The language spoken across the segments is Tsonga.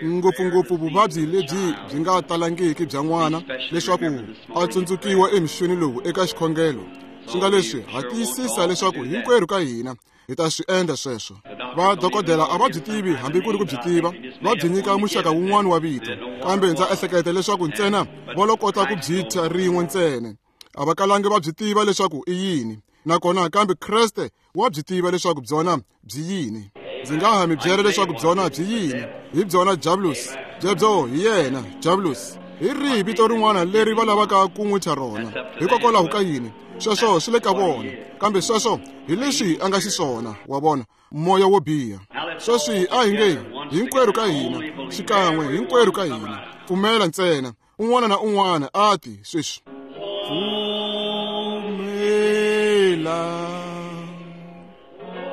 Ngopfungopfu vuvabyi lebyi byi nga talangiki bya n'wana leswaku a tsundzukiwa emixweni lowu eka xikhongelo. Swi nga leswi ha tiyisisa leswaku hinkwerhu ka hina hi ta swi endla sweswo. Va dokodela a va byi tivi hambi ku ri ku byi tiva, va byi nyika muxaka wun'wana wa vito, kambe ndza ehleketa leswaku ntsena va lo kota ku byi thya rin'we ntsena. A va kalangi va byi tiva leswaku i yini, nakona kambe Kreste wa byi tiva leswaku byona byi yini. Ndzi nga ha mi byela leswaku byona byi yini. Hi byona Diabolus, byebyo hi yena Diabolus. Hi rihi vito rin'wana leri va lavaka ku n'wi thya rona? Hikokwalaho ka yini? Sweswo swi le ka vona, kambe sweswo hi leswi a nga xiswona, wa vona, moya wo biha. Sweswi a hi nge hinkwerhu ka hina, xikan'we hinkwerhu ka hina, pfumela ntsena, un'wana na un'wana a ti sweswi. Pfumela,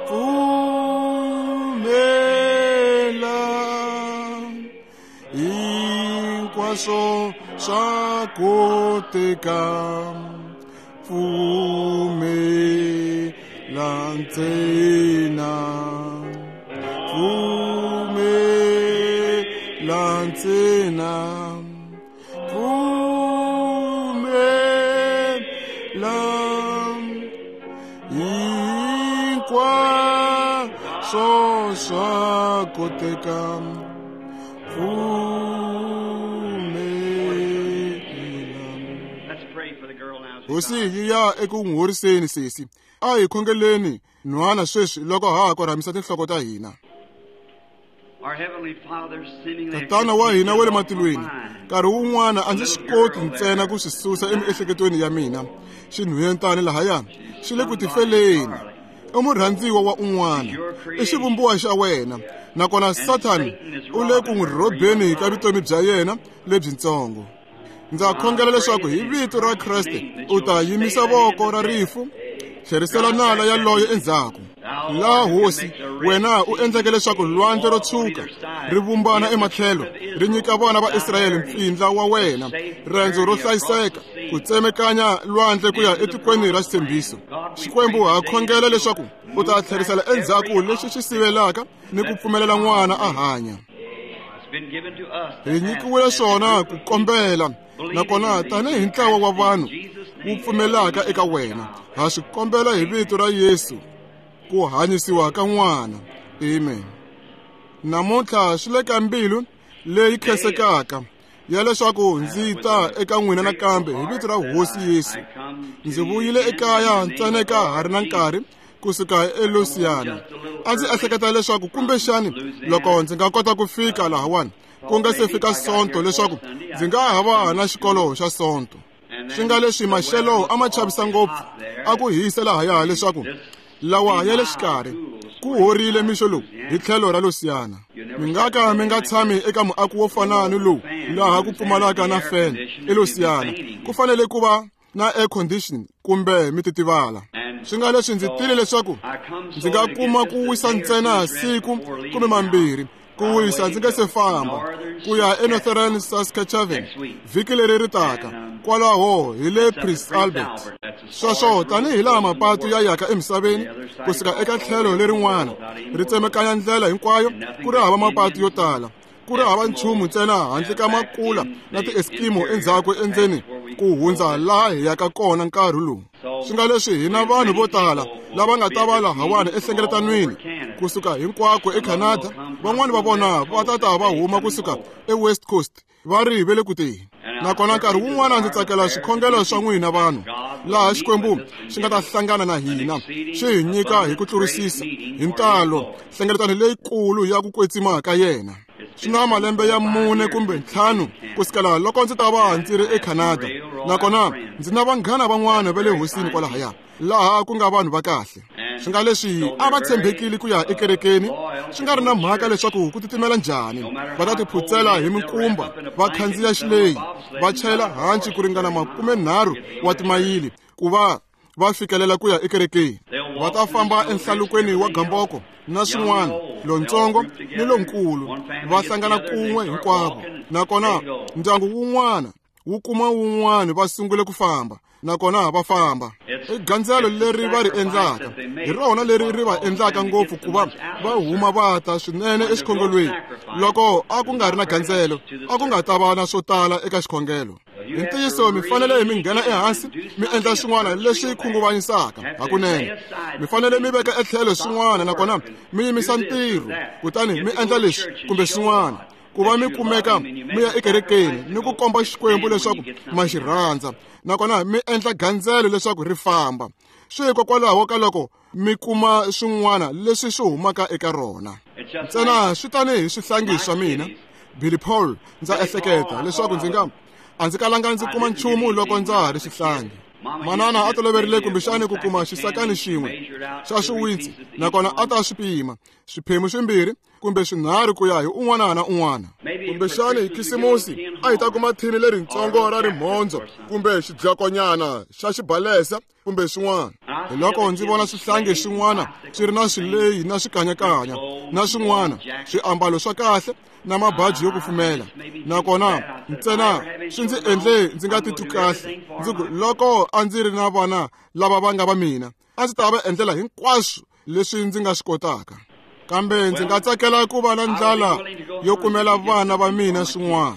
pfumela, hinkwaswo swa koteka. Pfumela ntsena, pfumela ntsena, pfumela, hinkwaswo swa koteka. Hosi yi ya eku n'wi horiseni sesi. A hi khongeleni nhwana sweswi loko ha ha korhamisa tinhloko ta hina. Tatana wa hina wa le matilweni, nkarhi wun'wana a ndzi swi koti ntsena ku swi susa emiehleketweni ya mina. Xinhwentani lahaya xi le ku tifeleni. I murhandziwa wa un'wana, i xivumbiwa xa wena, nakona Sathani u le ku n'wi rhobeni ka vutomi bya yena lebyintsongo. Ndza khongela leswaku hi vito ra Kreste u ta yimisa voko ra rifu, tlherisela nala yaloye endzhaku. Laha Hosi, wena u endleke leswaku lwandle ro tshuka ri vumbana ematlhelo, ri nyika vana va Israyele mpfindla wa wena, rendzo ro hlayiseka ku tsemekanya lwandle ku ya etikweni ra xitshembiso. Xikwembu, ha khongela leswaku u ta tlherisela endzhaku lexi xi sivelaka ni ku pfumelela n'wana a hanya. Hi nyikiwile swona ku kombela, nakona tanihi ntlawa wa vanhu wu pfumelaka eka wena, ha swi kombela hi vito ra Yesu ku hanyisiwa ka n'wana. Amen. Namuntlha swi le ka mbilu leyi khensekaka ya leswaku ndzi ta eka n'wina nakambe hi vito ra Hosi Yesu. Ndzi vuyile ekaya ntsena ka ha ri na nkarhi kusuka eLouisiana. A ndzi ehleketa leswaku kumbexani loko ndzi nga kota ku fika lahawani ku nga se fika Sonto leswaku ndzi nga ha va na xikolo xa Sonto. Swi nga leswi maxelo a ma chavisa ngopfu, a ku hisa lahaya leswaku lawa ya le xikarhi ku horile mixo lowu hi tlhelo ra Louisiana. Mi nga ka mi nga tshami eka muako wo fana ni lowu laha ku pfumalaka na fan eLouisiana. Ku fanele ku va na air conditioning kumbe mi titivala. Swi nga leswi ndzi tile leswaku ndzi nga kuma ku wisa ntsena siku kumbe mambirhi, ku wisa ndzi nga se famba ku ya eNorthern Saskatchewan vhiki leri ri taka, kwalaho hi le Prince Albert. Sweswo tanihi laha mapatu ya yaka emisaveni kusuka eka tlhelo lerin'wana ri tsemekanya ndlela hinkwayo, ku ri hava mapatu yo tala, ku ri hava nchumu ntsena handle ka makula na ti-Eskimo endzhaku endzeni ku hundza laha hi yaka kona nkarhi lowu. Swi nga leswi hi na vanhu vo tala lava nga ta va lahawani ehlengeletanweni kusuka hinkwako eCanada. Van'wani va vona va ta ta va huma kusuka eWest Coast va ri ve le ku teni. Nakona nkarhi wun'wana ndzi tsakela swikhongelo swa n'wina vanhu, laha Xikwembu xi nga ta hlangana na hina, xi hi nyika hi ku tlurisisa hi ntalo hlengeletano leyikulu ya ku kwetsima ka yena. Swi na malembe ya 4 kumbe 5 kusukela loko ndzi ta va ndzi ri eCanada, nakona ndzi na vanghana van'wana va le hosini kwalahaya, laha ku nga vanhu va kahle. Swi nga leswi a va tshembekile ku ya ekerekeni, swi nga ri na mhaka leswaku ku titimela njhani, va ta tiphutsela hi minkumba, va khandziya xileyi, va chayela hanci ku ringana 30 wa timayili ku va va fikelela ku ya ekerekeni. Va ta famba enhlalukweni wa gamboko na swin'wana, lontsongo ni lonkulu, va hlangana kun'we hinkwavo. Nakona ndyangu wun'wana wu kuma wun'wana va sungule ku famba. nakona va famba. I gandzelo leri va ri endlaka, hi rona leri ri va endlaka ngopfu ku va va huma va ta swinene exikhongelweni. Loko a ku nga ri na gandzelo, a ku nga ta va na swo tala eka xikhongelo. Hi ntiyiso mi fanele mi nghena ehansi mi endla swin'wana leswi khunguvanyisaka hakunene. Mi fanele mi veka etlhelo swin'wana nakona mi yimisa ntirho, kutani mi endla leswi kumbe swin'wana ku va mi kumeka mi ya ekerekeni ni ku komba Xikwembu leswaku ma xi rhandza, nakona mi endla gandzelo leswaku ri famba. Swi hikokwalaho ka loko mi kuma swin'wana leswi swi humaka eka rona. Ntsena swi tanihi swihlangi swa mina, Billy Paul, ndza ehleketa leswaku ndzi nga a ndzi kalanga ndzi kuma nchumu loko ndza ha ri xihlangi. Manana a toloverile kumbexani ku kuma xisakani xin'we xa swiwitsi, nakona a ta swi pima swiphemu swimbirhi kumbe swinharhu ku ya hi un'wana na un'wana. Kumbexani hi Khisimusi a hi ta kuma thini leritsongo ra rimhondzo kumbe xidyakonyana xa xibalesa kumbe swin'wana. Hi loko ndzi vona swihlangi swin'wana swi ri na swileyi na swikanyakanya na swin'wana swiambalo swa kahle na mabaji yo kufumela, nakona ntsena swi ndzi endle ndzi nga titwi kahle. Ndzi ku loko a ndzi ri na vana lava va nga va mina, a ndzi ta va endlela hinkwaswo leswi ndzi nga swi kotaka. Kambe ndzi nga tsakela ku va na ndlala yo kumela vana va mina swin'wana.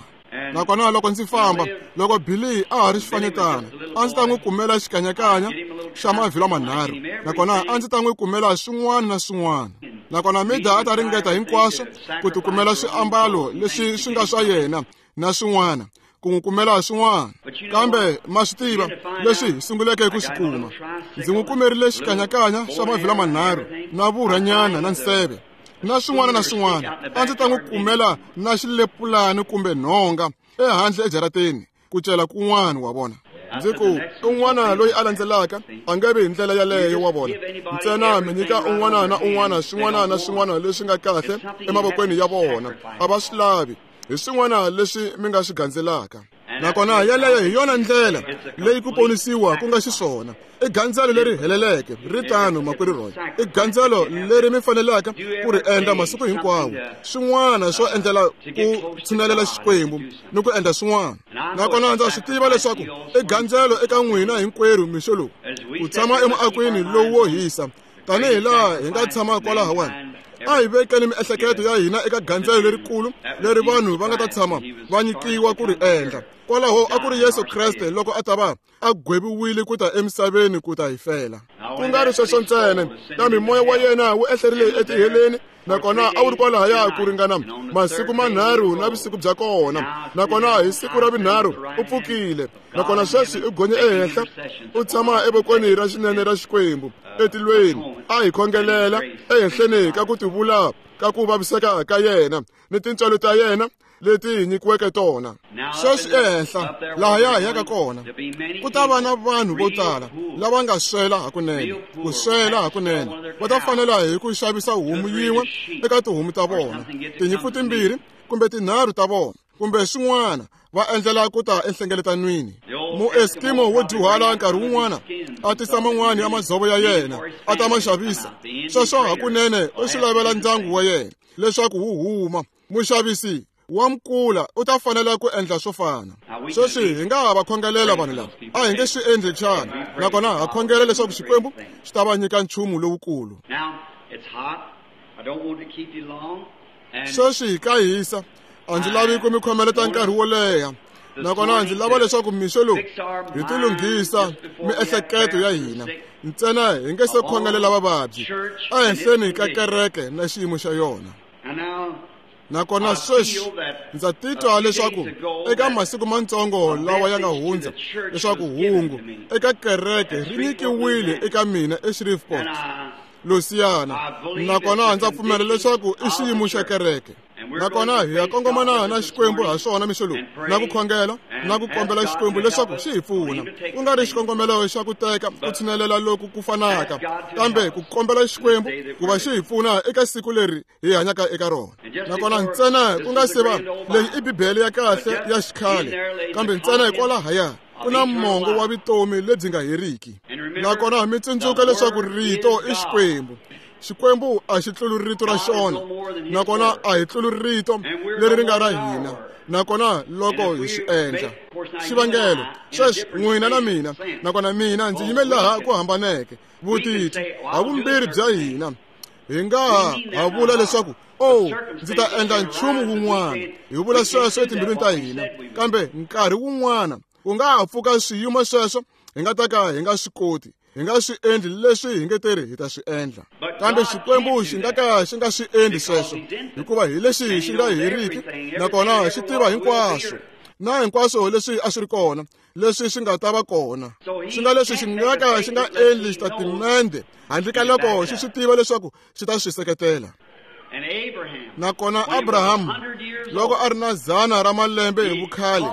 Nakona loko ndzi famba, loko Billy a ha ri xifanyetana, a ndzi ta n'wi kumela xikanyakanya xa mavhilwa manharhu, nakona a ndzi ta n'wi kumela swin'wana na swin'wana. Nakona Mida a ta ringeta hinkwaswo ku tikumela swiambalo leswi swi nga swa yena na swin'wana, ku n'wi kumela swin'wana. Kambe ma swi tiva leswi hi sunguleke ku swi kuma. Ndzi n'wi kumerile xikanyakanya xa mavhilwa manharhu na vurhanyana na nseve na swin'wana na swin'wana. A ndzi ta n'wi kumela na xilepulani kumbe nhonga ehandle ejarateni ku cela kun'wana wa vona. Ndzi ku un'wana loyi a landzelaka a nge vi hi ndlela yaleyo wa vona. Ntsena mi nyika un'wana na un'wana swin'wana na swin'wana leswi nga kahle emavokweni ya vona, a va swi lavi. Hi swin'wana leswi mi nga swi gandzelaka. Nakona yaleyo hi yona ndlela leyi ku ponisiwa ku nga xiswona. I gandzelo leri heleleke, ri tano makwerhu Roy. I gandzelo leri mi faneleke ku ri endla masiku hinkwawo, swin'wana swo endlela ku tshinelela Xikwembu ni ku endla swin'wana. Nakona ndza swi tiva leswaku i gandzelo eka n'wina hinkwerhu mixo lowu, ku tshama emuakweni lowu wo hisa tanihi laha hi nga tshama kwalahawani. A hi vekeni miehleketo ya hina eka gandzelo lerikulu leri vanhu va nga ta tshama va nyikiwa ku ri endla. Kwalaho a ku ri Yesu Kreste loko a ta va a gweviwile ku ta emisaveni ku ta hi fela. Ku nga ri sweswo ntsena, kambe moya wa yena wu ehlerile etiheleni, nakona a wu ri kwalahaya ku ringana masiku manharhu na vusiku bya kona. Nakona hi siku ra vunharhu u pfukile, nakona sweswi u gonye ehenhla, u tshama evokweni ra xinene ra Xikwembu etilweni, a hi khongelela ehenhleni ka ku tivula ka ku vaviseka ka yena ni tintswalo ta yena leti hi nyikiweke tona. Sweswi ehenhla lahaya hi yaka kona, ku ta va na vanhu vo tala lava nga swela hakunene, ku swela hakunene. Va ta fanela hi ku xavisa homu yin'we eka tihomu ta vona, tinyimpfu timbirhi kumbe tinharhu ta vona, kumbe swin'wana, va endlela ku ta enhlengeletanweni. Mueskimo wo dyuhala nkarhi wun'wana a tisa man'wana ya madzovo ya yena a ta ma xavisa. Sweswo hakunene u swi lavela ndyangu wa yena leswaku wu huma. Muxavisi wa mukula u ta fanela ku endla swo fana. Sweswi hi nga ha va khongelela vanhu lava, a hi nge swi endli xana? Nakona ha khongela leswaku Xikwembu xi ta va nyika nchumu lowukulu. Sweswi ka hisa, a ndzi lavi ku mi khomeleta nkarhi wo leha, nakona ndzi lava leswaku mixo lowu hi tilunghisa miehleketo ya hina ntsena hi nge se khongelela vavabyi ehenhleni ka kereke na xiyimo xa yona. Nakona sweswi ndza titwa leswaku eka masiku mantsongo lawa ya nga hundza leswaku hungu eka kereke ri nyikiwile eka mina eShreveport, Louisiana. Nakona ndza pfumela leswaku i xiyimo xa kereke. Nakona hi ya kongomana na Xikwembu ha swona mixo lowu, na ku khongela na ku kombela Xikwembu leswaku xi hi pfuna, ku nga ri xikongomelo xa ku teka ku tshinelela loku ku fanaka, kambe ku kombela Xikwembu ku va xi hi pfuna eka siku leri hi hanyaka eka rona. Nakona ntsena ku nga se va leyi i Bibele ya kahle ya xikhale, kambe ntsena hikwalahaya ku na mongo wa vutomi lebyi nga heriki. Nakona mi tsundzuka leswaku rito i Xikwembu. Xikwembu a xi tluli rito ra xona, nakona a hi tluli rito leri ri nga ra hina, nakona loko hi swi endla. Xivangelo sweswi n'wina na mina, nakona mina ndzi yime laha ku hambaneke vutitwi havumbirhi bya hina, hi nga ha vula leswaku oh, ndzi ta endla nchumu wun'wana, hi vula sweswo etimbilwini ta hina, kambe nkarhi wun'wana ku nga ha pfuka swiyimo sweswo hi nga ta ka hi nga swi koti, hi nga swi endli leswi hi nge teri hi ta swi endla. Kambe Xikwembu xi nga ka xi nga swi endli sweswo, hikuva hi lexi xi nga heriki, nakona xi tiva hinkwaswo na hinkwaswo leswi a swi ri kona, leswi swi nga ta va kona. Swi nga leswi xi nga ka xi nga endli xitatimende handle ka loko xi swi tiva leswaku xi ta swi seketela. Nakona Abrahamu loko a ri na 100 ra malembe hi vukhale,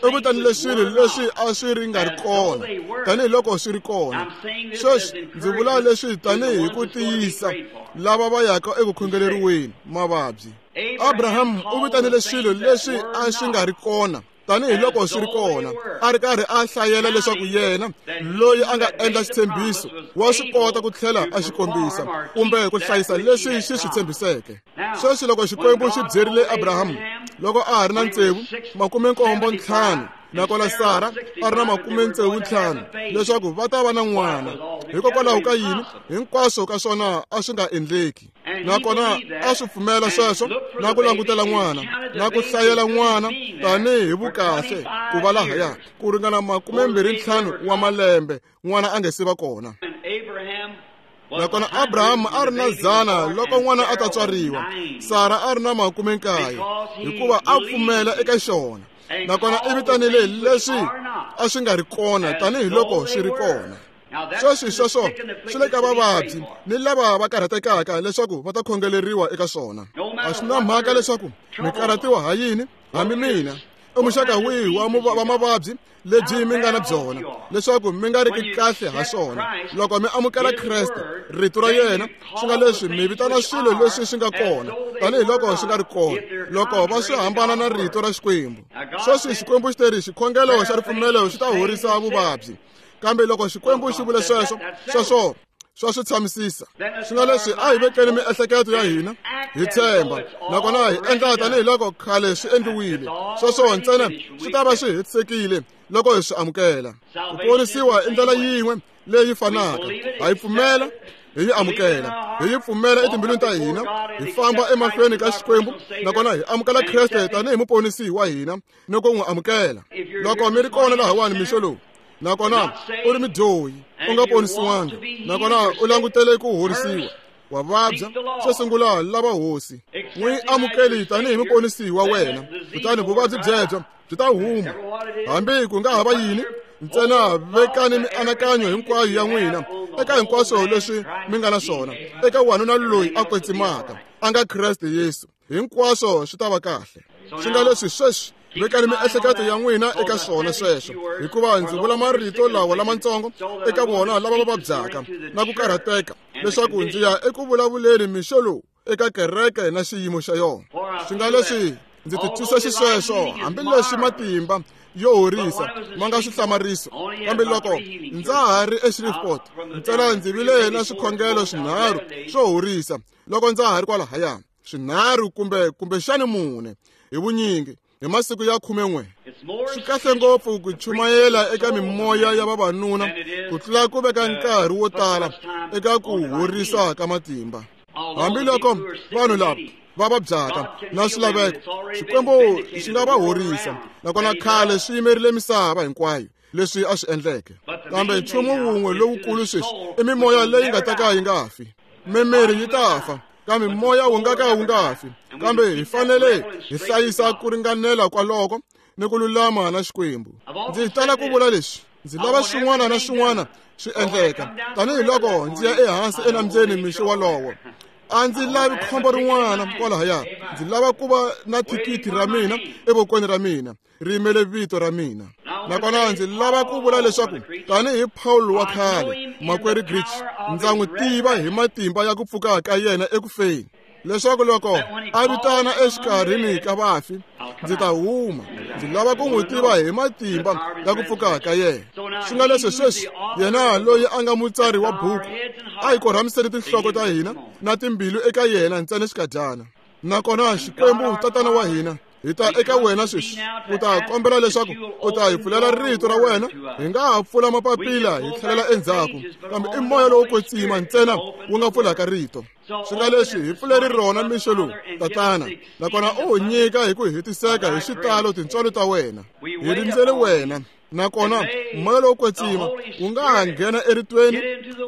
u vitanile swilo leswi a swi ri nga ri kona tanihiloko swi ri kona. Sweswi ndzi vula leswi tanihi ku tiyisa lava va yaka eku khongeleriweni mavabyi. Abrahamu u vitanile swilo leswi a swi nga ri kona tanihiloko swi ri kona, a ri karhi a hlayela leswaku yena loyi a nga endla xitshembiso wa swi kota ku tlhela a xi kombisa kumbe ku hlayisa leswi xi swi tshembiseke. Sweswi loko Xikwembu xi byerile Abrahamu loko a ha ri na 75, nakona Sara a ri na 65, leswaku va ta va na n'wana, hikokwalaho ka yini hinkwaswo ka swona a swi nga endleki? Nakona a swi pfumela sweswo na ku langutela n'wana na ku hlayela n'wana tanihi vukahle ku va lahaya ku ringana 25 wa malembe n'wana a nge se va kona. Nakona Abrahamu a ri na 100 loko n'wana a ta tswariwa, Sara a ri na 90, hikuva a pfumela eka xona. Nakona i vitanile leswi a swi nga ri kona tanihiloko swi ri kona. Sweswi sweswo swi le ka vavabyi ni lava va karhatekaka leswaku va ta khongeleriwa eka swona. A swi na mhaka leswaku mi karhatiwa ha yini, hambi mina i muxaka wihi wa mavabyi lebyi mi nga na byona, leswaku mi nga riki kahle ha swona. Loko mi amukela Kreste, rito ra yena, swi nga leswi mi vitana swilo leswi swi nga kona tanihiloko swi nga ri kona, loko va swi hambana na rito ra Xikwembu. Sweswi Xikwembu xi teri xikhongelo xa ripfumelo xi ta horisa vuvabyi, kambe loko Xikwembu xi vule sweswo, sweswo swa swi tshamisisa. Swi nga leswi a hi vekeni miehleketo ya hina hi tshemba, nakona hi endla tanihiloko khale swi endliwile. Sweswo ntsena swi ta va swi hetisekile loko hi swi amukela. Ku ponisiwa i ndlela yin'we leyi fanaka, ha yi pfumela, hi yi amukela, hi yi pfumela etimbilwini ta hina, hi famba emahlweni ka Xikwembu, nakona hi amukela Kreste tanihi muponisi wa hina ni ku n'wi amukela. Loko mi ri kona lahawani mixo lowu, nakona u ri mudyohi, u nga ponisiwanga, nakona u langutele ku horisiwa, wa vabya, xo sungula lava Hosi, n'wi amukeli tanihi muponisi wa wena, kutani vuvabyi byebyo byi ta huma. Hambi ku nga ha va yini, ntsena vekani mianakanyo hinkwayo ya n'wina eka hinkwaswo leswi mi nga na swona eka wanuna loyi a kwetsimaka, a nga Kreste Yesu. Hinkwaswo swi ta va kahle. Swi nga leswi sweswi vekani miehleketo ya n'wina eka swona sweswo, hikuva ndzi vula marito lawa lamatsongo eka vona lava va vabyaka na ku karhateka, leswaku ndzi ya eku vulavuleni mixo lowu eka kereke na xiyimo xa yona. Swi nga leswi ndzi titwisa xisweswo, hambileswi matimba yo horisa ma nga swihlamariso, kambe loko ndza ha ri eShreveport ntsena ndzi vile na swikhongelo swinharhu swo horisa loko ndza ha ri kwalahaya, swinharhu kumbexani 4 hi vunyingi hi masiku ya 11. Swi kahle ngopfu ku chumayela eka mimoya ya vavanuna ku tlula ku veka nkarhi wo tala eka ku horisa ka matimba. Hambiloko vanhu lava va vabyaka na swilaveko, Xikwembu xi nga va horisa, nakona khale swi yimerile misava hinkwayo leswi a swi endleke. Kambe nchumu wun'we lowukulu sweswi i mimoya leyi nga ta ka yi nga fi. Mimiri yi ta fa, kambe moya wu nga ka wu nga fi. Kambe hi fanele hi hlayisa ku ringanela kwaloko ni ku lulama na Xikwembu. Ndzi tala ku vula leswi, ndzi lava swin'wana na swin'wana swi endleka tanihiloko ndzi ya ehansi enambyeni mixo wolowo. A ndzi lavi khombo rin'wana kwalahaya, ndzi lava ku va na thikithi ra mina evokweni ra mina, ri yimele vito ra mina. Nakona ndzi lava ku vula leswaku tanihi Paul wa khale, makwerhu Grich, ndza n'wi tiva hi matimba ya ku pfuka ka yena ekufeni, leswaku loko a vitana exikarhini ka vafi, Ndzi ta huma. Ndzi lava ku n'wi tiva hi matimba ya ku pfuka ka yena. Swi nga leswi sweswi yena loyi a nga mutsari wa buku a hi korhamiseni tinhloko ta hina na timbilu eka yena ntsena xikadyana. Nakona Xikwembu Tatana wa hina, hi ta eka wena sweswi u ta kombela leswaku u ta hi pfulela rito ra wena. Hi nga ha pfula mapapila hi tlhelela endzhaku, kambe i moya lowo kwetsima ntsena wu nga pfulaka rito. Swi nga leswi hi pfuleri rona mixo lowu, Tatana, nakona u hi nyika hi ku hetiseka hi xitalo tintswalo ta wena. Hi rindzele wena, nakona moya lowo kwetsima wu nga ha nghena eritweni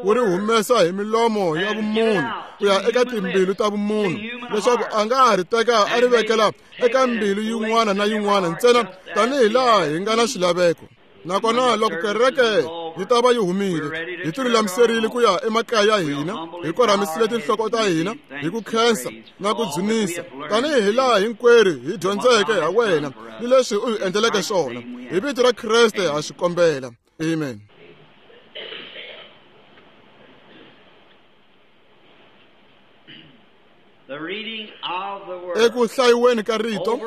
wu ri humesa hi milomo ya vumunhu ku ya eka timbilu ta vumunhu, leswaku a nga ha ri teka a ri vekela eka mbilu yin'wana na yin'wana ntsena tanihi laha hi nga na xilaveko. Nakona loko kereke yi ta va yi humile, hi tilulamiserile ku ya emakaya ya hina, hi korhamisile tinhloko ta hina hi ku khensa na ku dzunisa tanihi laha hinkwerhu hi dyondzeke ha wena ni leswi u hi endleleke swona. Hi vito ra Kreste ha swi kombela. Amen. Eku hlayiweni ka rito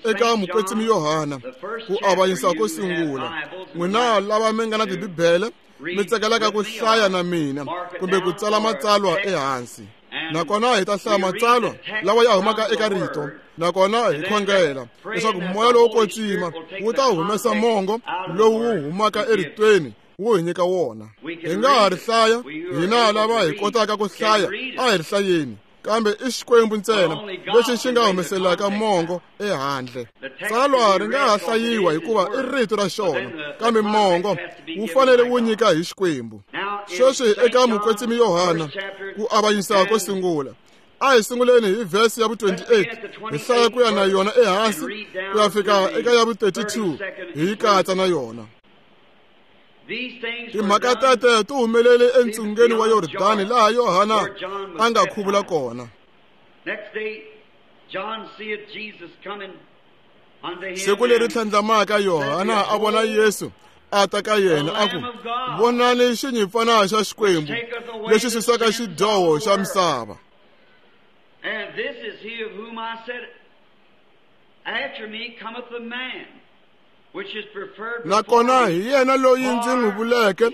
eka mukwetsimi Yohana, ku avanyisa ko sungula. N'wina lava mi nga na tibibele mi tsakelaka ku hlaya na mina kumbe ku tsala matsalwa ehansi, nakona hi ta hlaya matsalwa lawa ya humaka eka rito, nakona hi khongela leswaku moya lowo kwetsima wu ta humesa mongo lowu wu humaka eritweni wu hi nyika wona. Hi nga ha ri hlaya, hina lava hi kotaka ku hlaya a hi ri hlayeni, kambe i Xikwembu ntsena lexi xi nga humeselaka mongo ehandle. Tsalwa ri nga ha hlayiwa hikuva i rito ra xona, kambe mongo wu fanele wu nyika hi Xikwembu. Sweswi eka mukwetsimi Yohana, ku avanyisa ko sungula, a hi sunguleni hi vhesi ya vu-28, hi hlaya ku ya na yona ehansi ku ya fika eka ya vu-32, hi yi katsa na yona. Timhaka tete ti humelele entsungeni wa Yordani laha Yohana a nga khuvula kona. Siku leri tlhandlamaka Yohana a vona Yesu a ta ka yena a ku, "Vonani xinyimpfana xa Xikwembu lexi susaka xidyoho xa misava." And this is he of whom I said, after me cometh a man, Nakona hi yena loyi ndzi n'wi vuleke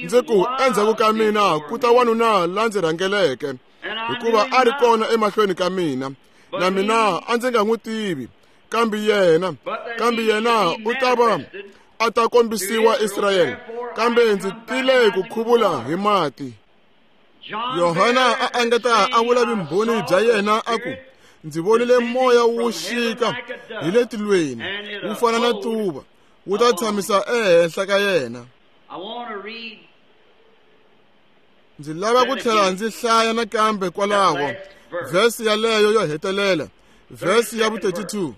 ndzi ku, endzhaku ka mina ku ta wanuna la ndzi rhangeleke, hikuva a ri kona emahlweni ka mina, na mina a ndzi nga n'wi tivi, kambe yena u ta va a ta kombisiwa Israyele, kambe ndzi tile ku khuvula hi mati. Yohana a angeta a vula vumbhoni bya yena a ku, "Ndzi vonile moya wu xika hi le tilweni, wu fana na tuva, wu ta tshamisa ehenhla ka yena." Ndzi lava ku tlhela ndzi hlaya nakambe kwalaho vhesi yaleyo yo hetelela, vhesi ya vu-32.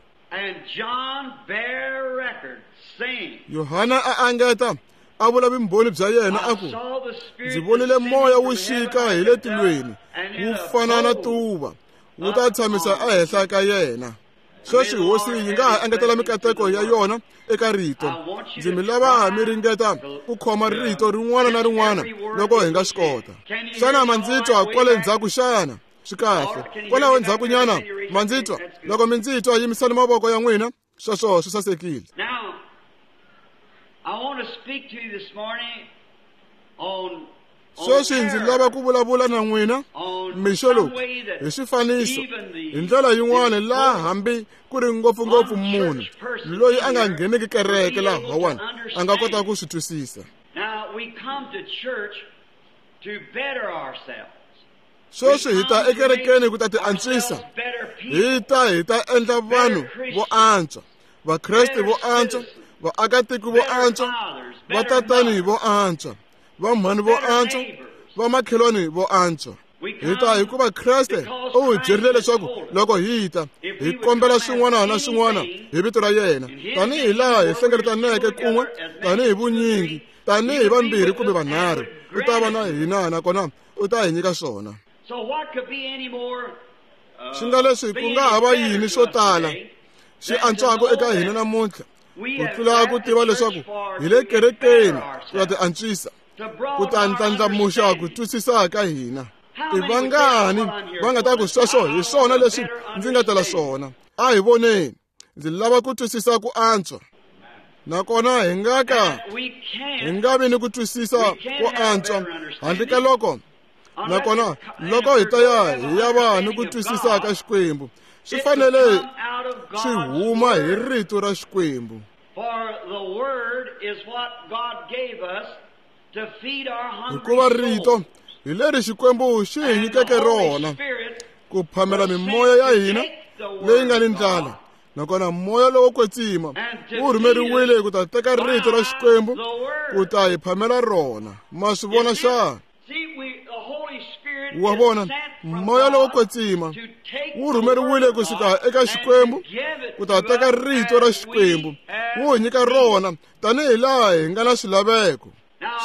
Yohana a angeta a vula vumbhoni bya yena a ku, "Ndzi vonile moya wu xika hi le tilweni, wu fana na tuva, wu ta tshamisa ehenhla ka yena." Sweswi hosi yi nga ha engetela mikateko ya yona eka rito. Ndzi mi lava mi ringeta ku khoma rito rin'wana na rin'wana loko hi nga swi kota. Xana ma ndzi twa kwale ndzhaku xana? Swi kahle. Kwalaho ndzhakunyana ma ndzi twa? Loko mi ndzi twa, yimisani mavoko ya n'wina. Sweswo swi sasekile. Sweswi ndzi lava ku vulavula na n'wina mixo lowu hi xifaniso, hi ndlela yin'wana laha hambi ku ri ngopfungopfu munhu loyi a nga ngheniki kereke lahawani a nga kota ku swi twisisa. Sweswi hi ta ekerekeni ku ta ti antswisa, hi ta endla vanhu vo antswa, Vakreste vo antswa, vaakatiko vo antswa, vatatani vo antswa, vamhani vo antswa, vamakhelwani vo antswa. Hi ta hikuva Kreste u hi byerile leswaku loko hi ta hi kombela swin'wana na swin'wana hi vito ra yena, tanihi laha hi hlengeletaneke kun'we, tanihi vunyingi, tanihi vambirhi kumbe vanharhu, u ta va na hina nakona u ta hi nyika swona. Swi nga leswi ku nga ha va yini swo tala xi antswaka eka hina namuntlha ku tlula ku tiva leswaku hi le kerekeni ku ya ti antswisa, ku ta ndlandlamuxa ku twisisa ka hina. I vangani va nga ta ku sweswo hi swona leswi ndzi nga tela swona? A hi voneni. Ndzi lava ku twisisa ku antswa. Nakona hi nga ka hi nga vi ni ku twisisa ku antswa handle ka loko nakona loko hi ta ya hi ya va ni ku twisisa ka Xikwembu swi fanele swi huma hi rito ra Xikwembu. Hikuva rito hi leri Xikwembu xi hi nyikeke rona ku phamela mimoya ya hina leyi nga ni ndlala. Nakona moya lowo kwetsima wu rhumeriwile ku ta teka rito ra Xikwembu ku ta hi phamela rona. Ma swi vona xana? Wa vona, moya lowo kwetsima wu rhumeriwile kusuka eka Xikwembu ku ta teka rito ra Xikwembu wu hi nyika rona tanihi laha hi nga na swilaveko.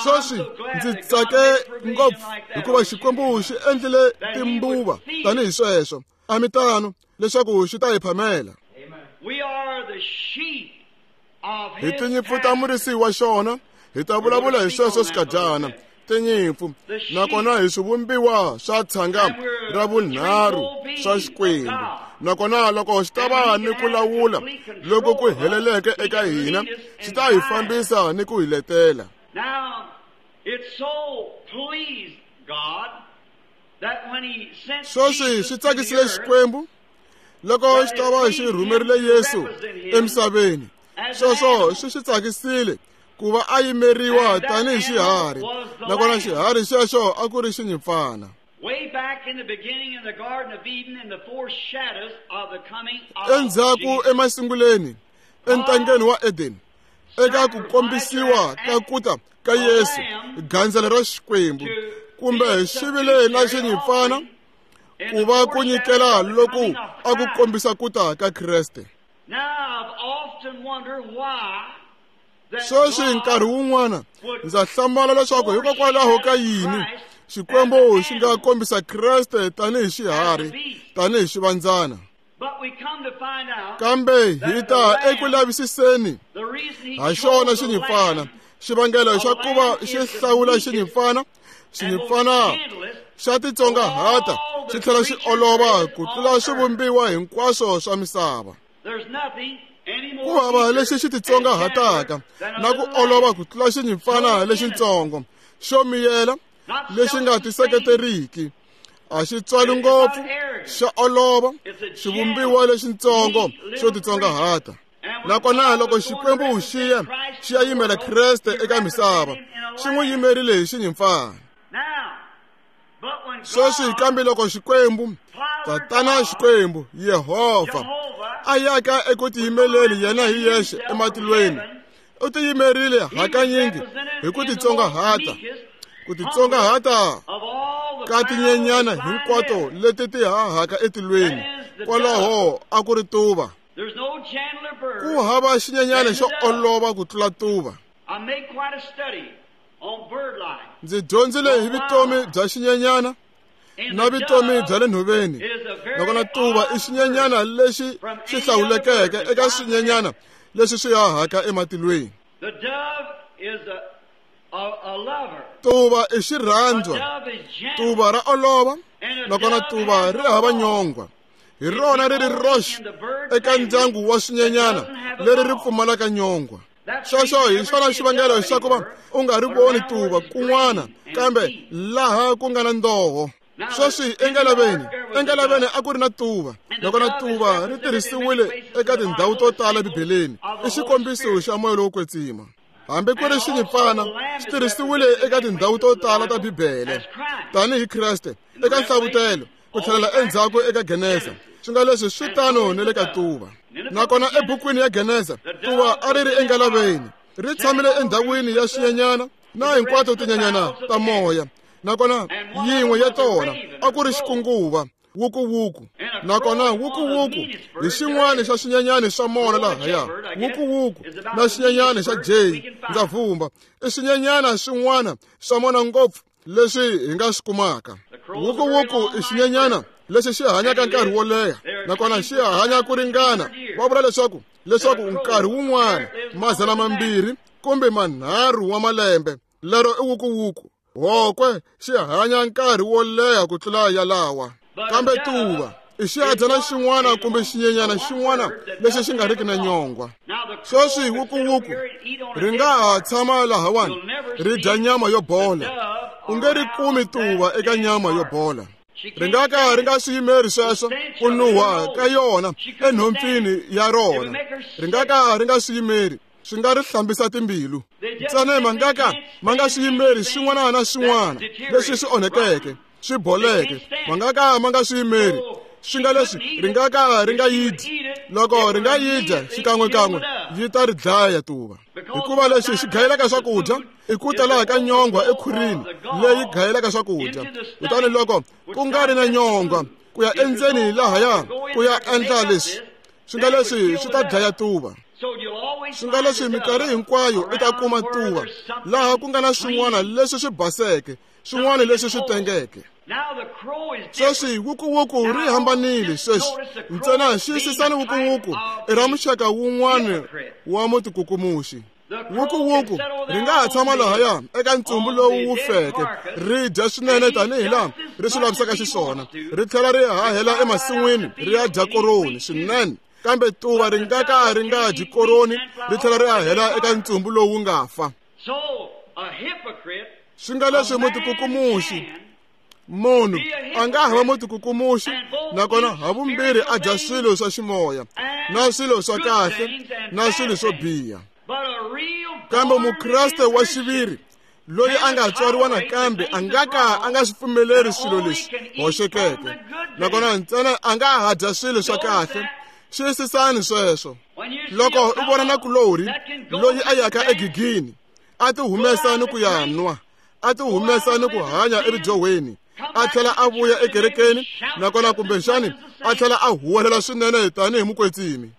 Sweswi ndzi tsake ngopfu hikuva Xikwembu xi endlile timbuva tanihi sweswo. A mi tano leswaku xi ta hi phamela. Hi tinyimpfu ta murisi wa xona, hi ta vulavula hi sweswo swikadyana. Tinyimpfu nakona hi swivumbiwa swa tshanga ra vunharhu swa Xikwembu. Nakona loko xi ta va ni ku lawula loko ku heleleke eka hina, xi ta hi fambisa ni ku hi letela. Sweswi swi tsakisile Xikwembu loko xi ta va xi rhumerile Yesu emisaveni. Sweswo swi xi tsakisile ku va a yimeriwa tanihi xiharhi, nakona xiharhi xexo a ku ri xinyimpfana. Endzhaku emasunguleni entangeni wa Eden, eka ku kombisiwa ka kuta ka Yesu, gandzelo ra Xikwembu, kumbe xi vile na xinyimpfana ku va ku nyikela loku a ku kombisa kuta ka Kreste. Sweswi nkarhi wun'wana ndza hlamala leswaku hikokwalaho ka yini Xikwembu xi nga kombisa Kreste tanihi xiharhi, tanihi xivandzana. Kambe hi ta eku lavisiseni ha xona xinyimpfana. Xivangelo xa ku va xi hlawula xinyimpfana, xinyimpfana xa titsongahata xi tlhela xi olova ku tlula swivumbiwa hinkwaswo swa misava. Ku hava lexi xi titsongahataka na ku olova ku tlula xinyimpfana lexitsongo xo miyela lexi nga tiseketeriki. A xi tswali ngopfu, xa olova, xivumbiwa lexitsongo xo titsongahata. Nakona loko Xikwembu xi ya yimela Kreste eka misava, xi n'wi yimerile hi xinyimpfana. Sweswi kambe loko Xikwembu, Tatana Xikwembu, Yehovha, a yaka eku tiyimeleni yena hi yexe ematilweni, u tiyimerile hakanyingi hi ku titsongahata, ku titsongahata ka tinyenyana hinkwato leti ti hahaka etilweni. Kwalaho a ku ri tuva. Ku hava xinyenyana xo olova ku tlula tuva. Ndzi dyondzile hi vutomi bya xinyenyana na vutomi bya le nhoveni. Nakona tuva i xinyenyana lexi xi hlawulekeke eka swinyenyana leswi swi hahaka ematilweni. Tuva i xirhandzwa, tuva ra olova, nakona tuva ri hava nyongwa. Hi rona ri ri roxe eka ndyangu wa swinyenyana leri ri pfumalaka nyongwa. Sweswo hi xona xivangelo xa ku va u nga ri voni tuva kun'wana kambe laha ku nga na ndoho. Sweswi engalaveni a ku ri na tuva, nakona tuva ri tirhisiwile eka tindhawu to tala eBibeleni. I xikombiso xa moya lowo kwetsima. Hambi ku ri xinyimpfana xi tirhisiwile eka tindhawu to tala ta Bibele tanihi Kreste eka Nhlavutelo, ku tlhelela endzhaku eka Genesa. Swi nga leswi swi tano ni le ka tuva. Nakona ebukwini ya Genesa, tuva a ri ri engalaveni, ri tshamile endhawini ya swinyenyana na hinkwato tinyenyana ta moya. Nakona yin'we ya tona a ku ri xikunguva, wukuwuku. Nakona wukuwuku hi xin'wana xa swinyenyani swa mona lahaya. Wukuwuku na xinyenyani xa jay, ndza vumba, i swinyenyana swin'wana swa mona ngopfu leswi hi nga swi kumaka. Wukuwuku i xinyenyana lexi xi hanyaka nkarhi wo leha, nakona xi hanya ku ringana. Va vula leswaku nkarhi wun'wana 200 kumbe 300 wa malembe. Lero i wukuwuku. Hokwe xi hanya nkarhi wo leha ku tlula yalawa. Kambe tuva I xihadyana xin'wana kumbe xinyenyana xin'wana lexi xi nga riki na nyongwa. Sweswi wukuwuku ri nga ha tshama lahawani ri dya nyama yo bola. U nge ri kumi tuva eka nyama yo bola. Ri nga ka ri nga swi yimeri sweswo ku nuha ka yona enhompfini ya rona. Ri nga ka ri nga swi yimeri, swi nga ri hlambisa timbilu. Ntsena ma nga ka ma nga swi yimeri swin'wana na swin'wana leswi swi onhekeke, swi boleke. Ma nga ka ma nga swi yimeri swi nga leswi ri nga ka ri nga yi dyi. Loko ri nga yi dya xikan'wekan'we yi ta ri dlaya tuva, hikuva lexi xi gayelaka swakudya i ku tala ka nyongwa ekhwirini leyi gayelaka swakudya. Kutani loko ku nga ri na nyongwa ku ya endzeni lahaya ku ya endla leswi, swi nga leswi swi ta dlaya tuva. Swi nga leswi minkarhi hinkwayo i ta kuma tuva laha ku nga na swin'wana leswi swi baseke, swin'wana leswi swi tengeke. Sweswi wukuwuku ri hambanile. Sweswi ntsena xiyisisani wukuwuku i ra muxaka wun'wana wa mutikukumuxi. Wukuwuku ri nga ha tshama lahaya eka ntsumbu lowu wu feke, ri dya swinene tanihi laha ri swi lavisaka xiswona, ri tlhela ri hahela emasin'wini ri ya dya koroni swinene. Kambe tuva ri nga ka ri nga dyi koroni ri tlhela ri hahela eka ntsumbu lowu nga fa. Swi nga leswi mutikukumuxi, munhu a nga hava mutikukumuxi nakona havumbirhi a dya swilo swa ximoya na swilo swa kahle na swilo swo biha. Kambe mukreste wa xiviri loyi a nga tswariwa nakambe a nga ka a nga swi pfumeleri swilo leswi hoxekeke, nakona ntsena a nga ha dya swilo swa kahle. Xiyisisani sweswo. Loko u vona nakulorhi loyi a yaka egigini a ti humesa ni ku ya nwa, a ti humesa ni ku hanya evidyohweni, a tlhela a vuya ekerekeni nakona kumbexani a tlhela a huwelela swinene tanihi mukwetsimi,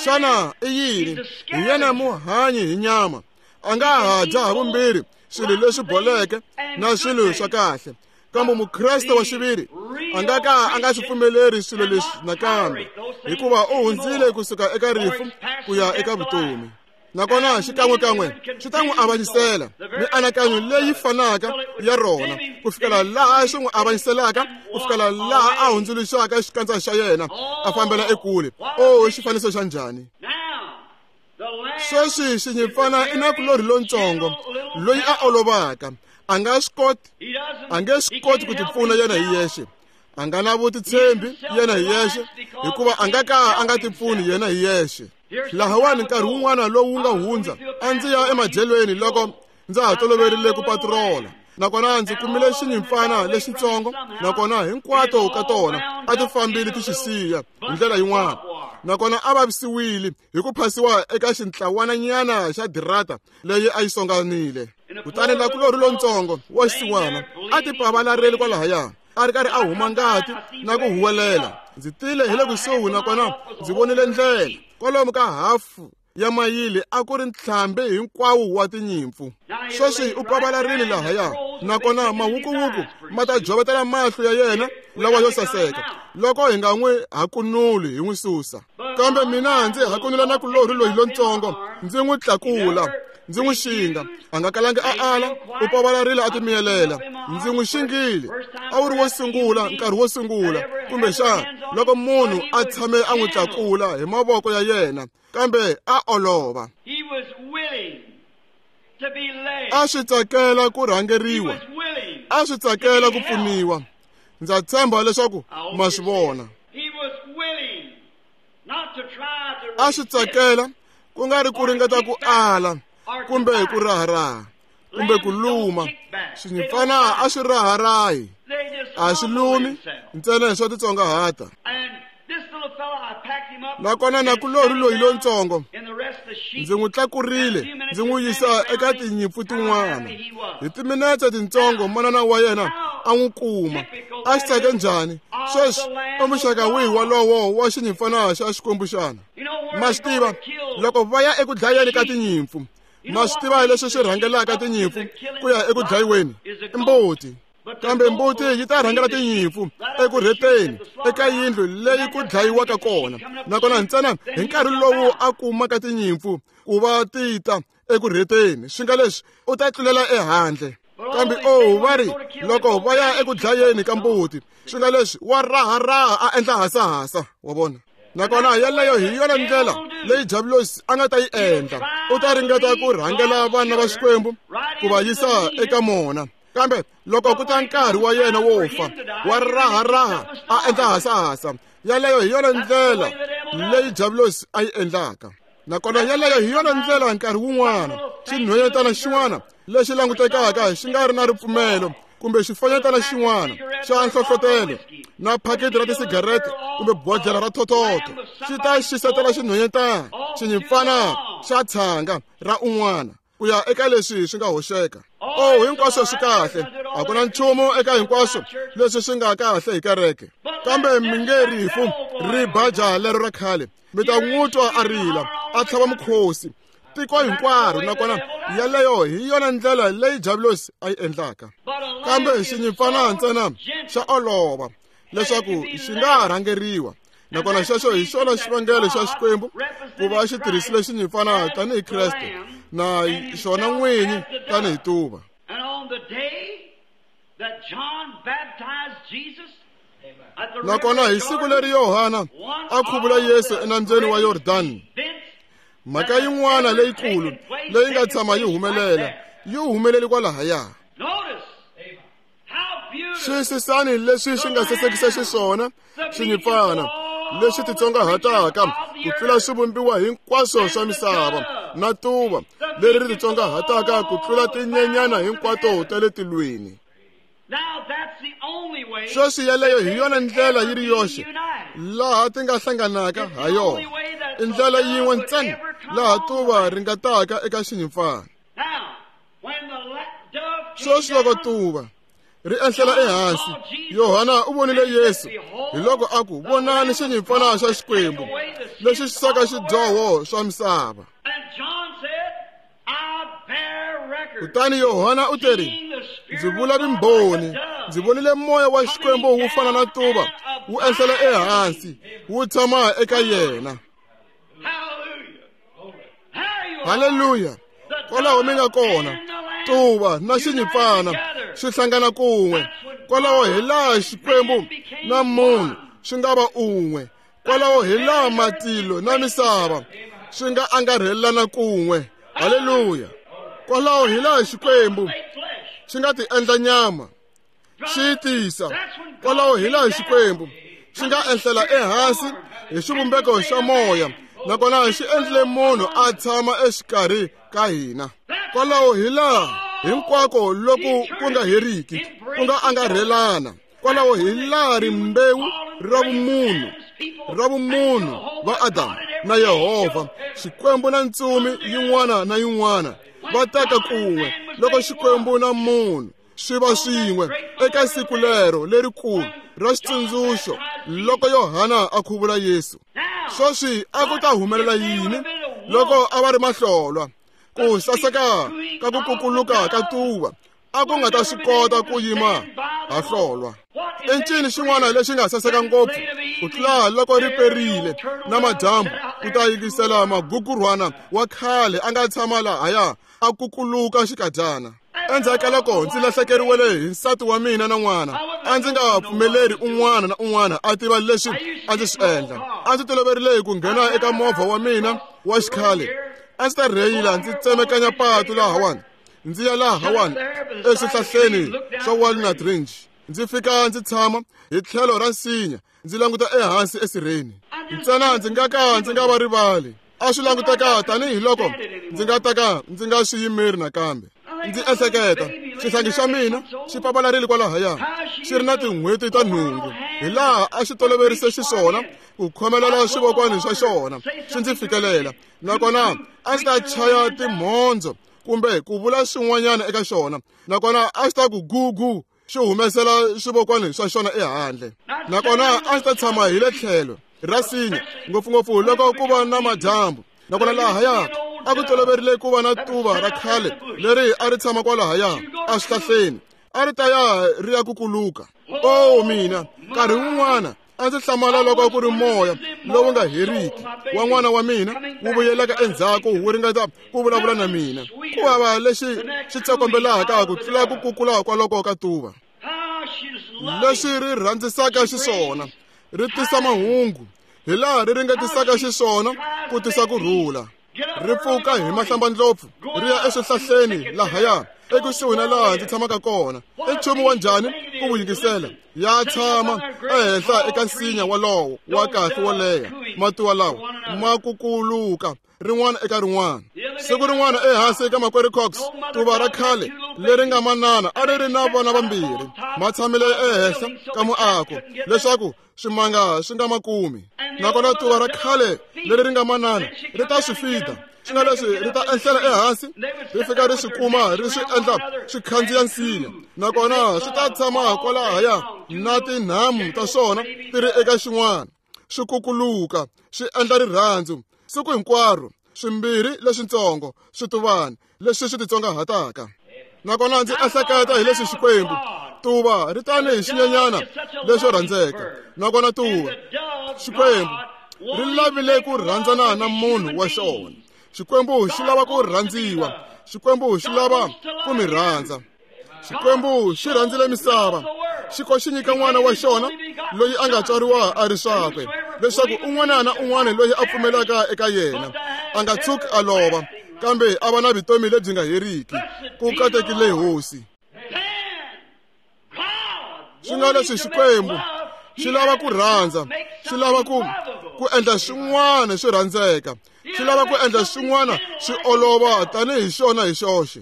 xana i yini? Hi yena muhanyi hi nyama. A nga ha dya havumbirhi swilo leswi boleke na swilo swa kahle. Kambe mukreste wa xiviri a nga ka a nga swi pfumeleri swilo leswi nakambe, hikuva u hundzile kusuka eka rifu ku ya eka vutomi. Nakona xikan'wekan'we swi ta n'wi avanyisela mianakanyo leyi fanaka ya rona ku fikela laha swi n'wi avanyiselaka, ku fikela laha a hundzuluxaka xikandza xa yena a fambela ekule. O xifaniso xa njhani! Sweswi xinyimpfana i nakulorhi lontsongo loyi a olovaka. A nga swi koti, a nge swi koti ku tipfuna yena hi yexe. A nga na vutitshembi yena hi yexe, hikuva a nga ka a nga tipfuni yena hi yexe. Lahawani nkarhi wun'wana lowu nga hundza a ndzi ya emadyelweni loko ndza ha toloverile ku patrola, nakona ndzi kumile xinyimpfana lexitsongo, nakona hinkwato ka tona a ti fambile ti xi siya hi ndlela yin'wana, nakona a vavisiwile hi ku phasiwa eka xintlawananyana xa dirata leyi a yi songanile. Kutani nakulorhi lontsongo wa xisiwana a ti pavalarile kwalahaya, a ri karhi a huma ngati na ku huwelela. Ndzi tile hi le kusuhi nakona ndzi vonile ndlela kwalomu ka hafu ya mayili a ku ri ntlhambi hinkwawo wa tinyimpfu. Sweswi u pavalarile lahaya, nakona mawukuwuku ma ta jovetela mahlo ya yena lawa yo saseka loko hi nga n'wi hakunuli hi n'wi susa. Kambe mina ndzi hakunula nakulorhi loyi lontsongo, ndzi n'wi tlakula, ndzi n'wi xinga. A nga kalangi a ala, u pavalarile a timiyelela. Ndzi n'wi xingile. A wu ri wo sungula, nkarhi wo sungula kumbexana loko munhu a tshame a n'wi tlakula hi mavoko ya yena, kambe a olova. A swi tsakela ku rhangeriwa, a swi tsakela ku pfuniwa. Ndza tshemba leswaku ma swi vona. A swi tsakela ku nga ri ku ringeta ku ala kumbe ku raharaha kumbe ku luma. Swinyimpfana a swi raharahi, a swi lumi, ntsena hi swa titsongahata. Nakona nakulorhi loyi lontsongo ndzi n'wi tlakurile ndzi n'wi yisa eka tinyimpfu tin'wana. Hi timinetse tintsongo manana wa yena a n'wi kuma. A xi tsake njhani! Sweswi i muxaka wihi walowo wa xinyimpfana xa Xikwembu xana? Ma swi tiva, loko va ya eku dlayeni ka tinyimpfu, ma swi tiva leswi swi rhangelaka tinyimpfu ku ya eku dlayiweni? I mbuti. Kambe mbuti yi ta rhangela tinyimpfu eku rheteni eka yindlu leyi ku dlayiwaka kona, nakona ntsena hi nkarhi lowu a kumaka tinyimpfu ku va ti ta eku rheteni, swi nga leswi u ta tlulela ehandle. Kambe o va ri loko va ya eku dlayeni ka mbuti, Swi nga leswi wa raharaha a endla hasahasa, wa vona. Nakona yeleyo hi yona ndlela leyi Diabulosi a nga ta yi endla. U ta ringeta ku rhangela vana va Xikwembu ku va yisa eka mona. Kambe loko ku ta nkarhi wa yena wo fa, wa raharaha a endla hasahasa. Yeleyo hi yona ndlela leyi Diabulosi a yi endlaka. Nakona yeleyo hi yona ndlela nkarhi wun'wana xinhwanyetana xin'wana lexi langutekaka xi nga ri na ripfumelo kumbe xifanyetana xin'wana xa nhlohlotelo na phaketi ra tisigarete kumbe bodlhela ra thothotho xi ta xisetela xinhwanyetana xinyimpfana xa tshanga ra un'wana ku ya eka leswi swi nga hoxeka. Oh, hinkwaswo swi kahle, a ku na nchumu eka hinkwaswo leswi swi nga kahle hi kereke. Kambe mi nge rifu ri baja lero ra khale, mi ta n'wi twa a rila a tlhava mukhosi tiko hinkwaro. Nakona yeleyo hi yona ndlela leyi Diabulosi a yi endlaka. Kambe xinyimpfana ntsena xa olova leswaku xi nga rhangeriwa. Nakona xexo hi xona xivangelo xa Xikwembu ku va xi tirhisile xinyimpfana tanihi Kreste na xona n'winyi tanihi tuva. Nakona hi siku leri Yohana a khuvula Yesu enambyeni wa Yordani, mhaka yin'wana leyikulu leyi nga tshama yi humelela yi humelele kwalahaya. Xiyisisani leswi xi nga sasekisa xiswona xinyimpfana lexi titsongahataka ku tlula swivumbiwa hinkwaswo swa misava, na tuva leri ri titsongahataka ku tlula tinyenyana hinkwato ta le tilweni. Sweswi yeleyo hi yona ndlela yi ri yoxe laha ti nga hlanganaka ha yona. I ndlela yin'we ntsena laha tuva ri nga taka eka xinyimpfana. Sweswi loko tuva ri ehlela ehansi, Yohana u vonile Yesu, hi loko a ku, vonani xinyimpfana xa Xikwembu lexi xisaka xidyoho swa misava. Kutani Yohana u teri, ndzi vula vumbhoni, ndzi vonile moya wa Xikwembu wu fana na tuva wu ehlela ehansi wu tshama eka yena. Haleluya! Kwalaho mi nga kona, tuva na xinyimpfana swi hlangana kun'we. Kwalaho hi laha Xikwembu na munhu swi nga va un'we. Kwalaho hi laha matilo na misava swi nga angarhelana kun'we. Haleluya! Kwalaho hi laha Xikwembu xi nga ti endla nyama, xi yi tisa. Kwalaho hi laha Xikwembu xi nga ehlela ehansi hi xivumbeko xa moya, nakona xi endlile munhu a tshama exikarhi ka hina. Kwalaho hi laha hinkwako loku ku nga heriki ku nga angarhelana. Kwalaho hi laha rimbewu ra vumunhu va Adamu na Yehovha, Xikwembu na ntsumi yin'wana na yin'wana va taka kun'we loko Xikwembu na munhu swi va swin'we eka siku lero lerikulu ra xitsundzuxo loko Yohana a khuvula Yesu. Sweswi a ku ta humelela yini loko a va ri mahlolwa? Ku saseka ka ku kukuluka ka tuva a ku nga ta swi kota ku yima ha hlolwa. I ncini xin'wana lexi nga saseka ngopfu ku tlula loko ri perile na madyambu ku ta yingisela magugurhwana wa khale a nga tshama lahaya a kukuluka xikadyana. Endzhaku ka loko ndzi lahlekeriwele hi nsati wa mina na n'wana, a ndzi nga pfumeleri un'wana na un'wana a tiva leswi a ndzi swi endla. A ndzi toloverile ku nghena eka movha wa mina wa xikhale, a ndzi ta rheyila ndzi tsemekanya patu lahawani, ndzi ya lahawani eswihlahleni swa Walnut Ridge. Ndzi fika ndzi tshama hi tlhelo ra nsinya, ndzi languta ehansi esirheni. Ntsena ndzi nga ka ndzi nga va rivali. A swi languteka tanihiloko ndzi nga ta ka ndzi nga swi yimeri nakambe. Ndzi ehleketa, xihlangi xa mina xi papalarile kwalahaya, xi ri na tin'hweti ta 8, hi laha a xi toloverise xiswona ku khomelela swivokwani swa xona xi ndzi fikelela. Nakona a xi ta chaya timhondzo kumbe ku vula swin'wanyana eka xona, nakona a xi ta ku gugu xi humesela swivokwani swa xona ehandle. Nakona a xi ta tshama hi le tlhelo ra nsinya, ngopfungopfu loko ku va na madyambu. Nakona lahaya a ku toloverile ku va na tuva ra khale leri a ri tshama kwalahaya eswihlahleni, a ri ta ya ri ya kukuluka. Oh mina, nkarhi wun'wana a ndzi hlamala loko ku ri moya lowu nga heriki wa n'wana wa mina wu vuyelaka endzhaku wu ringeta ku vulavula na mina. Ku hava lexi xi tsokombelaka ku tlula ku kukula kwaloko ka tuva. Leswi ri rhandzisaka xiswona, ri tisa mahungu, hi laha ri ringetisaka xiswona ku tisa ku rhula. Ri pfuka hi mahlambandlopfu ri ya eswihlahleni lahaya ekusuhi na laha ndzi tshamaka kona. I nchumu wa njhani ku wu yingisela? Ya tshama ehenhla eka nsinya walowo wa kahle wo leha, matuva lawa ma kukuluka rin'wana eka rin'wana. Siku rin'wana ehansi eka Makwerhu Cox, tuva ra khale leri nga manana a ri ri na vana vambirhi, ma tshamile ehenhla ka muako leswaku swimanga swi nga makumi. Nakona tuva ra khale leri ri nga manana ri ta swi fida, swi nga leswi ri ta enhlela ehansi, ri fika ri swi kuma, ri swi endla swi khandziya nsinya, nakona swi ta tshama kwalahaya na tinhamu ta swona ti ri eka xin'wana, swi kukuluka, swi endla rirhandzu siku hinkwaro, swimbirhi leswitsongo swituvani leswi swi titsongahataka. Nakona ndzi ehleketa hi leswi Xikwembu, tuva ri tani hi xinyenyana lexo rhandzeka, nakona tuva Xikwembu ri lavile ku rhandzana na munhu wa xona. Xikwembu xi lava ku rhandziwa, Xikwembu xi lava ku mi rhandza. Xikwembu xi rhandzile misava, xi ko xi nyika n'wana wa xona loyi a nga tswariwa a ri swakwe, leswaku un'wana na un'wana loyi a pfumelaka eka yena a nga tshuki a lova, kambe a va na vutomi lebyi nga heriki. Ku katekile Hosi. Swi nga leswi Xikwembu xi lava ku rhandza, xi lava ku endla swin'wana swi rhandzeka, xi lava ku endla swin'wana swi olova tanihi xona hi xoxe.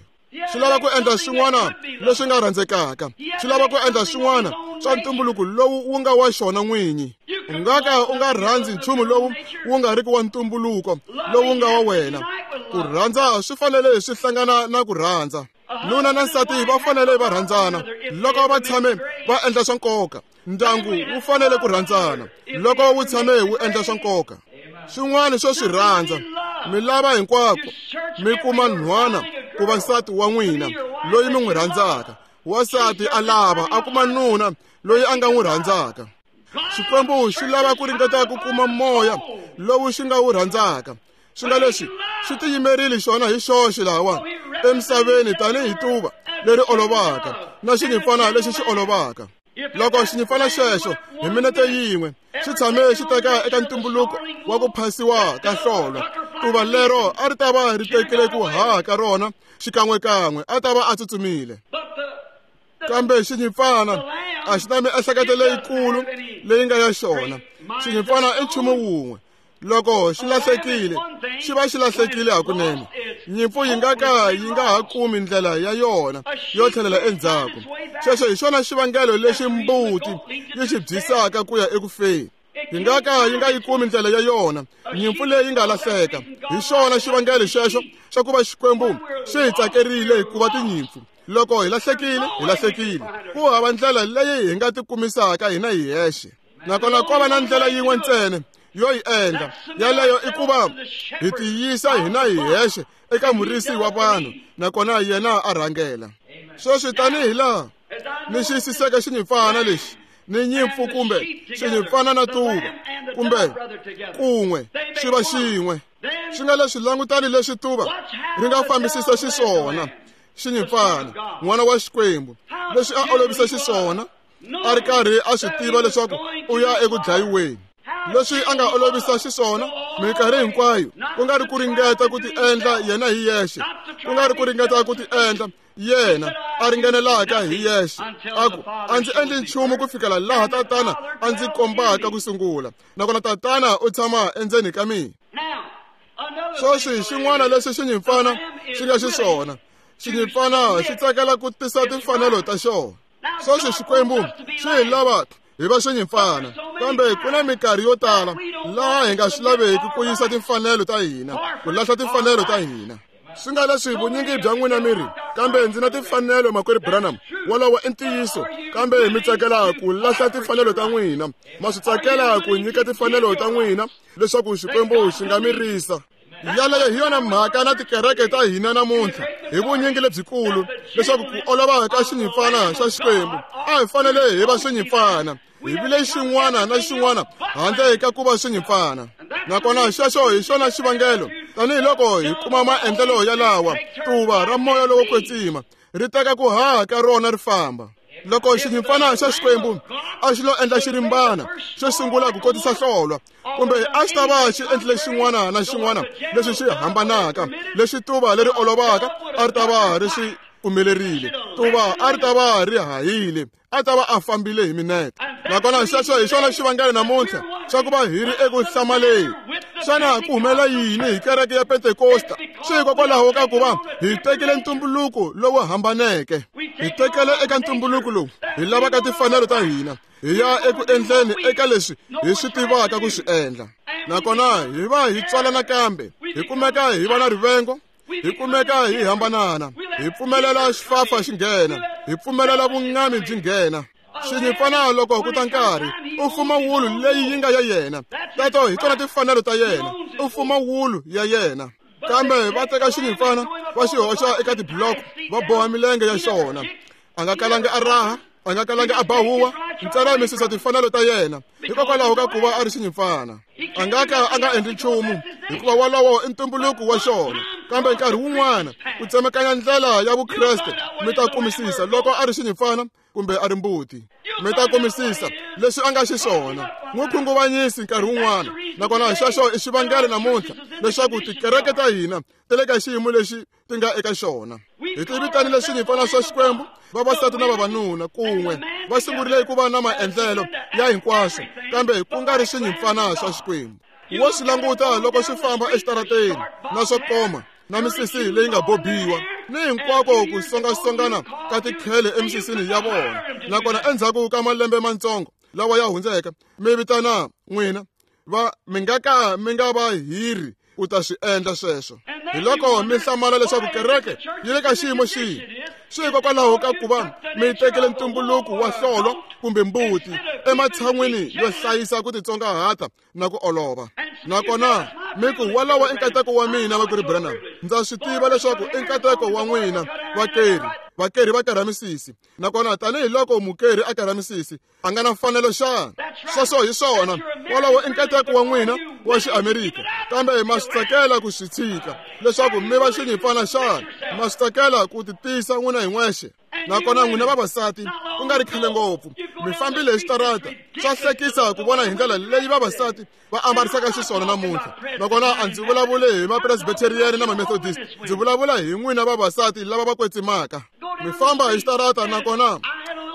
Xi lava ku endla swin'wana leswi nga rhandzekaka, xi lava ku endla swin'wana swa ntumbuluko lowu wu nga wa xona n'winyi. U nga ka u nga rhandzi nchumu lowu wu nga riki wa ntumbuluko lowu nga wa wena. Ku rhandza swi fanele swi hlangana na ku rhandza. Nuna na nsati va fanele va rhandzana loko va tshame va endla swa nkoka. Ndyangu wu fanele ku rhandzana loko wu tshame wu endla swa nkoka. Swin'wana swo swi rhandza, mi lava hinkwako mi kuma nhwana ku va nsati wa n'wina loyi mi n'wi rhandzaka. Wansati a lava a kuma nuna loyi a nga n'wi rhandzaka. Xikwembu xi lava ku ringeta ku kuma moya lowu xi nga wu rhandzaka. Swi nga leswi xi tiyimerile xona hi xoxe lawa emisaveni tanihi tuva leri olovaka na xinyimpfana lexi xi olovaka. Loko xinyimpfana xexo hi minete yin'we xi tshame xi teka eka ntumbuluko wa ku phasiwa ka hlolwa, tuva lero a ri ta va ri tekile ku haha ka rona xikan'wekan'we, a ta va a tsutsumile. Kambe xinyimpfana a xi na miehleketo leyikulu leyi nga ya xona. Xinyimpfana i nchumu wun'we, loko xi lahlekile xi va xi lahlekile hakunene. Nyimpfu yi nga ka yi nga ha kumi ndlela ya yona yo tlhelela endzhaku. Xexo hi xona xivangelo lexi mbuti yi xi byisaka ku ya ekufeni. Yi nga ka yi nga yi kumi ndlela ya yona nyimpfu leyi nga lahleka. Hi xona xivangelo xexo xa ku va Xikwembu xi hi tsakerile hikuva tinyimpfu. Loko hi lahlekile, hi lahlekile. Ku hava ndlela leyi hi nga tikumisaka hina hi hexe. Nakona ko va na ndlela yin'we ntsena yo yi endla, yaleyo i ku va hi tiyisa hina hi hexe eka murisi wa vanhu, nakona yena a rhangela. Sweswi tanihi laha ni xiyisiseke xinyimpfana lexi ni nyimpfu kumbe xinyimpfana na tuva kumbe kun'we swi va xin'we, swi nga leswi langutani leswi tuva ri nga fambisisa xiswona xinyimpfana n'wana wa Xikwembu leswi a olovisa xiswona, a ri karhi a swi tiva leswaku u ya eku dlayiweni. Leswi a nga olovisa xiswona minkarhi hinkwayo, ku nga ri ku ringeta ku tiendla yena hi yexe, ku nga ri ku ringeta ku tiendla yena a ringanelaka hi yexe, a ku a ndzi endli nchumu ku fikela laha Tatana a ndzi kombaka ku sungula, nakona Tatana u tshama endzeni ka mina. Sweswi xin'wana lexi xinyimpfana xi nga xiswona, xinyimpfana xi tsakela ku tisa timfanelo ta xona. Sweswi Xikwembu xi hi lava hi va xinyimpfana, kambe ku na minkarhi yo tala laha hi nga swi laveki ku yisa timfanelo ta hina, ku lahla timfanelo ta hina. Swi nga leswi vunyingi bya n'wina mi ri, kambe ndzi na timfanelo Makwerhu Branham, wolowo i ntiyiso, kambe mi tsakela ku lahla timfanelo ta n'wina, ma swi tsakela ku nyika timfanelo ta n'wina leswaku Xikwembu xi nga mi risa. Yaleyo hi yona mhaka na tikereke ta hina namuntlha hi vunyingi lebyikulu, leswaku ku olova ka xinyimpfana xa Xikwembu a hi fanele hi va xinyimpfana, hi vile xin'wana na xin'wana handle ka ku va xinyimpfana. Nakona xexo hi xona xivangelo, tanihiloko hi kuma maendlelo yalawa, tuva ra moya lowo kwetsima ri teka ku haha ka rona ri famba. Loko xinyimpfana xa Xikwembu a xi lo endla xirimbana xo sungula ku kotisa hlolwa, kumbe a xi ta va xi endlile xin'wana na xin'wana lexi xi hambanaka, lexi tuva leri olovaka a ri ta va ri swi pfumelerile, tuva a ri ta va ri hahile, a ta va a fambile hi minete. Nakona xexo hi xona xivangelo namuntlha xa ku va hi ri eku hlamaleni. Xana ku humelela yini hi kereke ya Pentekosta? Swi hikokwalaho ka ku va hi tekile ntumbuluko lowu hambaneke. Hi tekele eka ntumbuluko lowu hi lavaka timfanelo ta hina, hi ya eku endleni eka leswi hi swi tivaka ku swi endla. Nakona hi va hi tswala nakambe, hi kumeka hi va na rivengo, hi kumeka hi hambanana, hi pfumelela xifafa xi nghena, hi pfumelela vungami byi nghena. Xinyimpfana loko ku ta nkarhi u fuma wulu leyi yi nga ya yena, teto hi tona timfanelo ta yena, u fuma wulu ya yena. Kambe va teka xinyimpfana va xi hoxa eka tibloko, va boha milenge ya xona. A nga kalangi a raha, a nga kalangi a ba huwa, ntsena mi susa timfanelo ta yena hikokwalaho ka ku va a ri xinyimpfana. A nga ka a nga endli nchumu hikuva wolowo i ntumbuluko wa xona. Kambe nkarhi wun'wana ku tsemakanya ndlela ya Vukreste mi ta kumisisa loko a ri xinyimpfana kumbe a ri mbuti. Mi ta kumisisa leswi a nga xiswona. N'wi khunguvanyisi nkarhi wun'wana. Nakona xexo i xivangelo namuntlha leswaku tikereke ta hina ti le ka xiyimo lexi ti nga eka xona. Hi ti vitanile swinyimpfana swa Xikwembu, vavasati na vavanuna kun'we va sungurile ku va na maendlelo ya hinkwaswo, kambe ku nga ri swinyimpfana swa Xikwembu. Wo swi languta loko swi famba exitarateni na swo koma na misisi leyi nga bobiwa ni hinkwako ku songasongana ka tikhele emisisini ya vona. Nakona endzhaku ka malembe matsongo lawa ya hundzeke, mi vitana n'wina va mi nga ka mi nga va hiri u ta swi endla sweswo. Hi loko mi hlamala leswaku kereke yi le ka xiyimo xihi. Swi hikokwalaho ka ku va mi tekele ntumbuluko wa hlolwa kumbe mbuti ematshan'wini yo hlayisa ku titsongahata na ku olova. Nakona mi ku walawa i nkateko wa mina, Makwerhu Branham. Ndza swi tiva leswaku i nkateko wa n'wina vakeri. Vakeri va karha misisi. Nakona tanihiloko mukeri a karha misisi, a nga na mfanelo xana? Sweswo hi swona. Wolowo i nkateko wa n'wina wa Xiamerika, kambe ma swi tsakela ku swi tshika leswaku mi va xinyimpfana xana? Ma swi tsakela ku titisa n'wina hi n'wexe? Nakona n'wina vavasati, ku nga ri khale ngopfu mi fambile hi xitarata. Swa hlekisa ku vona hi ndlela leyi vavasati va ambarisaka xiswona namuntlha. Nakona a ndzi vulavuli hi mapresbyterian na mamethodist, ndzi vulavula hi n'wina vavasati lava va kwetsimaka. Mi famba hi xitarata, nakona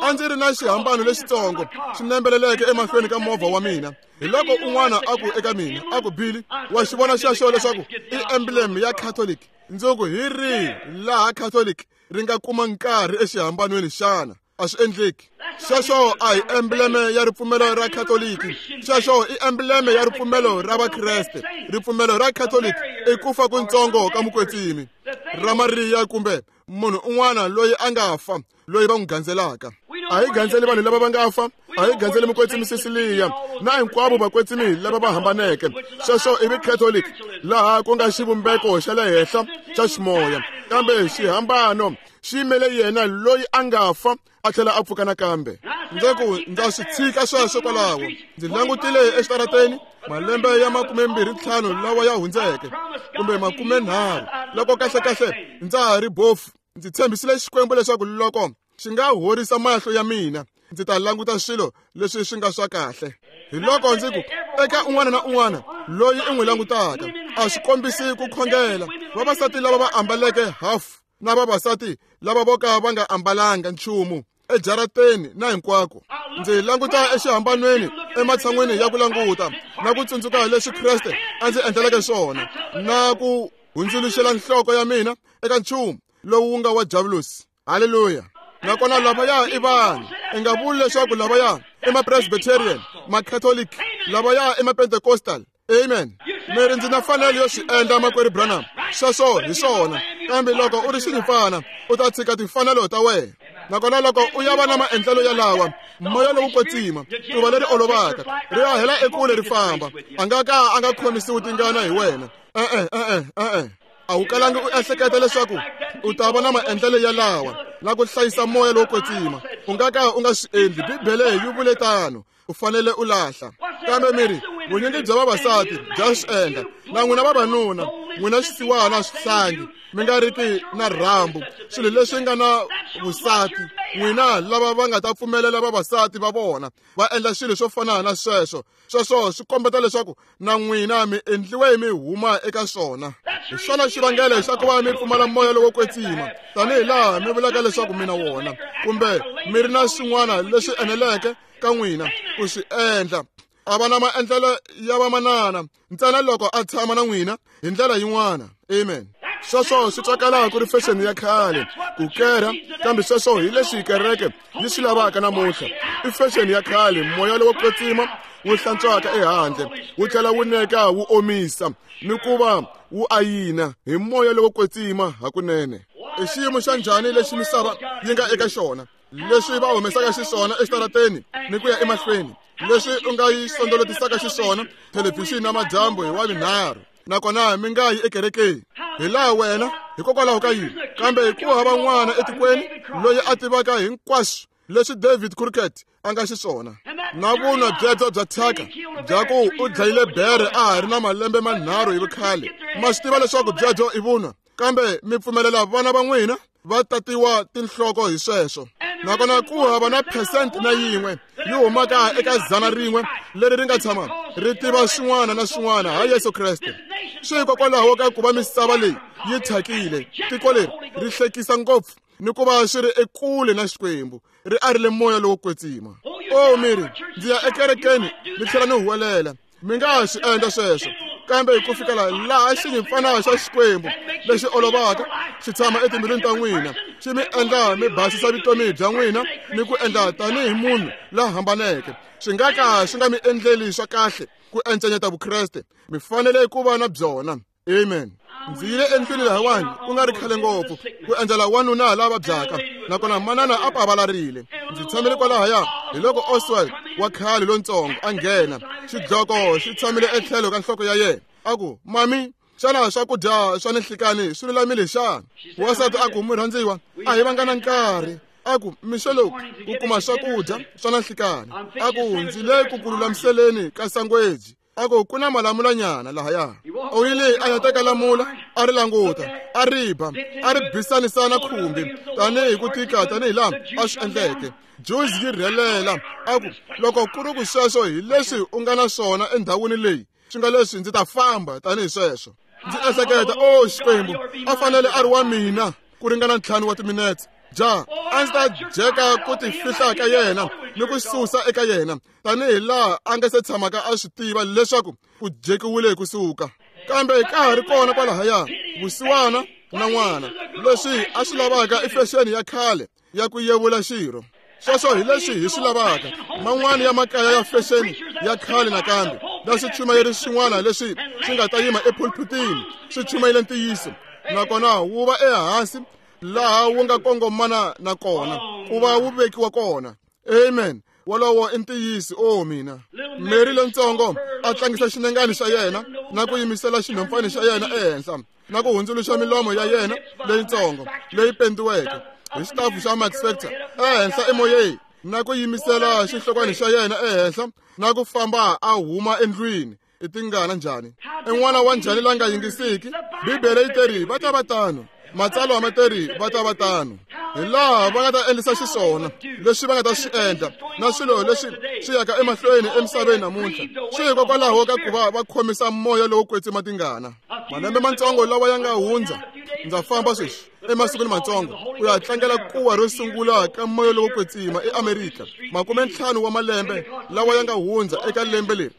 a ndzi ri na xihambano lexitsongo xi nembeleleke emahlweni ka movha wa mina. Hi loko un'wana a ku eka mina, a ku, Billy, wa xi vona xexo leswaku i emblem ya Catholic? Ndzi ku, hi rihi laha Catholic ri nga kuma nkarhi exihambanweni xana? A swi endleki. Xexo a hi embleme ya ripfumelo ra Khatoliki. Xexo i embleme ya ripfumelo ra Vakreste. Ripfumelo ra Khatoliki i ku fa kuntsongo ka mukwetsimi ra Mariya kumbe munhu un'wana loyi a nga fa, loyi va n'wi gandzelaka. A hi gandzeli vanhu lava va nga fa, a hi gandzeli mukwetsimi Cecilia na hinkwavo vakwetsimi lava va hambaneke. Sweswo i Catholic, laha ku nga xivumbeko xa le henhla xa ximoya, kambe xihambano xi yimele yena loyi a nga fa a tlhela a pfuka nakambe. Ndzi ku ndza swi tshika sweswo kwalaho. Ndzi langutile exitarateni malembe ya 25 lawa ya hundzeke, kumbe 30, loko kahlekahle ndza ha ri bofu. Ndzi tshembisile Xikwembu leswaku loko xi nga horisa mahlo ya mina, ndzi ta languta swilo leswi swi nga swa kahle. Hi loko ndzi ku eka un'wana na un'wana loyi i n'wi langutaka, a swi kombisi ku khongela. Vavasati lava va ambaleke hafu na vavasati lava vo ka va nga ambalanga nchumu ejarateni na hinkwako, ndzi languta exihambanweni ematshan'wini ya ku languta na ku tsundzuka leswi Kreste a ndzi endleleke swona, na ku hundzuluxela nhloko ya mina eka nchumu lowu wu nga wa Diavulosi. Haleluya! Nakona lavaya i vanhu. I nga vuli leswaku lavaya i ma-Presbyterian, ma-Catholic, lavaya i ma-Pentecostal. Amen. Mi ri ndzi na fanelo yo swi endla, Makwerhu Branham. Sweswo hi swona. Kambe loko u ri xinyimpfana, u ta tshika timfanelo ta wena. Nakona loko u ya va na maendlelo yalawa, moya lowu kwetsima, tuva leri olovaka, ri ya hela ekule ri famba. A nga ka a nga khomisiwi tingana hi wena. E-e, e-e, e-e. A wu kalangi u ehleketa leswaku u ta va na maendlelo yalawa na ku hlayisa moya lowo kwetsima. U nga ka u nga swi endli. Bibele yi vule tano. U fanele u lahla. Kambe mi ri, Vunyingi bya vavasati bya swi endla. Na n'wina vavanuna, n'wina xisiwana swihlangi, mi nga riki na rhambu, swilo leswi nga na vusati, n'wina lava va nga ta pfumelela vavasati va vona va endla swilo swo fana na sweswo. Sweswo swi kombeta leswaku na n'wina mi endliwe mi huma eka swona. Hi xona xivangelo xa ku va mi pfumala moya lowo kwetsima, tanihi laha mi vulaka leswaku mi na wona, kumbe mi ri na swin'wana leswi eneleke ka n'wina ku swi endla. A va na maendlelo ya vamanana ntsena loko a tshama na n'wina hi ndlela yin'wana. Amen. Sweswo swi twakala ku ri fexeni ya khale ku kerha, kambe sweswo hi leswi kereke yi swi lavaka namuntlha. I fexeni ya khale, moya lowo kwetsima wu hlantswaka ehandle, wu tlhela wu neka wu omisa ni ku va wu ayina hi moya lowo kwetsima hakunene. I xiyimo xa njhani lexi misava yi nga eka xona, leswi va humesaka xiswona exitarateni ni ku ya emahlweni, leswi u nga yi sondolotisaka xiswona thelevhixini na madyambu hi wavinharhu, nakona mi nga yi ekerekeni hi laha wena hikokwalaho ka yini? Kambe ku hava n'wana etikweni loyi a tivaka hinkwaswo leswi David Crockett a nga xiswona, na vunwa byebyo bya thyaka bya ku u dlayile bere a ha ri na malembe manharhu hi vukhale. Ma swi tiva leswaku byebyo i vunwa, kambe mi pfumelela vana va n'wina va tatiwa tinhloko hi sweswo. Nakona ku hava na phesente na yin'we yi humaka eka 100 leri ri nga tshama ri tiva swin'wana na swin'wana ha Yesu Kreste. Swi hikokwalaho ka ku va misava leyi yi thyakile, tiko leri ri hlekisa ngopfu ni ku va swi ri ekule na Xikwembu, ri arile moya lowo kwetsima. O miri, ndzi ya ekerekeni ni tlhela ni huwelela. Mi nga swi endla sweswo, kambe ku fikela laha xinyimpfana xa Xikwembu lexi olovaka xi tshama etimbilwini ta n'wina, xi mi endla mi basisa vutomi bya n'wina ni ku endla tanihi munhu la hambaneke. Swi nga ka swi nga mi endleli swa kahle ku encenyeta Vukreste, mi fanele ku va na byona. Amen. Ndzi yile endlwini lahawani ku nga ri khale ngopfu ku endzela wanuna la vabyaka, nakona manana a pavalarile. Ndzi tshamile kwalahaya, hi loko Oswald wa khale lontsongo a nghena, xidloko xi tshamile etlhelo ka nhloko ya yena. A ku, "Mami, xana swakudya swa ninhlikani swi lulamile xana?" Wansati a ku, "Murhandziwa, a hi vanga na nkarhi." A ku, "Mixo lowu ku kuma swakudya swa nanhlikani." A ku, "Ndzi le ku ku lulamiseleni ka sangweji." A ku, "Ku na malamulanyana lahaya." U yile a ya teka lamula, a ri languta, a ri ba, a ri bisanisa na khumbi tanihi ku tika tanihi laha a swi endleke. Juice yi rhelela. A ku, "Loko ku ri ku sweswo hi leswi u nga na swona endhawini leyi, swi nga leswi ndzi ta famba tanihi sweswo." Ndzi ehleketa, "O Xikwembu, a fanele a ri wa mina ku ringana 5 wa timinetse. Ja, a ndzi ta jeka ku tifihla ka yena ni ku susa eka yena tanihi laha a nga se tshamaka a swi tiva leswaku ku jekiwile hi kusuka. Kambe ka ha ri kona kwalahaya vusiwana na n'wana, leswi a swi lavaka i fexeni ya khale ya ku yevula xirho. Sweswo hi leswi hi swi lavaka. Man'wana ya makaya ya fexeni ya khale nakambe na swichumayeri swin'wana leswi swi nga ta yima epulpitini swi chumayele ntiyiso, nakona wu va ehansi laha wu nga kongomana na kona ku va wu vekiwa kona. Amen. Wolowo i ntiyiso. O mina. Mary lontsongo a tlangisa xinengani xa yena na ku yimisela xinhompfani xa yena ehenhla na ku hundzuluxa milomo ya yena leyitsongo leyi pendiweke hi xitafu xa Max Factor ehenhla emoyeni, na ku yimisela xihlokwana xa yena ehenhla na ku famba a huma endlwini. I tingana njhani? I n'wana wa njhani la nga yingisiki? Bibele yi teri va ta va tano, matsalwa ma teri va ta va tano. Hi laha va nga ta endlisa xiswona leswi va nga ta swi endla na swilo leswi swi yaka emahlweni emisaveni namuntlha, swi hikokwalaho ka ku va va khomisa moya lowo kwetsima tingana. Malembe matsongo lawa ya nga hundza, ndza famba sweswi emasikwini matsongo ku ya tlangela kuwa ro sungula ka moya lowo kwetsima eAmerika, 50 wa malembe lawa ya nga hundza eka lembe leri,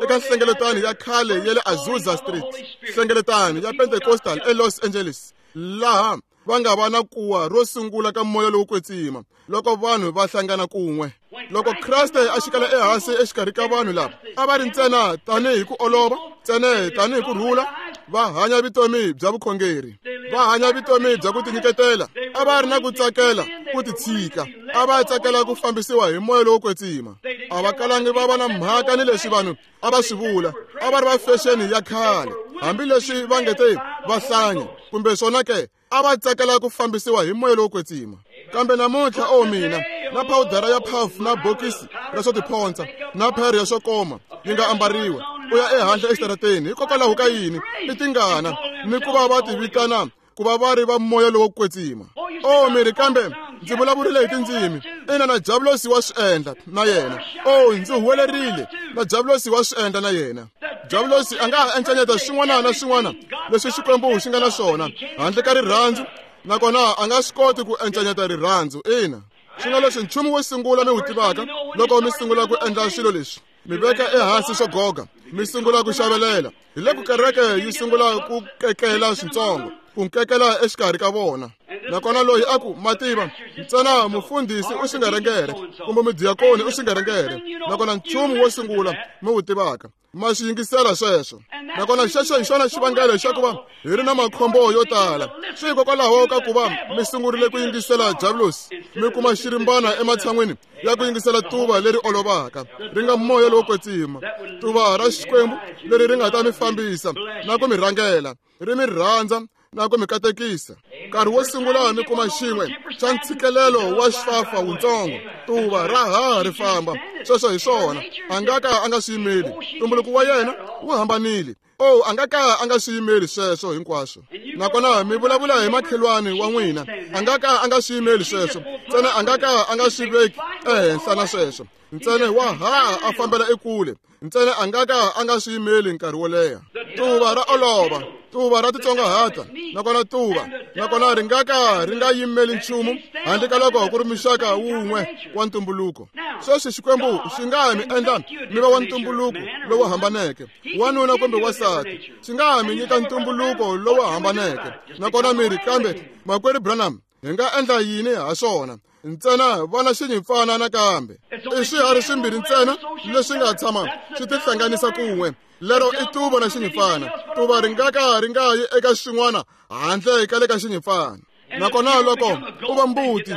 eka nhlengeletano ya khale ya le Azusa Street, nhlengeletano ya Pentecostal eLos Angeles, laha va nga va na kuwa ro sungula ka moya lowo kwetsima loko vanhu va hlangana kun'we. Loko Kreste a xikela ehansi exikarhi ka vanhu lava, a va ri ntsena tanihi ku olova, ntsena tanihi ku rhula, va hanya vutomi bya vukhongeri, va hanya vutomi bya ku tinyiketela, a va ri na ku tsakela ku titshika, a va tsakela ku fambisiwa hi moya lowo kwetsima. A va kalangi va va na mhaka ni leswi vanhu a va swi vula, a va ri va fexeni ya khale, hambileswi va nge te va hlanya kumbe swona ke, a va tsakela ku fambisiwa hi moya lowo kwetsima. Kambe namuntlha, o mina, na phawudara ya puff na bokisi ra swo tiphontsha na pherhe ya swo koma yi nga ambariwa, u ya ehandle exitarateni. Hikokwalaho ka yini? I tingana ni ku va va ti vitana ku va va ri va moya lowo kwetsima. O mi ri kambe ndzi vulavurile hi tindzimi. Ina, na Diablosi wa swi endla na yena. O ndzi huwelerile, na Diablosi wa swi endla na yena. Diablosi a nga ha encanyeta swin'wana na swin'wana leswi Xikwembu xi nga na swona handle ka rirhandzu, nakona a nga swi koti ku encanyeta rirhandzu. Ina, swi nga leswi nchumu wo sungula mi wu tivaka loko mi sungula ku endla swilo leswi, mi veka ehansi swo goga, mi sungula ku xavelela. Hi loko kereke yi sungula ku kekela swintsongo, ku nkekela exikarhi ka vona. Nakona loyi a ku, mativa ntsena mufundhisi u xingerengere kumbe mudiyakoni u xingerengere. Nakona nchumu wo sungula mi wu tivaka, ma xi yingisela sweswo. Nakona xexo hi xona xivangelo xa ku va hi ri na makhombo yo tala. Swi hikokwalaho ka ku va mi sungurile ku yingisela Diablosi, mi kuma xirimbana ematshan'wini ya ku yingisela tuva leri olovaka, ri nga moya lowo kwetsima, tuva ra Xikwembu leri ri nga ta mi fambisa na ku mi rhangela, ri mi rhandza na ku mi katekisa. Nkarhi wo sungula mi kuma xin'we xa ntshikelelo wa xifafa wuntsongo, tuva ra haha ri famba. Sweswo hi swona, a nga ka a nga swi yimeli. Ntumbuluko wa yena wu hambanile. O a nga ka a nga swi yimeli sweswo hinkwaswo. Nakona mi vulavula hi makhelwani wa n'wina, a nga ka a nga swi yimeli sweswo. Ntsena a nga ka a nga swi veki ehenhla na sweswo. Ntsena wa haha a fambela ekule. Ntsena a nga ka a nga swi yimeli nkarhi wo leha. Tuva ra olova, tuva ra titsongahata, nakona tuva nakona ri nga ka ri nga yimeli nchumu handle ka loko ku ri muxaka wun'we wa ntumbuluko. Sweswi Xikwembu xi nga mi endla mi va wa ntumbuluko lowu hambaneke, wanuna kumbe wansati. Xi nga mi nyika ntumbuluko lowu hambaneke. Nakona mi ri, kambe makwerhu Branham, hi nga endla yini ha swona? Ntsena vana xinyimpfana nakambe. I swiharhi swimbirhi ntsena leswi nga tshama swi tihlanganisa kun'we. Lero i tuva na xinyimpfana. Tuva ri nga ka ri nga yi eka xin'wana handle ka le ka xinyimpfana. Nakona loko u va mbuti,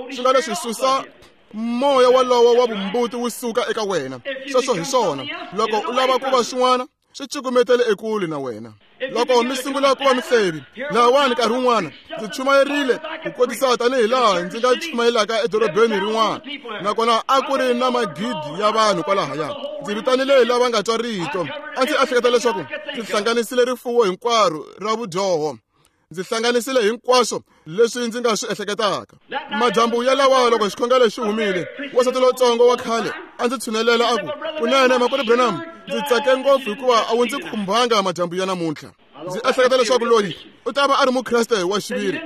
swi nga leswi susa moya walowo wa vumbuti wu suka eka wena. Sweswo hi swona. Loko u lava ku va xin'wana, swi cukumetele ekule na wena. Loko mi sungula ku va mihlevi, lahawani nkarhi wun'wana ndzi chumayerile ku kotisa tanihi laha ndzi nga chumayelaka edorobeni rin'wana, nakona a ku ri na magidi ya vanhu kwalahaya. Ndzi vitanile lava nga twa rito. A ndzi ehleketa leswaku ndzi hlanganisile rifuwo hinkwaro ra vudyoho. Ndzi hlanganisile hinkwaswo leswi ndzi nga swi ehleketaka. Madyambu ya lawa loko xikhongelo xi humile, wansati lontsongo wa khale a ndzi tshunelela a ku, kunene makwerhu Branham, ndzi tsake ngopfu hikuva a wu ndzi khumbanga madyambu ya namuntlha. Ndzi ehleketa leswaku loyi u ta va a ri mukreste wa xiviri.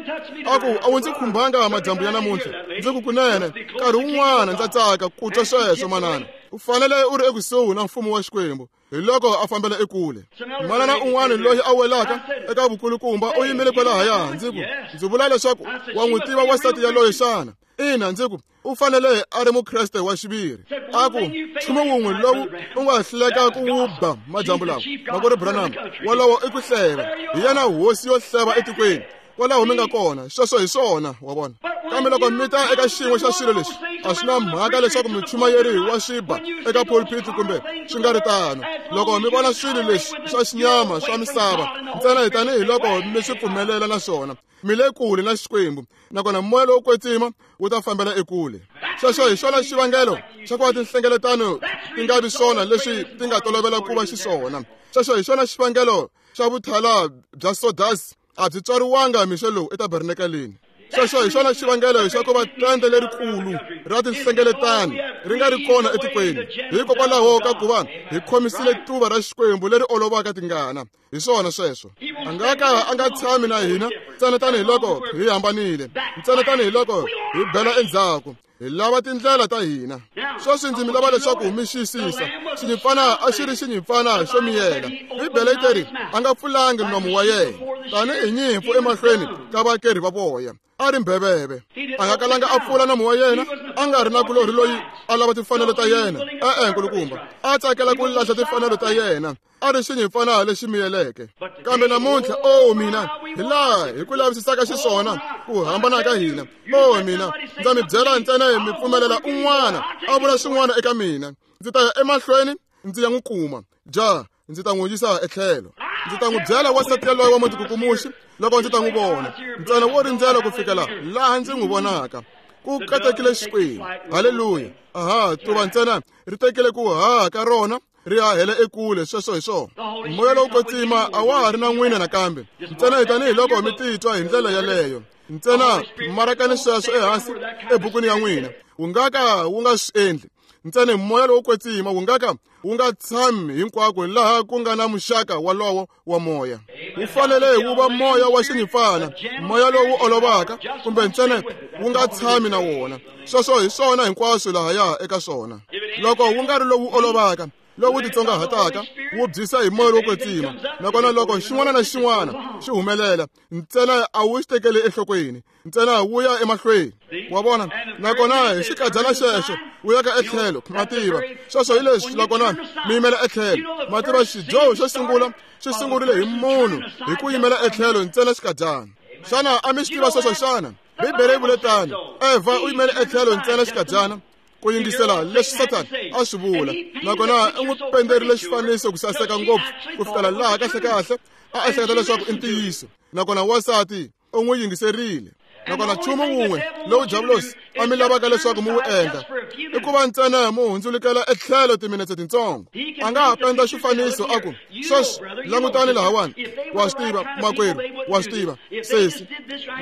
A ku, a wu ndzi khumbanga madyambu ya namuntlha. Ndzi ku, kunene nkarhi wun'wana ndza tsaka ku twa sweswo, manana. U fanele u ri ekusuhi na mfumo wa Xikwembu. Hi loko a fambela ekule. Manana un'wana loyi a welaka eka vukulukumba u yimile kwalahaya. Ndzi ku, ndzi vula leswaku wa n'wi tiva wansati yaloye xana? Ina, ndzi ku, u fanele a ri mukreste wa xiviri. A ku, nchumu wun'we lowu u nga hluleka ku wu ba madyambu lawa, makwerhu Branham, wolowo i ku hleva. Hi yena hosi yo hleva etikweni. Kwalaho mi nga kona, sweswo hi swona, wa vona. Kambe loko mi ta eka xin'we xa swilo leswi, a swi na mhaka leswaku muchumayeri wa swi ba eka pulpit kumbe swi nga ri tano. Loko mi vona swilo leswi swa xinyama swa misava, ntsena hi tanihi loko mi swi pfumelela na swona, mi le kule na Xikwembu, nakona moya lowo kwetsima wu ta fambela ekule. Sweswo hi xona xivangelo xa ku va tinhlengeletano ti nga vi swona leswi ti nga tolovela ku va xiswona. Sweswo hi xona xivangelo xa vuthala bya sodasi a byi tswariwanga mixo lowu etabernakeleni. Sweswo hi xona xivangelo xa ku va tende lerikulu ra tinhlengeletano ri nga ri kona etikweni, hikokwalaho ka ku va hi khomisile tuva ra Xikwembu leri olovaka tingana. Hi swona sweswo. A nga ka a nga tshami na hina ntsena tanihiloko hi hambanile, ntsena tanihiloko hi bela endzhaku. Hi lava tindlela ta hina. Sweswi ndzi mi lava leswaku mi xiyisisa. Xinyimpfana a xi ri xinyimpfana xo miyela. Bibele yi teri a nga pfulangi nomu wa yena tanihi nyimpfu emahlweni ka vakerhi va voya. A ri mbheveve. A nga kalanga a pfula nomu wa yena, a nga ri na kulorhi loyi a lava timfanelo ta yena. E-e, nkulukumba, a tsakela ku lahla timfanelo ta yena. A ri xinyimpfana lexi miyeleke. Kambe namuntlha, o mina, hi laha hi ku lavisisaka xiswona ku hambana ka hina. O mina, ndza mi byela ntsena mi pfumelela un'wana a vula swin'wana eka mina. Ndzi ta ya emahlweni ndzi ya n'wi kuma. Ja, ndzi ta n'wi yisa etlhelo. Ndzi ta n'wi byela wansati yaloye wa mutikukumuxi loko ndzi ta n'wi vona. Ntsena wo rindzela ku fikela laha ndzi n'wi vonaka. Ku katekile Xikwembu. Haleluya. Aha, tuva ntsena ri tekile ku haha ka rona. Ri hahela ekule, sweswo hi swona. Moya lowo kwetsima a wa ha ri na n'wina nakambe. Ntsena hi tanihiloko mi titwa hi ndlela yaleyo. Ntsena marakani sweswo ehansi ebukwini ya n'wina. Wu nga ka wu nga swi endli. Ntsena moya lowo kwetsima wu nga ka wu nga tshami hinkwako laha ku nga na muxaka walowo wa moya. Wu fanele wu va moya wa xinyimpfana, moya lowu olovaka, kumbe ntsena wu nga tshami na wona. Sweswo hi swona hinkwaswo lahaya eka swona. Loko wu nga ri lowu olovaka, lowu titsongahataka, wu byisa hi moya lowo kwetsima. Nakona loko xin'wana na xin'wana xi humelela, ntsena a wu xi tekeli enhlokweni, ntsena wu ya emahlweni. Wa vona? Nakona hi xikadyana xexo wu ya ka etlhelo, ma tiva. Sweswo hi leswi, nakona mi yimela etlhelo. Ma tiva, xidyoho xo sungula xi sungurile hi munhu hi ku yimela etlhelo ntsena xikadyana. Xana a mi swi tiva sweswo xana? Bibele yi vule tano. Evha u yimele etlhelo ntsena xikadyana ku yingisela leswi Sathana a swi vula, nakona u n'wi penderile xifaniso ku saseka ngopfu ku fikela laha kahlekahle a ehleketa leswaku i ntiyiso. Nakona wansati u n'wi yingiserile. Nakona nchumu wun'we lowu Diabulosi a mi lavaka leswaku mi wu endla i ku va ntsena mu hundzulukela etlhelo timinetse tintsongo. A nga ha penda xifaniso a ku, sweswi langutani lahawani, wa swi tiva makwerhu, wa swi tiva sesi,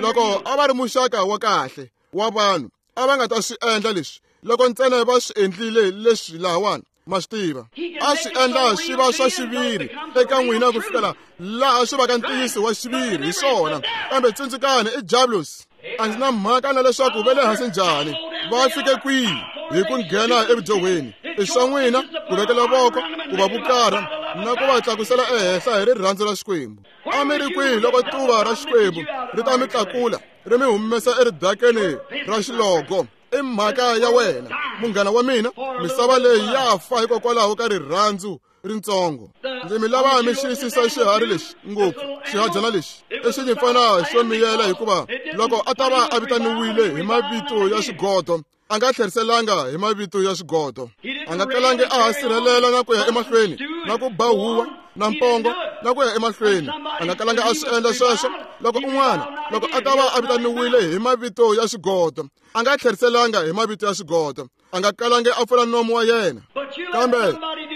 loko a va ri muxaka wa kahle wa vanhu a va nga ta swi endla leswi loko ntsena va swi endlile leswi lahawani. Ma swi tiva, a swi endla swi va swa xiviri eka n'wina ku fikela laha swi vaka ntiyiso wa xiviri hi swona. Kambe tsundzukani, i Diabulosi. A ndzi na mhaka na leswaku va le hansi njhani, va fike kwihi hi ku nghena evudyohweni. I swa n'wina ku vekela voko, ku va vukarha na ku va tlakusela ehenhla hi rirhandzu ra Xikwembu. A mi ri kwihi loko tuva ra Xikwembu ri ta mi tlakula ri mi humesa eridakeni ra xilogo? I mhaka ya wena, munghana wa mina. Misava leyi ya fa hikokwalaho ka rirhandzu rintsongo. Ndzi mi lava mi xiyisisa xiharhi lexi ngopfu, xihadyana lexi i xinyimpfana xo miyela, hikuva loko a ta va a vitaniwile hi mavito ya swigodo, a nga tlheriselanga hi mavito ya swigodo. A nga kalangi a ha sirhelela na ku ya emahlweni na ku ba huwa na mpongo na ku ya emahlweni. A nga kalanga a swi endla sweswo. Loko un'wana, loko a ta va a vitaniwile hi mavito ya swigodo, a nga tlheriselanga hi mavito ya swigodo. A nga kalangi a pfula nomu wa yena. Kambe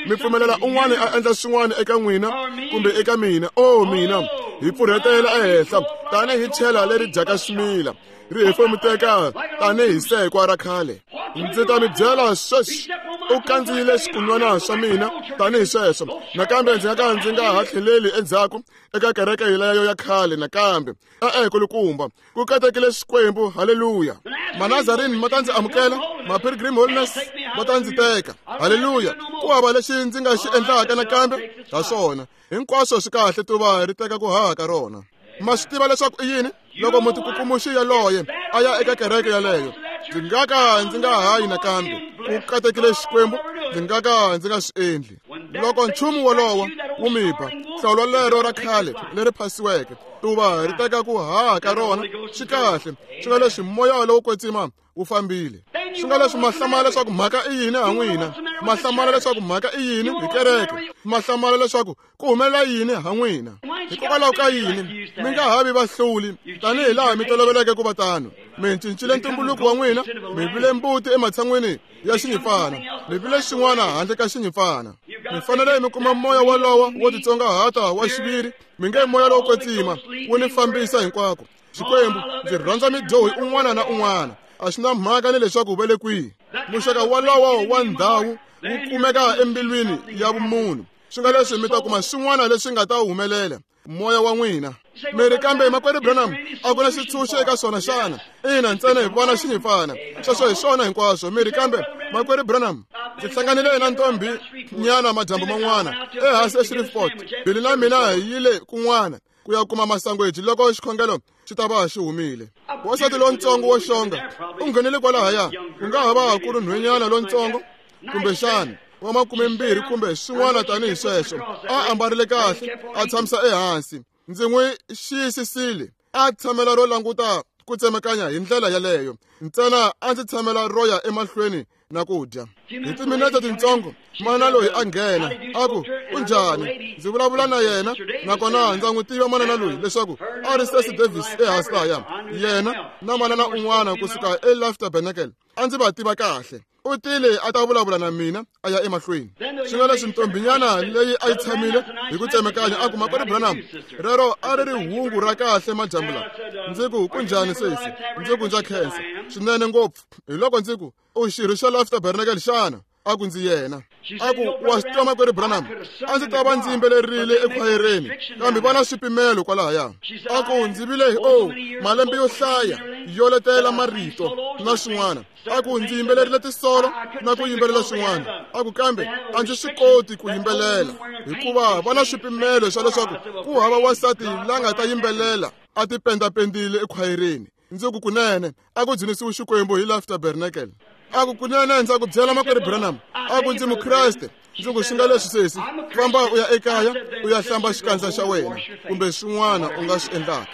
mi pfumelela un'wana a endla swin'wana eka n'wina kumbe eka mina. O mina, hi pfurhetela ehenhla tanihi chela leri dyaka swimila, ri hefemuteka tanihi sekwa ra khale. Ndzi ta mi byela sweswi, u kandziyile swikunwana swa mina tanihi sweswo. Nakambe ndzi nga ka ndzi nga ha tlheleli endzhaku eka kereke yeleyo ya khale nakambe. E-e, kulukumba, ku katekile Xikwembu. Haleluya. Manazarini ma ta ndzi amukela, ma-Pilgrim Holiness va ta ndzi teka. Haleluya. Ku hava lexi ndzi nga xi endlaka nakambe ha swona. Hinkwaswo swi kahle, tuva ri teka ku haha ka rona. Ma swi tiva leswaku i yini? Loko mutikukumuxi yaloye a ya eka kereke yaleyo, ndzi nga ka ndzi nga hayi nakambe. Ku katekile Xikwembu, ndzi nga ka ndzi nga swi endli. Loko nchumu wolowo wu mi ba, hlawulo lero ra khale leri phasiweke, tuva ri teka ku haha ka rona. Swi kahle, swi nga leswi moya lowo kwetsima wu fambile. Swi nga leswi ma hlamala leswaku mhaka i yini ha n'wina, ma hlamala leswaku mhaka i yini hi kereke, ma hlamala leswaku ku humelela yini ha n'wina. Hikokwalaho ka yini mi nga ha vi vahluli tanihi laha mi toloveleke ku va tano? Mi cincile ntumbuluko wa n'wina, mi vile mbuti ematshan'wini ya xinyimpfana, mi vile xin'wana handle ka xinyimpfana. Mi fanele mi kuma moya wolowo wo titsongahata wa xiviri. Mi nge moya lowo kwetsima wu ni fambisa hinkwako. Xikwembu, ndzi rhandza midyohi un'wana na un'wana. A swi na mhaka ni leswaku va le kwihi. Muxaka wolowo wa ndhawu wu kumeka embilwini ya vumunhu. Swi nga leswi mi ta kuma swin'wana leswi nga ta humelela moya wa n'wina. Mi ri, kambe makwerhu Branham, a ku na xitshunxo eka swona xana? Ina, ntsena hi vona xinyimpfana. Sweswo hi swona hinkwaswo. Mi ri, kambe makwerhu Branham, ndzi hlanganile na ntombi nyana madyambu man'wana ehansi eShreveport. Billy na mina hi yile kun'wana ku ya kuma masangweji loko xikhongelo xi ta va xi humile. Wansati lontsongo wo xonga u nghenile kwalahaya, ku nga ha va ku ri nhwenyana lontsongo kumbexana wa 20 kumbe swin'wana tanihi sweswo. A ambarile kahle, a tshamisa ehansi. Ndzi n'wi xiyisisile, a tshamela ro languta ku tsemakanya hi ndlela yaleyo. Ntsena a ndzi tshamela ro ya emahlweni na ku dya. Hi timinete tintsongo, manana loyi a nghena, a ku, u njhani? Ndzi vulavula na yena, nakona ndza n'wi tiva manana loyi leswaku a ri Stacey Davis ehansi lahaya. Yena na manana un'wana kusuka eLife Tabernacle, a ndzi va tiva kahle. U tile a ta vulavula na mina a ya emahlweni. Swi nga leswi ntombinyana leyi a yi tshamile hi ku tsemekanya a ku, Makwerhu Branham, rero a ri ri hungu ra kahle madyambu lawa. Ndzi ku, kunjhani sesi? Ndzi ku, ndza khensa swinene ngopfu. Hi loko ndzi ku, u xirho xa Life Tabernacle xana? A ku, ndzi yena. A ku, wa swi twa Makwerhu Branham, a ndzi ta va ndzi yimbelerile ekhwayereni, kambe va na swipimelo kwalahaya. A ku, ndzi vile hi malembe yo hlaya yo letela marito na swin'wana. A ku, ndzi yimbelerile tisolo na ku yimbelela swin'wana. A ku, kambe a ndzi swi koti ku yimbelela hikuva va na swipimelo swa leswaku ku hava wansati la nga ta yimbelela a tipendapendile ekhwayereni. Ndzi ku, kunene a ku dzunisiwi Xikwembu hi Life Tabernacle. A ku, kunene ndza ku byela Makwerhu Branham, a ku, ndzi Mukreste. Ndzi ku, swi nga leswi sesi, famba u ya ekaya u ya hlamba xikandza xa wena kumbe swin'wana u nga swi endlaka.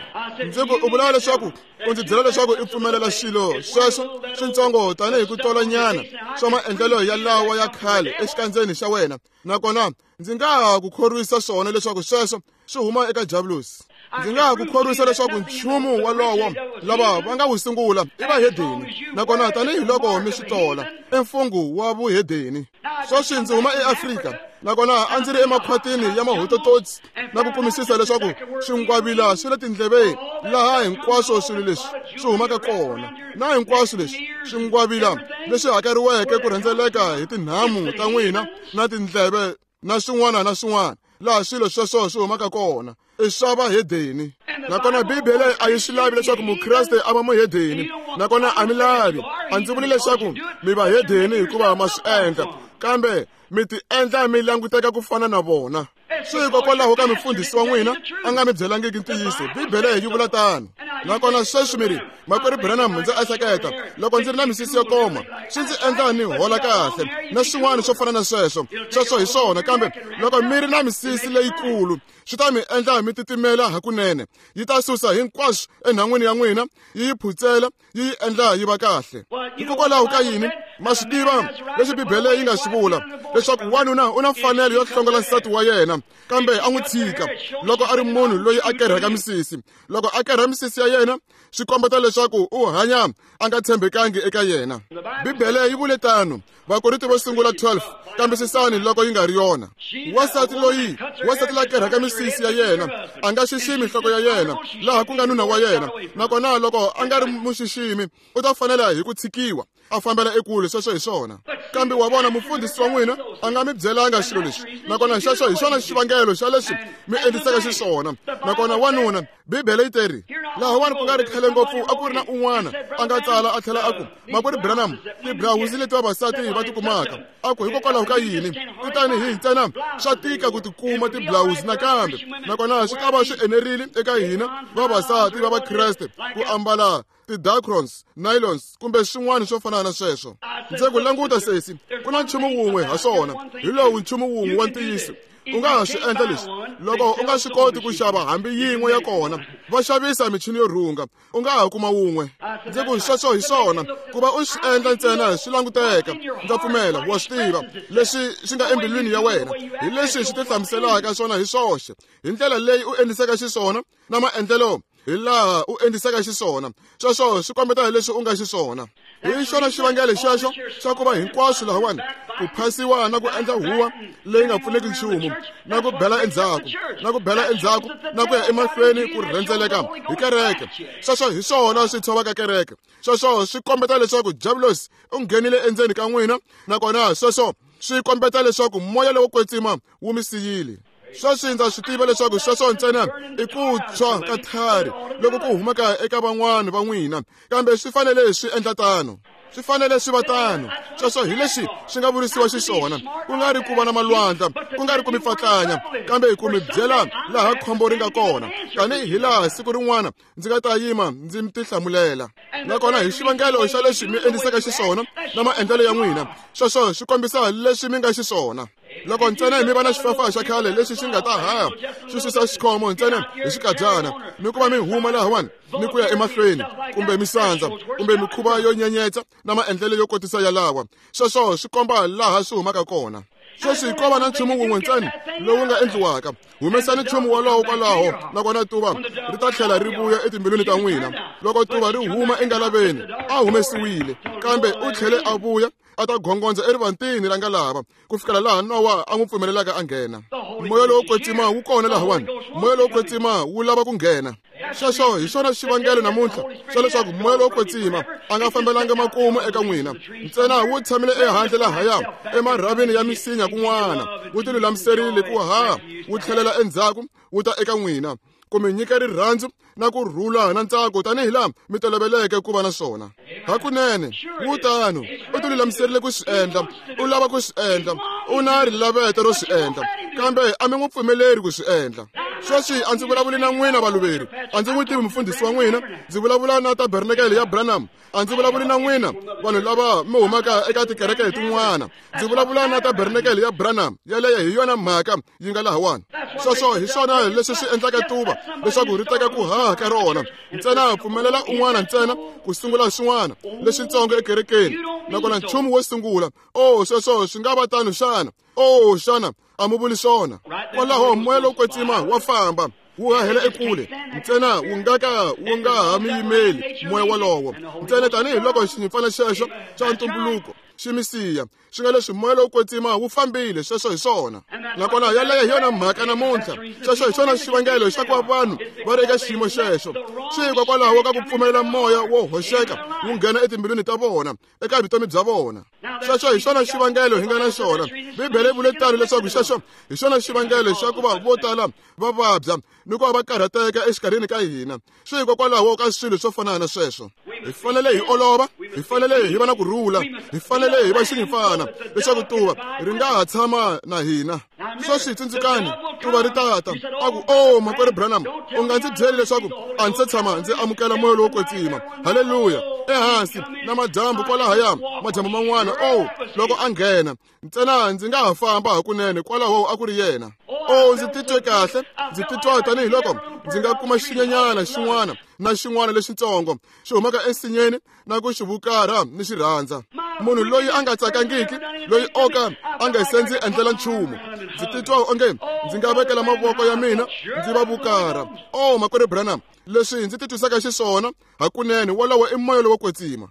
Ndzi ku, u vula leswaku u ndzi byela leswaku i pfumelela xilo sweswo swintsongo tanihi ku tolanyana swa maendlelo ya lawa ya khale exikandzeni xa wena, nakona ndzi nga ha ku khorwisa swona leswaku sweswo swi huma eka Diablos. Ndzi nga ha ku khorwisa leswaku nchumu walowo lava va nga wu sungula i vahedeni, nakona tanihiloko mi swi tola i mfungho wa vuhedeni. Sweswi ndzi huma eAfrika, nakona a ndzi ri emakhwatini ya mahotototsi na ku kumisisa leswaku swingwavila swi le tindleveni laha hinkwaswo swilo leswi swi humaka kona, na hinkwaswo leswi swingwavila leswi hakeriweke ku rhendzeleka hi tinhamu ta n'wina na tindleve na swin'wana na swin'wana laha swilo sweswo swi humaka kona i swa vahedeni. Nakona Bibele a yi swi lavi leswaku Mukreste a va muhedeni, nakona a mi lavi. A ndzi vuli leswaku mi vahedeni hikuva ma swi endla, kambe mi ti endla mi languteka ku fana na vona. Swi hikokwalaho ka mufundhisi wa n'wina a nga mi byelangiki ntiyiso. Bibele yi vula tano. Nakona sweswi mi ri, Makwerhu Branham, ndzi ehleketa loko ndzi ri na misisi yo koma swi ndzi endla ni hola kahle na swin'wana swo fana na sweswo. Sweswo hi swona, kambe loko mi ri na misisi leyikulu swi ta mi endla mi titimela hakunene. Yi ta susa hinkwaswo enhan'wini ya n'wina, yi yi phutsela, yi yi endla yi va kahle. Hikokwalaho ka yini? Ma swi tiva leswi Bibele yi nga swi vula leswaku wanuna u na mfanelo yo hlongola nsati wa yena, kambe a n'wi tshika loko a ri munhu loyi a kerhaka misisi. Loko a kerha misisi ya yena swi kombeta leswaku u hanya a nga tshembekangi eka yena. Bibele yi vule tano. Vakorinto vo sungula 12, kambisisani loko yi nga ri yona. Wansati loyi, wansati la kerhaka misisi ya yena a nga xiximi nhloko ya yena laha ku nga nuna wa yena, nakona loko a nga ri muxiximi u ta fanela hi ku tshikiwa a fambela ekule. Sweswo hi swona. Kambe wa vona, mufundhisi wa n'wina a nga mi byelanga xilo lexi, nakona xexo hi xona xivangelo xa leswi mi endlisaka xiswona. Nakona wanuna, Bibele yi teri lahawani ku nga ri khale ngopfu a ku ri na un'wana a nga tsala a tlhela a ku, Makwerhu Branham, tibrawuzi leti vavasati va ti kumaka, a ku hikokwalaho ka yini ti tanihi ntsena swa tika ku ti kuma tiblawuzi nakambe, nakona swi ta va swi enerile eka hina vavasati va Vakreste ku ambala ti-dacrons, nylons kumbe swin'wana swo fana na sweswo. Ndzi ku languta sesi, ku na nchumu wun'we ha swona, hi lowu nchumu wun'we wa ntiyiso. U nga ha swi endla leswi loko u nga swi koti ku xava hambi yin'we ya kona, va xavisa michini yo rhunga, u nga ha kuma wun'we. Ndzi ku sweswo hi swona, ku va u swi endla ntsena swi languteka. Ndza pfumela wa swi tiva leswi swi nga embilwini ya wena, hi leswi swi tihlamuselaka swona hi swoxe, hi ndlela leyi u endlisaka xiswona na maendlelo hi laha u endlisaka xiswona. Sweswo swi kombeta leswi u nga xiswona. Hi xona xivangelo xexo xa ku va hinkwaswo lahawani ku phasiwa na ku endla huwa leyi nga pfuneki nchumu na ku bela endzhaku na ku bela endzhaku na ku ya emahlweni ku rhendzeleka hi kereke. Sweswo hi swona swi tshovaka kereke. Sweswo swi kombeta leswaku Diablos u nghenile endzeni ka n'wina, nakona sweswo swi kombeta leswaku moya lowo kwetsima wu mi siyile. Sweswi ndza swi tiva leswaku sweswo ntsena i ku tshwa ka thari loko ku humaka eka van'wana va n'wina, kambe swi fanele swi endla tano. Swi fanele swi va tano. Sweswo hi leswi swi nga vurisiwa xiswona, ku nga ri ku va na malwandla, ku nga ri ku mi pfatlanya, kambe ku mi byela laha khombo ri nga kona, tanihi laha siku rin'wana ndzi nga ta yima ndzi mi tihlamulela. Nakona hi xivangelo xa leswi mi endlisaka xiswona na maendlelo ya n'wina, sweswo swi kombisa leswi mi nga xiswona. Loko ntsena mi va na xifafa xa khale lexi xi nga ta haha xi susa xikhomo ntsena hi xikadyana, ni ku va mi huma lahawani ni ku ya emahlweni, kumbe misandza kumbe mikhuva yo nyenyetsa na maendlelo yo kotisa yalawa, sweswo swi komba laha swi humaka kona. Sweswi ko va na nchumu wun'we ntsena lowu nga endliwaka. Humesani nchumu wolowo kwalaho, nakona tuva ri ta tlhela ri vuya etimbilwini ta n'wina. Loko tuva ri huma engalaveni, a humesiwile, kambe u tlhele a vuya a ta gongondza erivantini ra ngalava ku fikela laha Nowa a n'wi pfumelelaka a nghena. Moya lowo kwetsima wu kona lahawani. Moya lowo kwetsima wu lava ku nghena. Sweswo hi xona xivangelo namuntlha xa leswaku moya lowo kwetsima a nga fambelanga makumu eka n'wina. Ntsena wu tshamile ehandle lahaya emarhavini ya misinya kun'wana, wu tilulamiserile ku haha wu tlhelela endzhaku wu ta eka n'wina ku mi nyika rirhandzu na ku rhula na ntsako tanihi laha mi toloveleke ku va na swona. Hakunene wu tano, u tilulamiserile ku swi endla, u lava ku swi endla, u na rilaveto ro swi endla, kambe a mi n'wi pfumeleri ku swi endla. Sweswi a ndzi vulavuli na n'wina valuveri, a ndzi n'wi tivi mufundhisi wa n'wina, ndzi vulavula na tabernakele ya Branham. A ndzi vulavuli na n'wina vanhu lava mi humaka eka tikereke tin'wana, ndzi vulavula na tabernakele ya Branham. Yeleyo hi yona mhaka yi nga lahawani. Sweswo hi swona leswi swi endlaka tuva leswaku ri teka ku haha ka rona. Ntsena pfumelela un'wana ntsena ku sungula swin'wana leswitsongo ekerekeni, nakona nchumu wo sungula, o sweswo swi nga va tano xana? O xana a mu vuli swona? Kwalaho moya lowo kwetsima wa famba wu hahela ekule, ntsena wu nga ka wu nga ha mi yimeli moya wolowo. Ntsena tanihiloko xinyimpfana xexo xa ntumbuluko xi mi siya, swi nga leswi moya lowo kwetsima wu fambile. Sweswo hi swona, nakona yaleyo hi yona mhaka namuntlha. Sweswo hi xona xivangelo xa ku va vanhu va ri eka xiyimo xexo, swi hikokwalaho ka ku pfumelela moya wo hoxeka wu nghena etimbilwini ta vona, eka vutomi bya vona. Sweswo hi xona xivangelo hi nga na xona. Bibele yi vule tano leswaku xexo hi xona xivangelo xa ku va vo tala va vabya ni ku va va karhateka exikarhini ka hina, swi hikokwalaho ka swilo swo fana na sweswo. Hi fanele hi olova, hi fanele hi va na ku rhula, hi fanele hi va xinyimpfana leswaku tuva ri nga ha tshama na hina. Sweswi tsundzukani, tuva ri tata a ku, o makwerhu Branham, u nga ndzi byeli leswaku a ndzi se tshama ndzi amukela moya lowo kwetsima. Haleluya! Ehansi na madyambu kwalahaya, madyambu man'wana, o loko a nghena ntsena ndzi nga ha famba hakunene. Kwalaho a ku ri yena. O ndzi titwe kahle, ndzi titwa tanihiloko ndzi nga kuma xinyenyana xin'wana na xin'wana lexitsongo xi humaka ensinyeni na ku xi vukarha ni xi rhandza. Munhu loyi a nga tsakangiki, loyi o ka a nga se ndzi endlela nchumu, ndzi titwa onge ndzi nga vekela mavoko ya mina ndzi va vukarha. O makwerhu Branham, leswi ndzi titwisaka xiswona hakunene, wolowo i moya lowo kwetsima.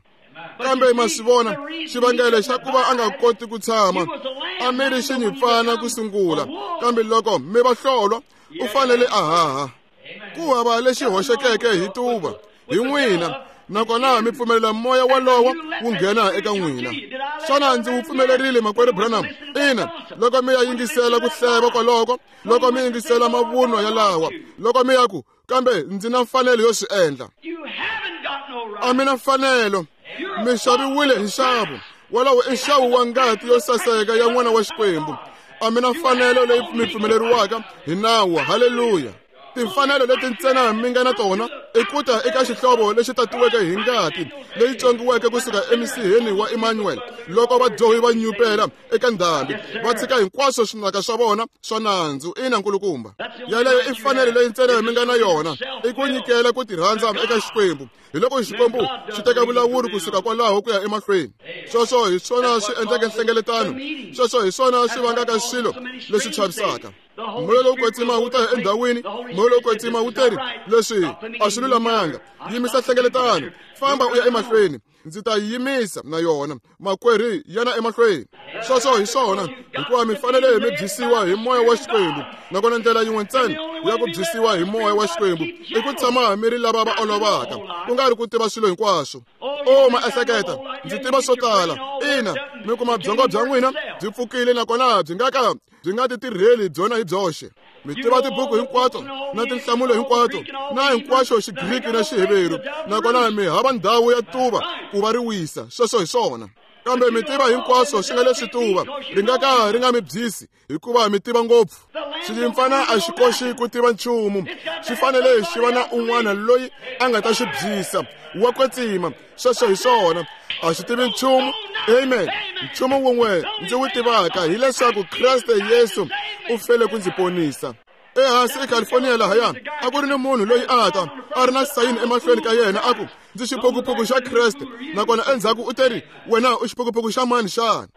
Kambe ma swi vona xivangelo xa ku va a nga koti ku tshama a mi ri xinyimpfana ku sungula, kambe loko mi va hlolwa u fanele a haha. Ku hava lexi hoxekeke hi tuva hi n'wina, nakona mi pfumelela moya wolowo wu nghena eka n'wina. Xana ndzi wu pfumelerile makwerhu Branham? Ina, loko mi ya yingisela ku hleva kwaloko, loko mi yingisela mavunwa yalawa, loko mi ya ku, kambe ndzi na mfanelo yo swi endla. A mi na mfanelo, mi xaviwile hi nxavo. Wolowo i nxavo wa ngati yo saseka ya N'wana wa Xikwembu. A mi na mfanelo leyi mi pfumeleriwaka hi nawu. Haleluya! Timfanelo leti ntsena mi nga na tona i ku ta eka xihlovo lexi tatiweke hi ngati leyi tswongiweke kusuka emisiheni wa Emmanuel, loko vadyohi va nyupela eka ndhambi va tshika hinkwaswo swinaka swa vona swa nandzu. Ina nkulukumba, yaleyo i mfanelo leyi ntsena mi nga na yona, i ku nyikela ku tirhandza eka Xikwembu. Hi loko Xikwembu xi teka vulawuri kusuka kwalaho ku ya emahlweni. Sweswo hi swona swi endleke nhlengeletano, sweswo hi swona swi vangaka swilo leswi chavisaka. Moya lowo kwetsima wu ta endhawini, moya lowo kwetsima wu teri leswi a swi lulamanga, yimisa nhlengeletano, famba u ya emahlweni, ndzi ta yimisa na yona. Makwerhu, yana emahlweni. Sweswo hi swona, hikuva mi fanele mi byisiwa hi moya wa Xikwembu, nakona ndlela yin'we ntsena ya ku byisiwa hi moya wa Xikwembu i ku tshama mi ri lava va olovaka, ku nga ri ku tiva swilo hinkwaswo. O ma ehleketa, ndzi tiva swo tala. Ina, mi kuma byongo bya n'wina byi pfukile, nakona byi nga ka byi nga ti tirheli byona hi byoxe. Mi tiva tibuku hinkwato na tinhlamulo hinkwato na hinkwaxo Xigriki na Xiheveru, nakona mi hava ndhawu ya tuva ku va ri wisa. Sweswo hi swona. Kambe mi tiva hinkwaswo swi nga leswi tuva ri nga ka ri nga mi byisi, hikuva mi tiva ngopfu. Xinyimpfana a xi koxi ku tiva nchumu, xi fanele xi va na un'wana loyi a nga ta xi byisa wa kwetsima. Sweswo hi swona, a xi tivi nchumu. Amen. Nchumu wun'we ndzi wu tivaka hileswaku Kreste Yesu u fele ku ndzi ponisa. Ehansi eCalifornia lahaya a ku ri ni munhu loyi a ta a ri na sayini emahlweni ka yena a ku, ndzi xiphukuphuku xa Kreste, nakona endzhaku u teri, wena u xiphukuphuku xa mani xana?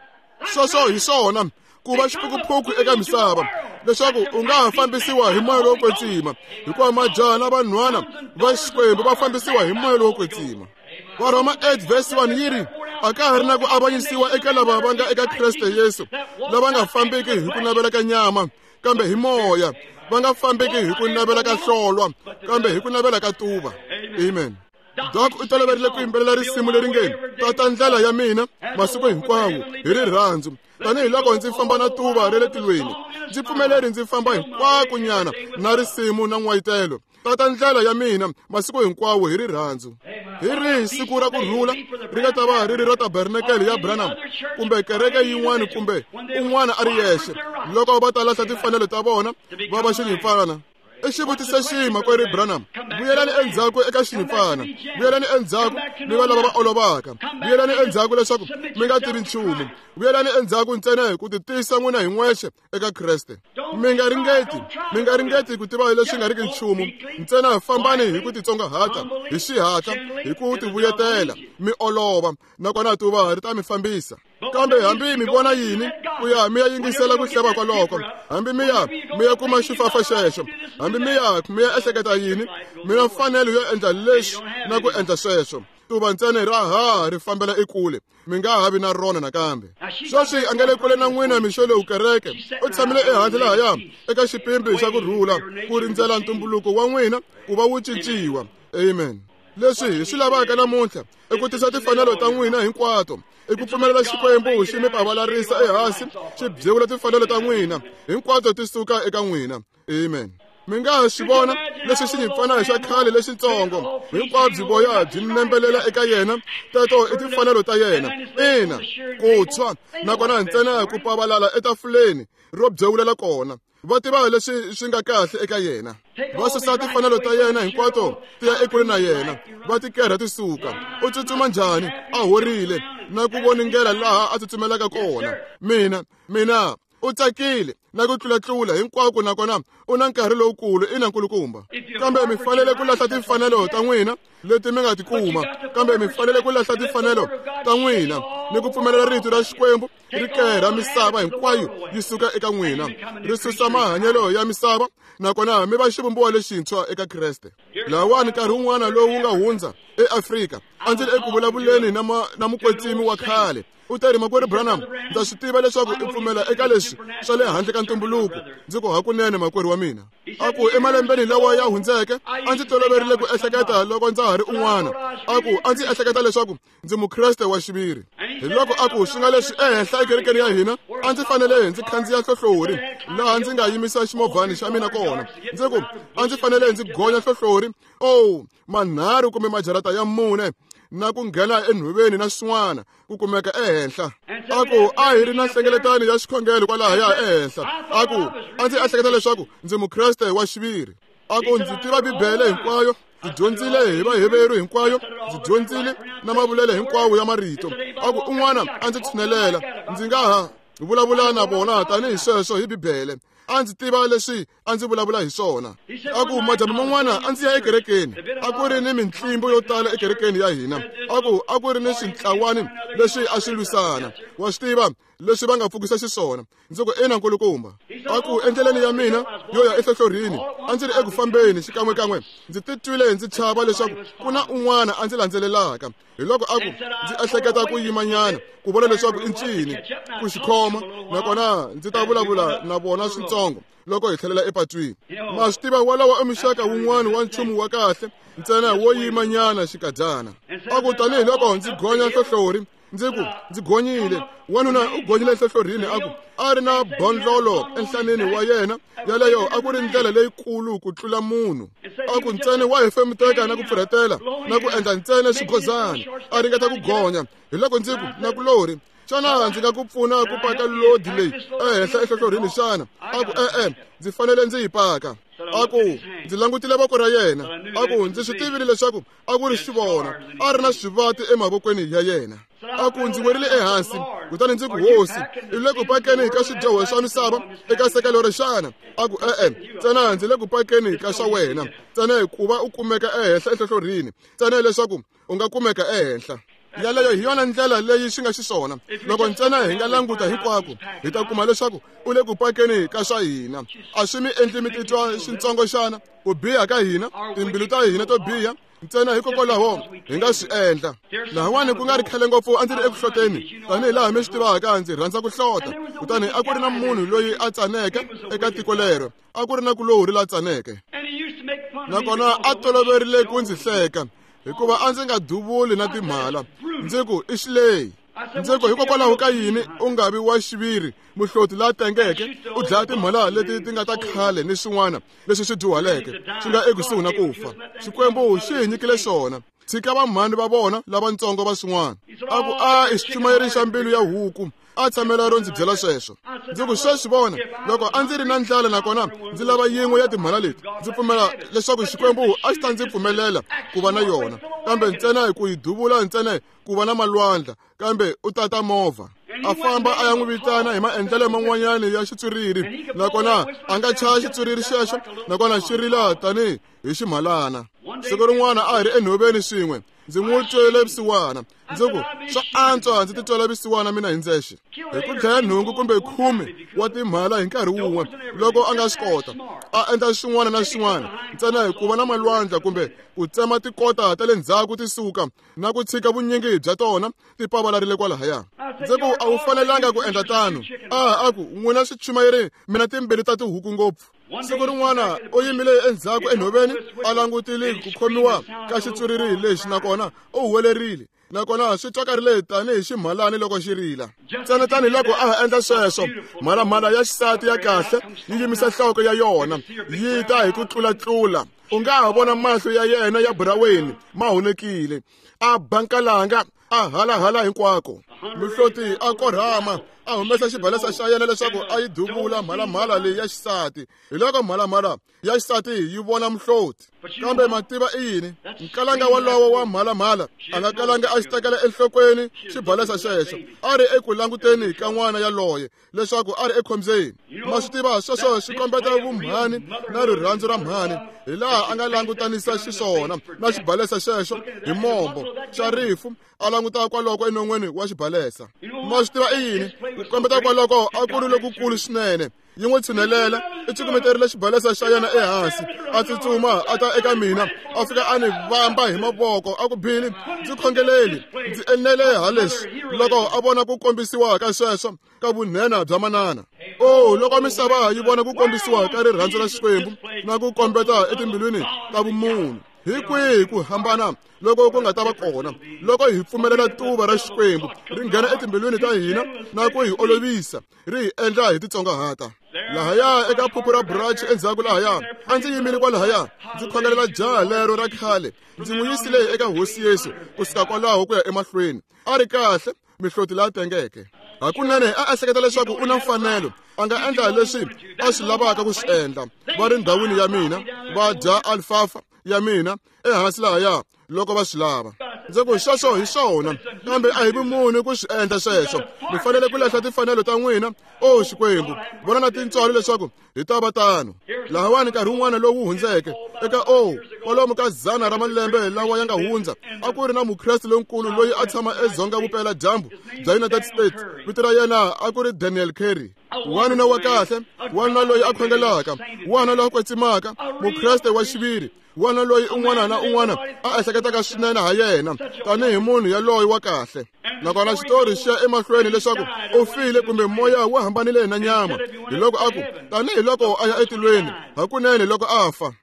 Sweswo hi swona. Ku va xiphukuphuku eka misava leswaku u nga ha fambisiwa hi moya lowo kwetsima, hikuva majaha na vanhwana va Xikwembu va fambisiwa hi moya lowo kwetsima. Varhoma 8 verse 1 yi ri, a ka ha ri na ku avanyisiwa eka lava va nga eka Kreste Yesu, lava nga fambiki hi ku navela ka nyama, kambe hi moya, va nga fambiki hi ku navela ka hlolwa, kambe hi ku navela ka tuva. Amen. Doc u toloverile ku yimbelela risimu leri nge tata ndlela ya mina masiku hinkwawo hi rirhandzu, tanihiloko ndzi famba na tuva ra le tilweni, ndzi pfumeleri ndzi famba hinkwako nyana na risimu na n'wayitelo. Tata ndlela ya mina masiku hinkwawo hi rirhandzu. Hi rihi siku ra ku rhula ri nga ta va ri ri ra tabernakele ya Branham kumbe kereke yin'wana kumbe un'wana a ri yexe, loko va ta lahla timfanelo ta vona va va xinyimpfana? I xivutiso xihi, makwerhu Branham? Vuyelani endzhaku eka xinyimpfana, vuyelani endzhaku mi va lava va olovaka, vuyelani endzhaku leswaku mi nga tivi nchumu, vuyelani endzhaku ntsena hi ku titisa n'wina hi n'wexe eka Kreste. Mi nga ringeti, mi nga ringeti ku tiva leswi nga riki nchumu, ntsena fambani hi ku titsongahata, hi xihatla, hi ku tivuyetela, mi olova, nakona tuva ri ta mi fambisa. Kambe hambi mi vona yini, ku ya mi ya yingisela ku hleva kwaloko, hambi mi ya mi ya kuma xifafa xexo, hambi mi ya mi ya ehleketa yini, mi na mfanelo yo endla leswi na ku endla sweswo. Tuva ntsena ra ha ri fambela ekule, mi nga ha vi na rona nakambe. Sweswi a nga le kule na n'wina mixo lowu kereke, u tshamile ehandle lahaya eka xipimbi xa ku rhula, ku rindzela ntumbuluko wa n'wina ku va wu cinciwa. Amen. Leswi hi swi lavaka namuntlha i ku tisa timfanelo ta n'wina hinkwato, i ku pfumelela Xikwembu xi mi pavalarisa ehansi, xi byewula timfanelo ta n'wina hinkwato ti suka eka n'wina. Amen. Mi nga ha swi vona leswi xinyimpfana xa khale lexitsongo hinkwabyo voya byi nembelela eka yena, teto i timfanelo ta yena. Ina, ku tshwa nakona ntsena ku pavalala etafuleni ro byewulela kona. Va tiva leswi swi nga kahle eka yena, va susa timfanelo ta yena hinkwato ti ya ekule na yena, va ti kerha ti suka. U tsutsuma njhani a horile na ku voningela laha a tsutsumelaka kona. Mina u tsakile na ku tlulatlula hinkwako, nakona u na nkarhi lowukulu. Ina, nkulukumba. Kambe mi fanele ku lahla timfanelo ta n'wina leti mi nga ti kuma, kambe mi fanele ku lahla timfanelo ta n'wina ni ku pfumelela rito ra Xikwembu ri kerha misava hinkwayo yi suka eka n'wina, ri susa mahanyelo ya misava, nakona mi va xivumbiwa lexintshwa eka Kreste. Lawani nkarhi wun'wana lowu wu nga hundza eAfrika, a ndzi ri eku vulavuleni na mukwetsimi wa khale. U teri, makwerhu Branham, ndza swi tiva leswaku u pfumela eka leswi swa le handle ka ntumbuluko. Ndzi ku, hakunene makwerhu wa mina. A ku, emalembeni lawa ya hundzeke a ndzi toloverile ku ehleketa loko ndza ha ri un'wana. A ku, a ndzi ehleketa leswaku ndzi mukreste wa xiviri. Hi loko a ku, swi nga leswi ehenhla ekerekeni ya hina a ndzi fanele ndzi khandziya hlohlori laha ndzi nga yimisa ximovhani xa mina kona. Ndzi ku, a ndzi fanele ndzi gonya hlohlori manharhu kumbe majarata ya 4 na ku nghena enhoveni na swin'wana ku kumeka ehenhla. A ku, a hi ri na nhlengeletano ya xikhongelo kwalahaya ehenhla. A ku, a ndzi ehleketa leswaku ndzi mukreste wa xiviri. A ku, ndzi tiva Bibele hinkwayo, ndzi dyondzile hi Vaheveru hinkwayo, ndzi dyondzile na mavulelo hinkwawo ya marito. A ku, un'wana a ndzi tshinelela, ndzi nga ha vulavula na vona tanihi sweswo hi Bibele. A ndzi tiva leswi a ndzi vulavula hi swona. A ku, madyambu man'wana a ndzi ya ekerekeni, a ku ri ni mintlimbo yo tala ekerekeni ya hina. A ku, a ku ri ni swintlawani leswi a swi lwisana, wa swi tiva leswi va nga pfukisa xiswona. Ndzi ku, ina nkulukumba. A ku, endleleni ya mina yo ya ehlohlorini a ndzi ri eku fambeni xikan'wekan'we, ndzi titwile ndzi chava leswaku ku na un'wana a ndzi landzelelaka. Hi loko a ku, ndzi ehleketa ku yimanyana ku vona leswaku i ncini ku xikhoma, nakona ndzi ta vulavula na vona switsongo loko hi tlhelela epatwini. Ma swi tiva, walowo i muxaka wun'wana wa nchumu wa kahle ntsena wo yimanyana xikadyana. A ku, tanihiloko ndzi gonya hlohlori, ndzi ku, ndzi gonyile. Wanuna u gonyile hlohlorini, a ku a ri na bondlolo enhlaneni wa yena, yaleyo a ku ri ndlela leyikulu ku tlula munhu. A ku ntsena wa hefemuteka na ku pfurhetela na ku endla ntsena xigozana, a ringeta ku gonya. Hi loko ndzi ku, nakulorhi, xana ndzi nga ku pfuna ku paka lodi leyi ehenhla ehlohlorini xana? A ku, e-e, ndzi fanele ndzi yi paka. A ku, ndzi langutile voko ra yena. A ku, ndzi swi tivile leswaku a ku ri xivona, a ri na swivati emavokweni ya yena. A ku, ndzi werile ehansi, kutani ndzi ku, Hosi, i le ku pakeni ka swidyoho swa misava eka sekelo ri xana? A ku, e-e, ntsena ndzi le ku pakeni ka swa wena, ntsena hikuva u kumeka ehenhla ehlohlorini, ntsena leswaku u nga kumeka ehenhla. Yaleyo hi yona ndlela leyi xi nga xiswona. Loko ntsena hi nga languta hinkwako, hi ta kuma leswaku u le ku pakeni ka swa hina. A swi mi endli mi titwa xintsongo xana? Ku biha ka hina, timbilu ta hina to biha, ntsena hikokwalaho hi nga swi endla. Lahawani ku nga ri khale ngopfu a ndzi ri eku hloteni, tanihi laha mi swi tivaka ndzi rhandza ku hlota. Kutani a ku ri na munhu loyi a tsaneke eka tiko lero, a ku ri na kulorhi la tsaneke. Nakona a toloverile ku ndzi hleka, hikuva a ndzi nga duvuli na timhala. Ndzi ku i xileyi. Ndzi ku hikokwalaho ka yini u nga vi wa xiviri muhloti la tengeke, u dlaya timhala leti ti nga ta khale ni swin'wana leswi swi dyuhaleke swi nga ekusuhi na ku fa. Xikwembu xi hi nyikile swona. Tshika vamhani va vona lavatsongo va swin'wana. A ku a i xichumayeri xa mbilu ya huku. A tshamela ro ndzi byela sweswo. Ndzi ku sweswi vona, loko a ndzi ri na ndlala nakona ndzi lava yin'we ya timhala leti, ndzi pfumela leswaku Xikwembu a xi ta ndzi pfumelela ku va na yona, kambe ntsena hi ku yi duvula ntsena ku va na malwandla, kambe u tata movha. A famba a ya n'wi vitana hi maendlelo man'wanyana ya xitswiriri, nakona a nga chaya xitswiriri xexo, nakona xi rila tanihi hi ximhalana. Siku rin'wana a hi ri enhoveni swin'we, ndzi n'wi twele vusiwana. Ndzi ku swa antswa ndzi titwela vusiwana mina hi ndzexe, hi ku dlaya 8 kumbe 10 wa timhala hi nkarhi wun'we loko a nga swi kota. A endla xin'wana na xin'wana ntsena hi ku va na malwandla kumbe ku tsema tikota ta le ndzhaku ti suka na ku tshika vunyingi bya tona ti pavalarile kwalahaya. Ndzi ku a wu fanelanga ku endla tano. A ku n'wina swichumayeri mina timbilu ta tihuku ngopfu. Siku rin'wana u yimile endzhaku enhoveni a langutile ku khomiwa ka xitswiriri lexi, nakona u huwelerile, nakona swi twakarile tanihi ximhalani loko xi rila. Ntsena tanihiloko a ha endla sweswo, mhalamhala ya xisati ya kahle yi yimisa nhloko ya yona yi ta hi ku tlulatlula. U nga ha vona mahlo ya yena ya buraweni ma honekile, a bankalanga, a halahala hinkwako. Muhloti a korhama, a humesa xibalesa xa yena leswaku a yi duvula mhalamhala leyi ya xisati. Hi loko mhalamhala ya xisati yi vona muhloti. Kambe mativa i yini? Nkalanga walowo wa mhalamhala a nga kalanga a xi tekela enhlokweni xibalesa xexo. A ri eku languteni ka n'wana yaloye leswaku a ri ekhombyeni. Ma swi tiva sweswo swi kombeta vumhani na rirhandzu ra mhani, hi laha a nga langutanisa xiswona na xibalesa xexo hi mombo xa rifu, a languta kwaloko enon'weni wa xibalesa. Ma swi tiva i yini? Ku kombeta kwaloko a ku ri lokukulu swinene. Yi n'wi tshinelela, i cukumeterile xibalesa xa yena ehansi, a tsutsuma a ta eka mina, a fika a ni vamba hi mavoko, a ku Billy, ndzi khongeleli, ndzi enele ha leswi. Loko a vona ku kombisiwa ka sweswo ka vunhena bya manana. Oh, loko misava yi vona ku kombisiwa ka rirhandzu ra Xikwembu na ku kombeta etimbilwini ta vumunhu, hi kwihi ku hambana loko ku nga ta va kona loko hi pfumelela tuva ra Xikwembu ri nghena etimbilwini ta hina na ku hi olovisa, ri hi endla hi titsongahata. Lahaya eka phuphu ra burachi endzhaku lahaya, a ndzi yimile kwalahaya ndzi khongelela jaha lero ra khale, ndzi n'wi yisile eka Hosi Yesu kusuka kwalaho ku ya emahlweni. A ri kahle, mihloti la tengeke. Hakunene a ehleketa leswaku u na mfanelo, a nga endla leswi a swi lavaka ku swi endla. Va ri ndhawini ya mina, va dya alfafa ya mina ehansi lahaya loko va swi lava. Ndzi ku sweswo hi swona, kambe a hi vumunhu ku swi endla sweswo. Mi fanele ku lahla timfanelo ta n'wina. O Xikwembu, vona na tintswalo leswaku hi ta va tano. Lahawani nkarhi wun'wana lowu hundzeke eka kwalomu ka 100 ra malembe lawa ya nga hundza, a ku ri na mukreste lonkulu loyi a tshama edzonga vupela dyambu bya United States. Vito ra yena a ku ri Daniel Carey. Wanuna wa kahle, wanuna loyi a khongelaka, wanuna loyi a kwetsimaka, mukreste wa xiviri, wanuna loyi un'wana na un'wana a ehleketaka swinene ha yena tanihi munhu yaloye wa kahle. Nakona xitori xi ya emahlweni leswaku u file kumbe moya wu hambanile na nyama, hi loko a ku tanihi loko a ya etilweni hakunene loko a fa.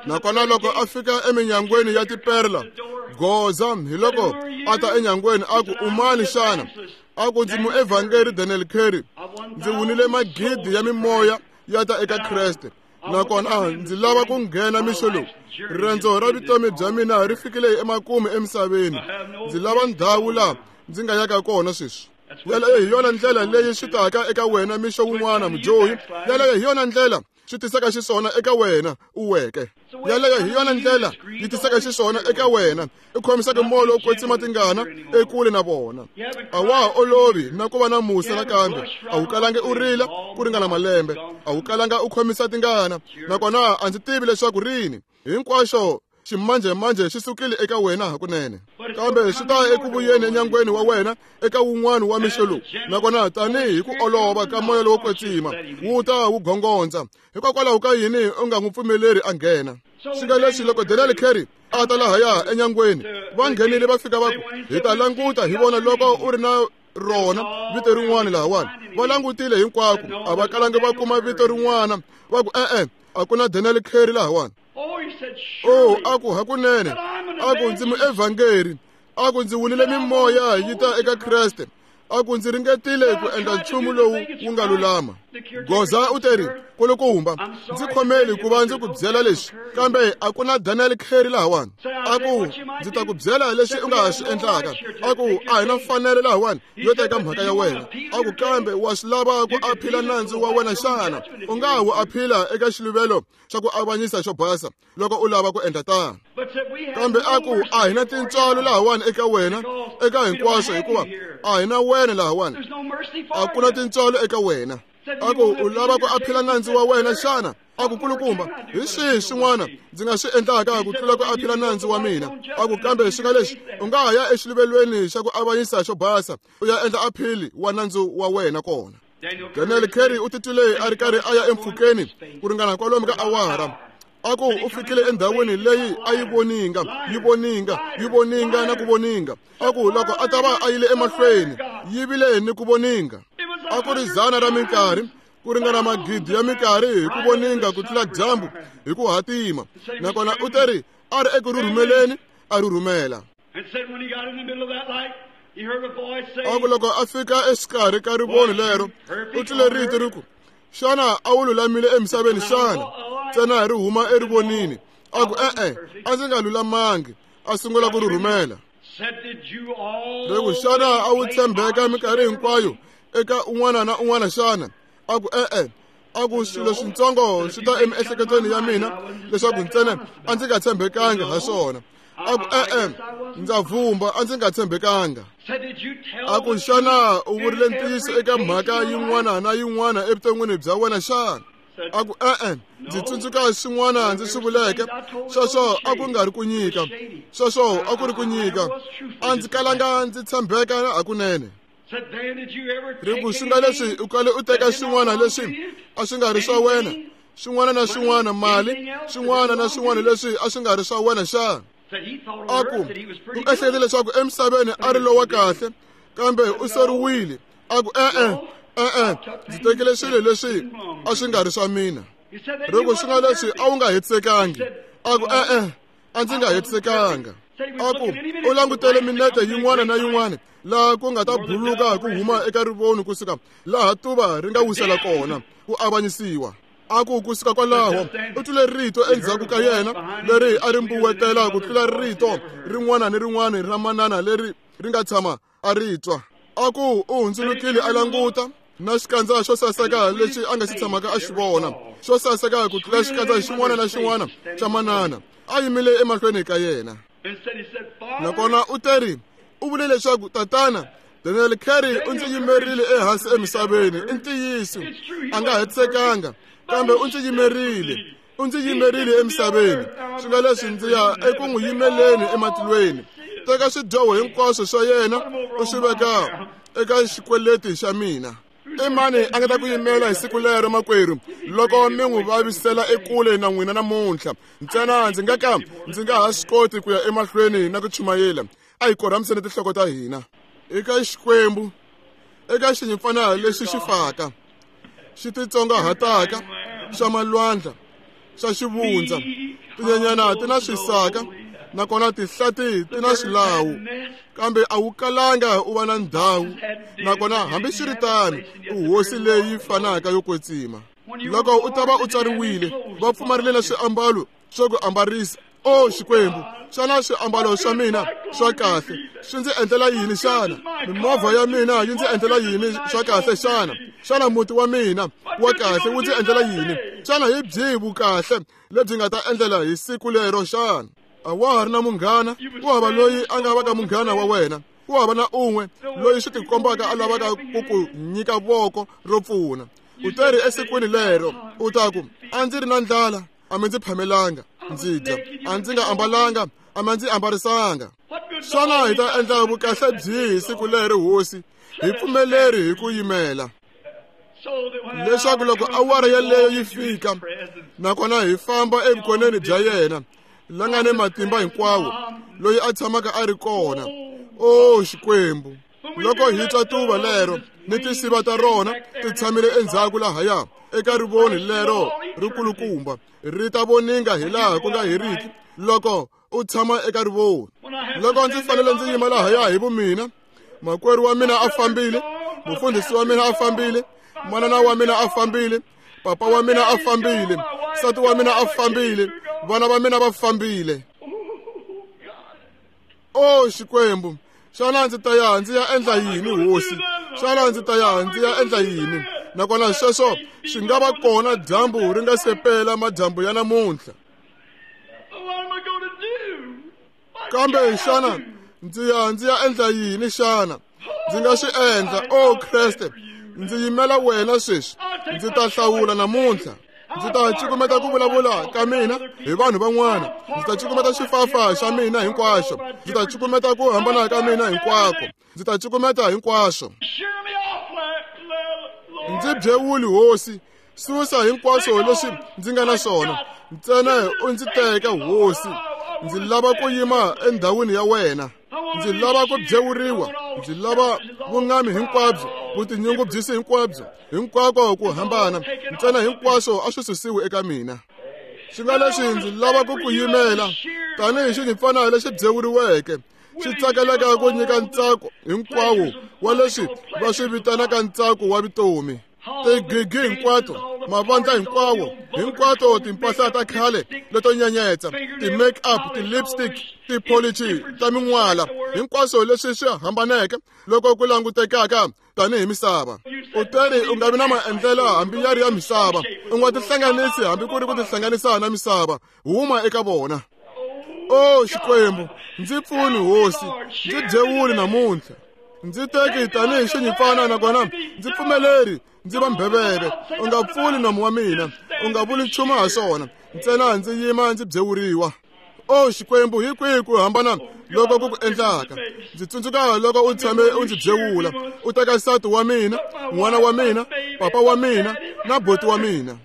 Nakona loko a fika eminyangweni ya tiperla goza, hi loko a ta enyangweni a ku u mani xana? A ku ndzi muevhangeri Daniel Carey, ndzi wunile magidi ya mimoya ya ta eka Kreste, nakona ndzi lava ku nghena mixo lowu. Riendzo ra vutomi bya mina ri fikile emakumu emisaveni. Ndzi lava ndhawu laha ndzi nga yaka kona sweswi. Yaleyo hi yona ndlela leyi swi taka eka wena mixo wun'wana mudyohi. Yaleyo hi yona ndlela swi tisaka xiswona eka wena u weke. Yaleyo hi yona ndlela yi tisaka xiswona eka wena i khomisaka moya lowo kwetsima tingana ekule na vona. A wa ha olovi na ku va na musa nakambe. A wu kalangi u rila ku ringana malembe, a wu kalanga u khomisa tingana, nakona a ndzi tivi leswaku rini. Hinkwaxo Ximanjhemanjhe xi sukile eka wena hakunene, kambe xi ta eku vuyeni enyangweni wa wena eka wun'wana wa mixo lowu. Nakona tanihi hi ku olova ka moya lowo kwetsima wu ta wu gongondza. Hikokwalaho ka yini u nga n'wi pfumeleri a nghena? Swi nga leswi loko Daniel Carey a ta lahaya enyangweni, va nghenile va fika va ku, hi ta languta hi vona loko u ri na rona vito rin'wana lahawani. Va langutile hinkwako, a va kalangi va kuma vito rin'wana. Va ku, e-e, a ku na Daniel Carey lahawani. O, a ku hakunene, a ku ndzi muevhangeri, a ku ndzi wulile mimoya yi ta eka Kreste, a ku ndzi ringetile ku endla nchumu lowu wu nga lulama. Goza u teri, kulukumba, ndzi khomeli ku va ndzi ku byela leswi, kambe a ku na Daniel Carey lahawani. A ku ndzi ta ku byela leswi u nga swi endlaka. A ku a hi na mfanelo lahawani yo teka mhaka ya wena. A ku kambe wa swi lava ku aphila nandzu wa wena xana? U nga wu aphila eka xiluvelo xa ku avanyisa xo basa loko u lava ku endla tano. Kambe a ku a hi na tintswalo lahawani eka wena eka hinkwaswo, hikuva a hi na wena lahawani, a ku na tintswalo eka wena. A ku u lava ku aphila nandzu wa wena xana? A ku kulukumba, hi swihi swin'wana ndzi nga swi endlaka ku tlula ku aphila nandzu wa mina? A ku kambe swi nga leswi, u nga ha ya exiluvelweni xa ku avanyisa xo basa u ya endla aphili wa nandzu wa wena kona. Daniel Carey u titwile a ri karhi a ya empfhukeni ku ringana kwalomu ka awara. A ku u fikile endhawini leyi a yi voninga, yi voninga, yi voninga na ku voninga. A ku loko a ta va a yile emahlweni, yi vile ni ku voninga. A ku ri 100 ra minkarhi, ku ringana magidi ya minkarhi hi ku voninga ku tlula dyambu hi ku hatima. Nakona u teri a ri eku rhurhumeleni, a rhurhumela. A ku loko a fika exikarhi ka rivoni lero, u twile rito ri ku, xana a wu lulamile emisaveni xana? Ntsena ri huma erivonini. A ku e-e, a ndzi nga lulamangi. A sungula ku rhurhumela. Ri ku, xana a wu tshembeka minkarhi hinkwayo eka un'wana na un'wana xana? A ku e-e. A ku swilo swintsongo swi ta emiehleketweni ya mina leswaku ntsena a ndzi nga tshembekanga ha swona. A ku e-e, ndza vumba, a ndzi nga tshembekanga. A ku xana u vurile ntiyiso eka mhaka yin'wana na yin'wana evuton'wini bya wena xana? A ku e-e, ndzi tsundzuka swin'wana ndzi swi vuleke. Sweswo a ku nga ri ku nyika, sweswo a ku ri ku nyika. A ndzi kalanga ndzi tshembeka hakunene. Ri ku swi nga leswi u kale u teka swin'wana leswi a swi nga ri swa wena, swin'wana na swin'wana, mali, swin'wana na swin'wana leswi a swi nga ri swa wena xana? A ku u ehlekete leswaku emisaveni a ri lowa kahle, kambe u soriwile. A ku e-e, e-e, ndzi tekile swilo leswi a swi nga ri swa mina. Ri ku swi nga leswi a wu nga hetisekangi. A ku e-e, a ndzi nga hetisekanga. A ku u langutele minete yin'wana na yin'wana laha ku nga ta buluka ku huma eka rivoni kusuka laha tuva ri nga wisela kona ku avanyisiwa. A ku kusuka kwalaho u twile rito endzhaku ka yena leri a ri mbuwetela ku tlula rito rin'wana ni rin'wana ra manana leri ri nga tshama a ri twa. A ku u hundzulukile a languta na xikandza xo saseka lexi a nga xi tshamaka a xi vona, xo saseka ku tlula xikandza xin'wana na xin'wana xa manana, a yimile emahlweni ka yena. Nakona u teri, u vule leswaku tatana Daniel Carey u ndzi yimerile ehansi emisaveni. I ntiyiso, a nga hetisekanga, kambe u ndzi yimerile, u ndzi yimerile emisaveni. Swi nga leswi ndzi ya eku n'wi yimeleni ematilweni. Teka swidyoho hinkwaswo swa yena u swi veka eka xikweleti xa mina. I mani a nga ta ku yimela hi siku lero, makwerhu, loko mi n'wi vavisela ekule na n'wina namuntlha? Ntsena ndzi nga ka ndzi nga ha swi koti ku ya emahlweni na ku chumayela. A hi korhamiseni tinhloko ta hina eka Xikwembu, eka xinyimpfana lexi xi faka, xi titsongahataka, xa malwandla, xa xivundza. Tinyenyana ti na swisaka, nakona tihlati ti na swilawu, kambe a wu kalanga u va na ndhawu. Nakona hambiswiritano u hosi leyi fanaka yo kwetsima. Loko u ta va u tswariwile, va pfumarile na swiambalo swo ku ambarisa. O Xikwembu, xana swiambalo swa mina swa kahle swi ndzi endlela yini xana? Mimovha ya mina yi ndzi endlela yini swa kahle xana? Xana muti wa mina wa kahle wu ndzi endlela yini? Xana hi byihi vukahle lebyi nga ta endlela hi siku lero xana? A wa ha ri na munghana, ku hava loyi a nga vaka munghana wa wena, ku hava na un'we loyi swi tikombaka a lavaka ku ku nyika voko ro pfuna. U teri esikwini lero u ta ku, a ndzi ri na ndlala, a mi ndzi phamelanga, ndzi dya, a ndzi nga ambalanga, a ma ndzi ambarisanga. Xana hi ta endla vukahle byihi siku leri, Hosi? Hi pfumeleri hi ku yimela, leswaku loko awara yeleyo yi fika, nakona hi famba evukoneni bya yena la nga ni matimba hinkwawo, loyi a tshamaka a ri kona. O Xikwembu, loko hi twa tuva lero ni tinsiva ta rona ti tshamile endzhaku lahaya eka rivoni lero rikulukumba, ri ta voninga hi laha ku nga heriki loko u tshama eka rivoni. Loko ndzi fanele ndzi yima lahaya hi vumina, makwerhu wa mina a fambile, mufundhisi wa mina a fambile, manana wa mina a fambile, papa wa mina a fambile, nsati wa mina a fambile, vana va mina va fambile. O Xikwembu, xana ndzi ta ya ndzi ya endla yini, Hosi? Xana ndzi ta ya ndzi ya endla yini? Nakona sweswo swi nga va kona dyambu ri nga se pela madyambu ya namuntlha. Kambe xana ndzi ya ndzi ya endla yini xana? Ndzi nga swi endla, o Kreste, ndzi yimela wena sweswi. Ndzi ta hlawula namuntlha. Ndzi ta cukumeta ku vulavula ka mina hi vanhu van'wana. Ndzi ta cukumeta xifafa xa mina hinkwaxo. Ndzi ta cukumeta ku hambana ka mina hinkwako. Ndzi ta cukumeta hinkwaswo. Ndzi byewuli, Hosi, susa hinkwaswo leswi ndzi nga na swona. Ntsena u ndzi teka, Hosi. Ndzi lava ku yima endhawini ya wena. Ndzi lava ku byewuriwa. Ndzi lava vungami hinkwabyo, vutinyungubyisi hinkwabyo, hinkwako ku hambana. Ntsena hinkwaswo a swi susiwi eka mina. Swi nga leswi ndzi lava ku ku yimela tanihi xinyimpfana lexi byewuriweke, xi tsakelaka ku nyika ntsako hinkwawo wa leswi va swi vitanaka ntsako wa vutomi. Tigigi hinkwato, mavandla hinkwawo, hinkwato timpahla ta khale leto nyenyetsa, ti-make-up, ti-lipstick, tipolichi ta min'wala, hinkwaswo leswi swi hambaneke loko ku langutekaka tanihi misava. U teri u nga vi na maendlelo hambi ya ri ya misava, u nga tihlanganisi hambi ku ri ku tihlanganisa na misava, huma eka vona. O Xikwembu, ndzi pfuni, Hosi, ndzi byewuli namuntlha. Ndzi teki tanihi xinyimpfana, nakona ndzi pfumeleri ndzi va mbheveve. U nga pfuli nomu wa mina, u nga vuli nchumu ha swona, ntsena ndzi yima ndzi byewuriwa. O Xikwembu, hi kwihi ku hambana loko ku ku endlaka? Ndzi tsundzuka loko u tshame u ndzi byewula, u teka nsati wa mina, n'wana wa mina, papa wa mina na boti wa mina.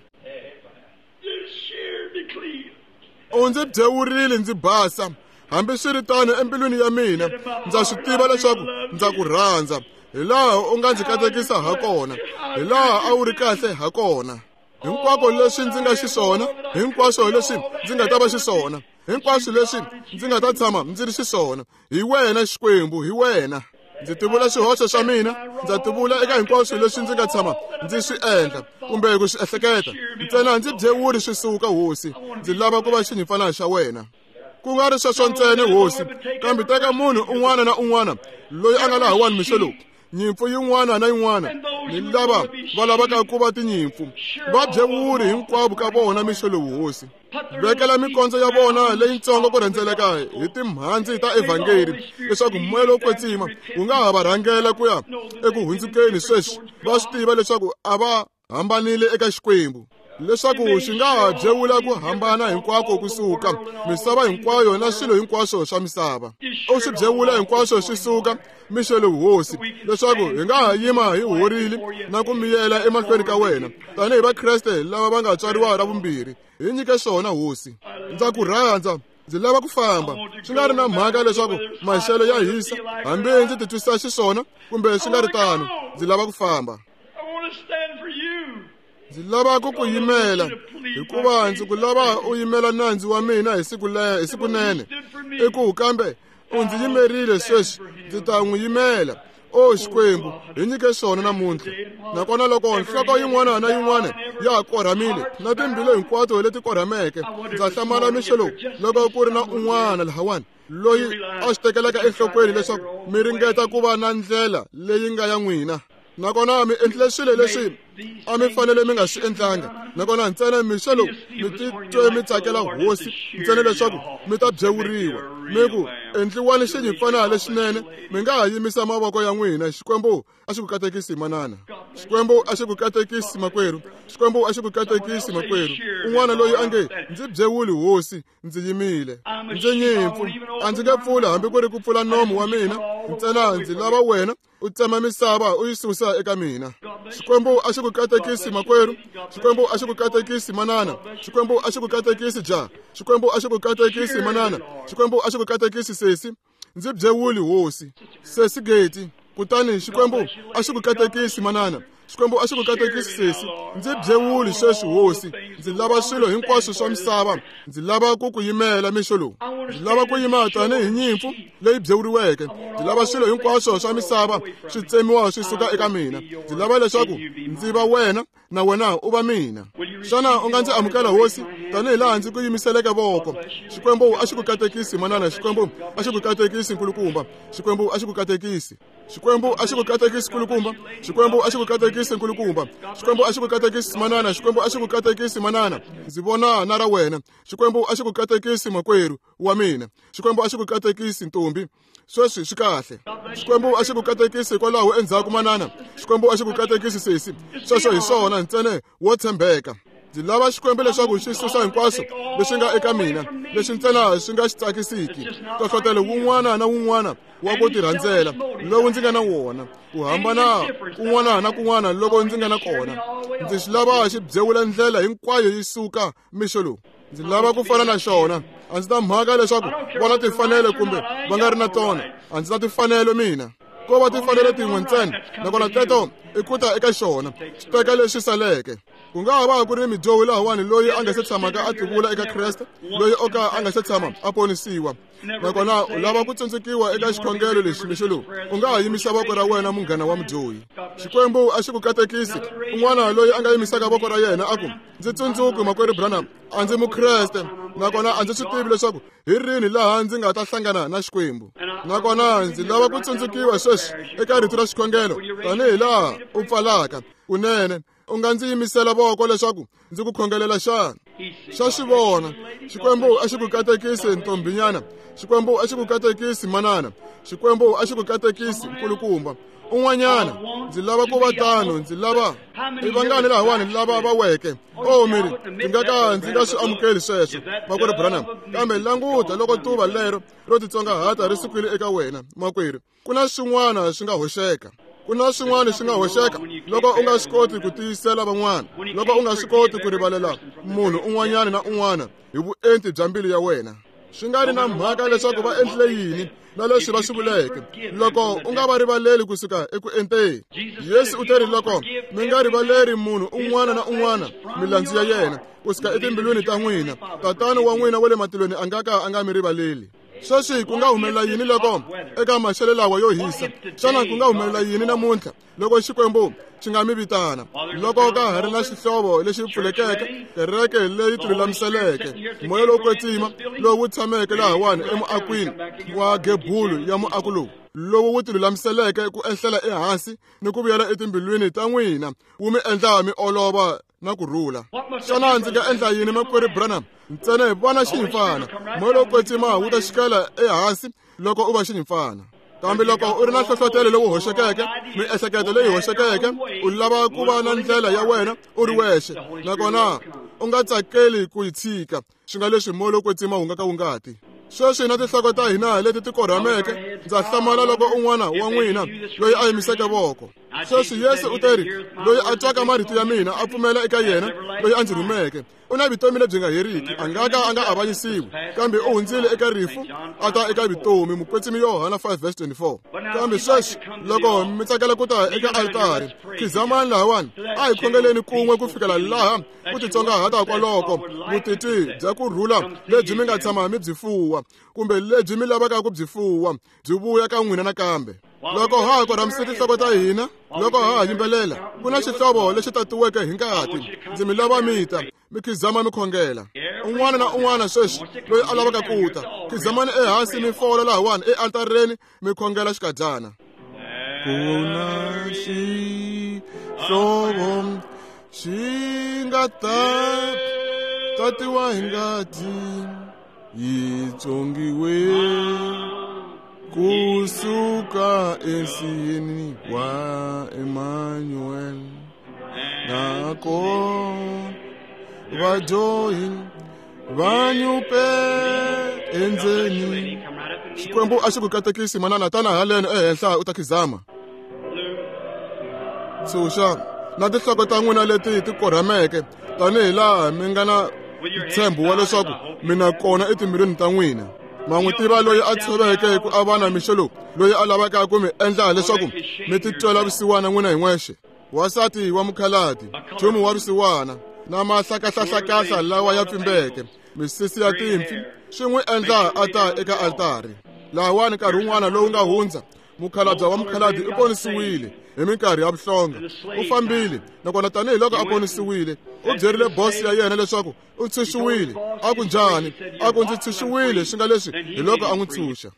U ndzi byewurile ndzi basa. Hambiswiritano, embilwini ya mina ndza swi tiva leswaku ndza ku rhandza, hi laha u nga ndzi katekisa ha kona, hi laha a wu ri kahle ha kona. Hinkwako leswi ndzi nga xiswona, hinkwaswo leswi ndzi nga ta va xiswona, hinkwaswo leswi ndzi nga ta tshama ndzi ri xiswona, hi wena Xikwembu, hi wena. Ndzi tivula swihoxo swa mina, ndza tivula eka hinkwaswo leswi ndzi nga tshama ndzi swi endla kumbe ku swi ehleketa. Ntsena ndzi byewuli swi suka, Hosi. Ndzi lava ku va xinyimpfana xa wena. Ku nga ri sweswo ntsena, Hosi, kambe teka munhu un'wana na un'wana loyi a nga lahawani mixo lowu, nyimpfu yin'wana na yin'wana, ni lava va lavaka ku va tinyimpfu, va byewuri hinkwavo ka vona mixo lowu, Hosi. Vekela mikondzo ya vona leyitsongo ku rhendzeleka hi timhandzi ta evhangeli, leswaku moya lowo kwetsima wu nga ha va rhangela ku ya eku hundzukeni sweswi. Va swi tiva leswaku a va hambanile eka Xikwembu, leswaku xi nga ha byewula ku hambana hinkwako kusuka misava hinkwayo na swilo hinkwaswo swa misava. U swi byewula hinkwaswo swi suka mixo lowu, Hosi, leswaku hi nga ha yima hi horile na ku miyela emahlweni ka wena tanihi Vakreste lava va nga tswariwa ra vumbirhi. Hi nyike swona, Hosi. Ndza ku rhandza. Ndzi lava ku famba, swi nga ri na mhaka leswaku maxelo ya hisa, hambi ndzi titwisa xiswona kumbe swi nga ri tano. Ndzi lava ku famba. Ndzi lava ku ku yimela, hikuva ndzi ku lava u yimela nandzu wa mina hi sikunene. I ku kambe u ndzi yimerile sweswi, ndzi ta n'wi yimela. O Xikwembu, hi nyike swona namuntlha. Nakona loko nhloko yin'wana na yin'wana ya korhamile, na timbilu hinkwato leti korhameke, ndza hlamala mixo lowu loko ku ri na un'wana lahawani loyi a swi tekelaka enhlokweni leswaku mi ringeta ku va na ndlela leyi nga ya n'wina. Nakona mi endlile swilo leswi a mi fanele mi nga swi endlanga. Nakona ntsena mixo lowu mi titwe mi tsakela Hosi ntsena leswaku mi ta byewuriwa, mi ku endliwani xinyimpfana lexinene. Mi nga ha yimisa mavoko ya n'wina. Xikwembu a xi ku katekisi, manana. Xikwembu a xi ku katekisi makwerhu. Xikwembu a xi ku katekisi makwerhu. Un'wana loyi a nge ndzi byewuli hosi, ndzi yimile. Ndzi nyimpfu, a ndzi nge pfuli hambi ku ri ku pfula nomu wa mina, ntsena ndzi lava wena u tsema misava u yi susa eka mina. Xikwembu a xi ku katekisi makwerhu. Xikwembu a xi ku katekisi manana. Xikwembu a xi ku katekisi ja. Xikwembu a xi ku katekisi manana. Xikwembu a xi ku katekisi sesi. Ndzi byewuli hosi. Sesi Geti. Kutani Xikwembu a xi ku katekisi manana. Xikwembu a xi ku katekisi sesi. Ndzi byewuli sweswi hosi. Ndzi lava swilo hinkwaswo swa misava. Ndzi lava ku ku yimela mixo lowu. Ndzi lava ku yima tanihi nyimpfu leyi byewuriweke. Ndzi lava swilo hinkwaswo swa misava swi tsemiwa swi suka eka mina. Ndzi lava leswaku ndzi va wena na wena u va mina. Xana u nga ndzi amukela hosi tanihi laha ndzi ku yimiseleke voko? Xikwembu a xi ku katekisi manana. Xikwembu a xi ku katekisi nkulukumba. Xikwembu a xi ku katekisi. Xikwembu a xi ku katekisi nkulukumba. Xikwembu a xi ku katekisi nkulukumba. Xikwembu a xi ku katekisi manana. Xikwembu a xi ku katekisi manana. Ndzi vona na ra wena. Xikwembu a xi ku katekisi makwerhu wa mina. Xikwembu a xi ku katekisi ntombi. Sweswi swi kahle. Xikwembu a xi ku katekisi hikwalaho endzhaku manana. Xikwembu a xi ku katekisi sesi. Sweswo hi swona ntsena wo tshembeka. Ndzi lava Xikwembu leswaku xi susa hinkwaswo leswi nga eka mina, leswi ntsena swi nga xi tsakisiki. Nhlohlotelo wun'wana na wun'wana wa ku tirhandzela lowu ndzi nga na wona, ku hambana kun'wana na kun'wana loko ndzi nga na kona, ndzi xi lava xi byewula ndlela hinkwayo yi suka mixo lowu. Ndzi lava ku fana na xona. A ndzi na mhaka leswaku vona timfanelo kumbe va nga ri na tona. A ndzi na timfanelo mina. Ko va timfanelo tin'we ntsena, nakona teto i ku ta eka xona, xi teka leswi saleke. Ku nga ha va ku ri midyohi lahawani loyi a nga se tshamaka a tivula eka Kreste, loyi o ka a nga se tshama a ponisiwa. Nakona u lava ku tsundzukiwa eka xikhongelo lexi mixo lowu, u nga ha yimisa voko ra wena munghana wa mudyohi. Xikwembu a xi ku katekisi. Un'wana loyi a nga yimisaka voko ra yena a ku, ndzi tsundzuki makwerhu Branham, a ndzi mukreste, nakona a ndzi swi tivi leswaku hi rini laha ndzi nga ta hlangana na Xikwembu. Nakona ndzi lava ku tsundzukiwa sweswi eka rito ra xikhongelo tanihi laha u pfalaka. Kunene u nga ndzi yimisela voko leswaku ndzi ku khongelela xana? Xa xi vona. Xikwembu a xi ku katekisi ntombinyana. Xikwembu a xi ku katekisi manana. Xikwembu a xi ku katekisi nkulukumba. Un'wanyana, ndzi lava ku va tano, ndzi lava i vangani lahawani lava va weke. O miri, ndzi nga ka ndzi nga swi amukeli sweswo, makwerhu Branham. Kambe languta loko tuva lero ro titsongahata ri sukile eka wena, makwerhu. Ku na swin'wana swi nga hoxeka. Ku na swin'wana swi nga hoxeka loko u nga swi koti ku tiyisela van'wana, loko u nga swi koti ku rivalela munhu un'wanyana na un'wana hi vuenti bya mbilu ya wena. Swi nga ri na mhaka leswaku va endlile yini na leswi va swi vuleke, loko u nga va rivaleli kusuka eku enteni. Yesu u teri loko mi nga rivaleri munhu un'wana na un'wana milandzu ya yena kusuka etimbilwini ta n'wina, Tatana wa n'wina wa le matilweni a nga ka a nga mi rivaleli. Sweswi ku nga humelela yini loko eka maxelo lawa yo hisa? Xana ku nga humelela yini namuntlha loko Xikwembu xi nga mi vitana? Loko ka ha ri na xihlovo lexi pfulekeke, kereke leyi tilulamiseleke, moya lowo kwetsima lowu wu tshameke lahawani emuakwini wa gebulu ya muako lowu, lowu wu tilulamiseleke ku ehlela ehansi ni ku vuyela etimbilwini ta n'wina, wu mi endla mi olova na ku rhula. Xana ndzi nga endla yini makwerhu Branham? Ntsena hi vona xinyimpfana. Moya lowo kwetsima wu ta xikela ehansi loko u va xinyimpfana. Kambe loko u ri na nhlohlotelo lowu hoxekeke, miehleketo leyi hoxekeke, u lava ku va na ndlela ya wena u ri wexe, nakona u nga tsakeli ku yi tshika, swi nga leswi moya lowo kwetsima wu nga ka wu nga ti. Sweswi na tinhloko ta hina leti ti korhameke, ndza hlamala loko un'wana wa n'wina loyi a yimiseke voko. Sweswi Yesu u teri, loyi a twaka marito ya mina a pfumela eka yena loyi a ndzi rhumeke, u na vutomi lebyi nga heriki, a nga ka a nga avanyisiwi, kambe u hundzile eka rifu a ta eka vutomi. Mukwetsimi Yohana 5:24. Kambe sweswi loko mi tsakela ku ta eka altari, khizamani lahawani, a hi khongeleni kun'we ku fikela laha ku titsongahata kwaloko vutitwi bya ku rhula lebyi mi nga tshama mi byi fuwa, kumbe lebyi mi lavaka ku byi fuwa, byi vuya ka n'wina nakambe. Loko ha ha korhamise tinhloko ta hina, loko ha ha yimbelela, ku na xihlovo lexi tatiweke hi ngati. Ndzi mi lava mi ta, mi khizama mi khongela. Un'wana na un'wana sweswi loyi a lavaka ku ta, khizamani ehansi mi fola lahawani ealtareni mi khongela xikadyana. Ku na xihlovo xi nga ta tatiwa hi ngati, yi tswongiwe kusuka ensiyeni wa Emmanuel. Nako vadyohi va nyupe endzeni. Xikwembu a xi ku katekisi manana, tana haleno ehenhla u ta khizama. Tshunxa na tinhloko ta n'wina leti ti korhameke tanihi laha mi nga na ntshembo wa leswaku mi na kona etimbilwini ta n'wina. Ma n'wi tiva loyi a tshoveke ku avana mixo lowu, loyi a lavaka ku mi endla leswaku mi titwela vusiwana n'wina hi n'wexe. Wansati wa mukhaladi, nchumu wa vusiwana na mahlakahlahlakahla lawa ya pfimbeke, misisi ya timpfi, swi n'wi endla a ta eka altari. Lahawani nkarhi wun'wana lowu nga hundza, mukhalabye wa mukhaladi u ponisiwile hi minkarhi ya vuhlonga. U fambile, nakona tanihiloko a ponisiwile, u byerile bosi ya yena leswaku u tshunxiwile. A ku njhani? A ku ndzi tshunxiwile, swi nga leswi hi loko a n'wi tshunxa.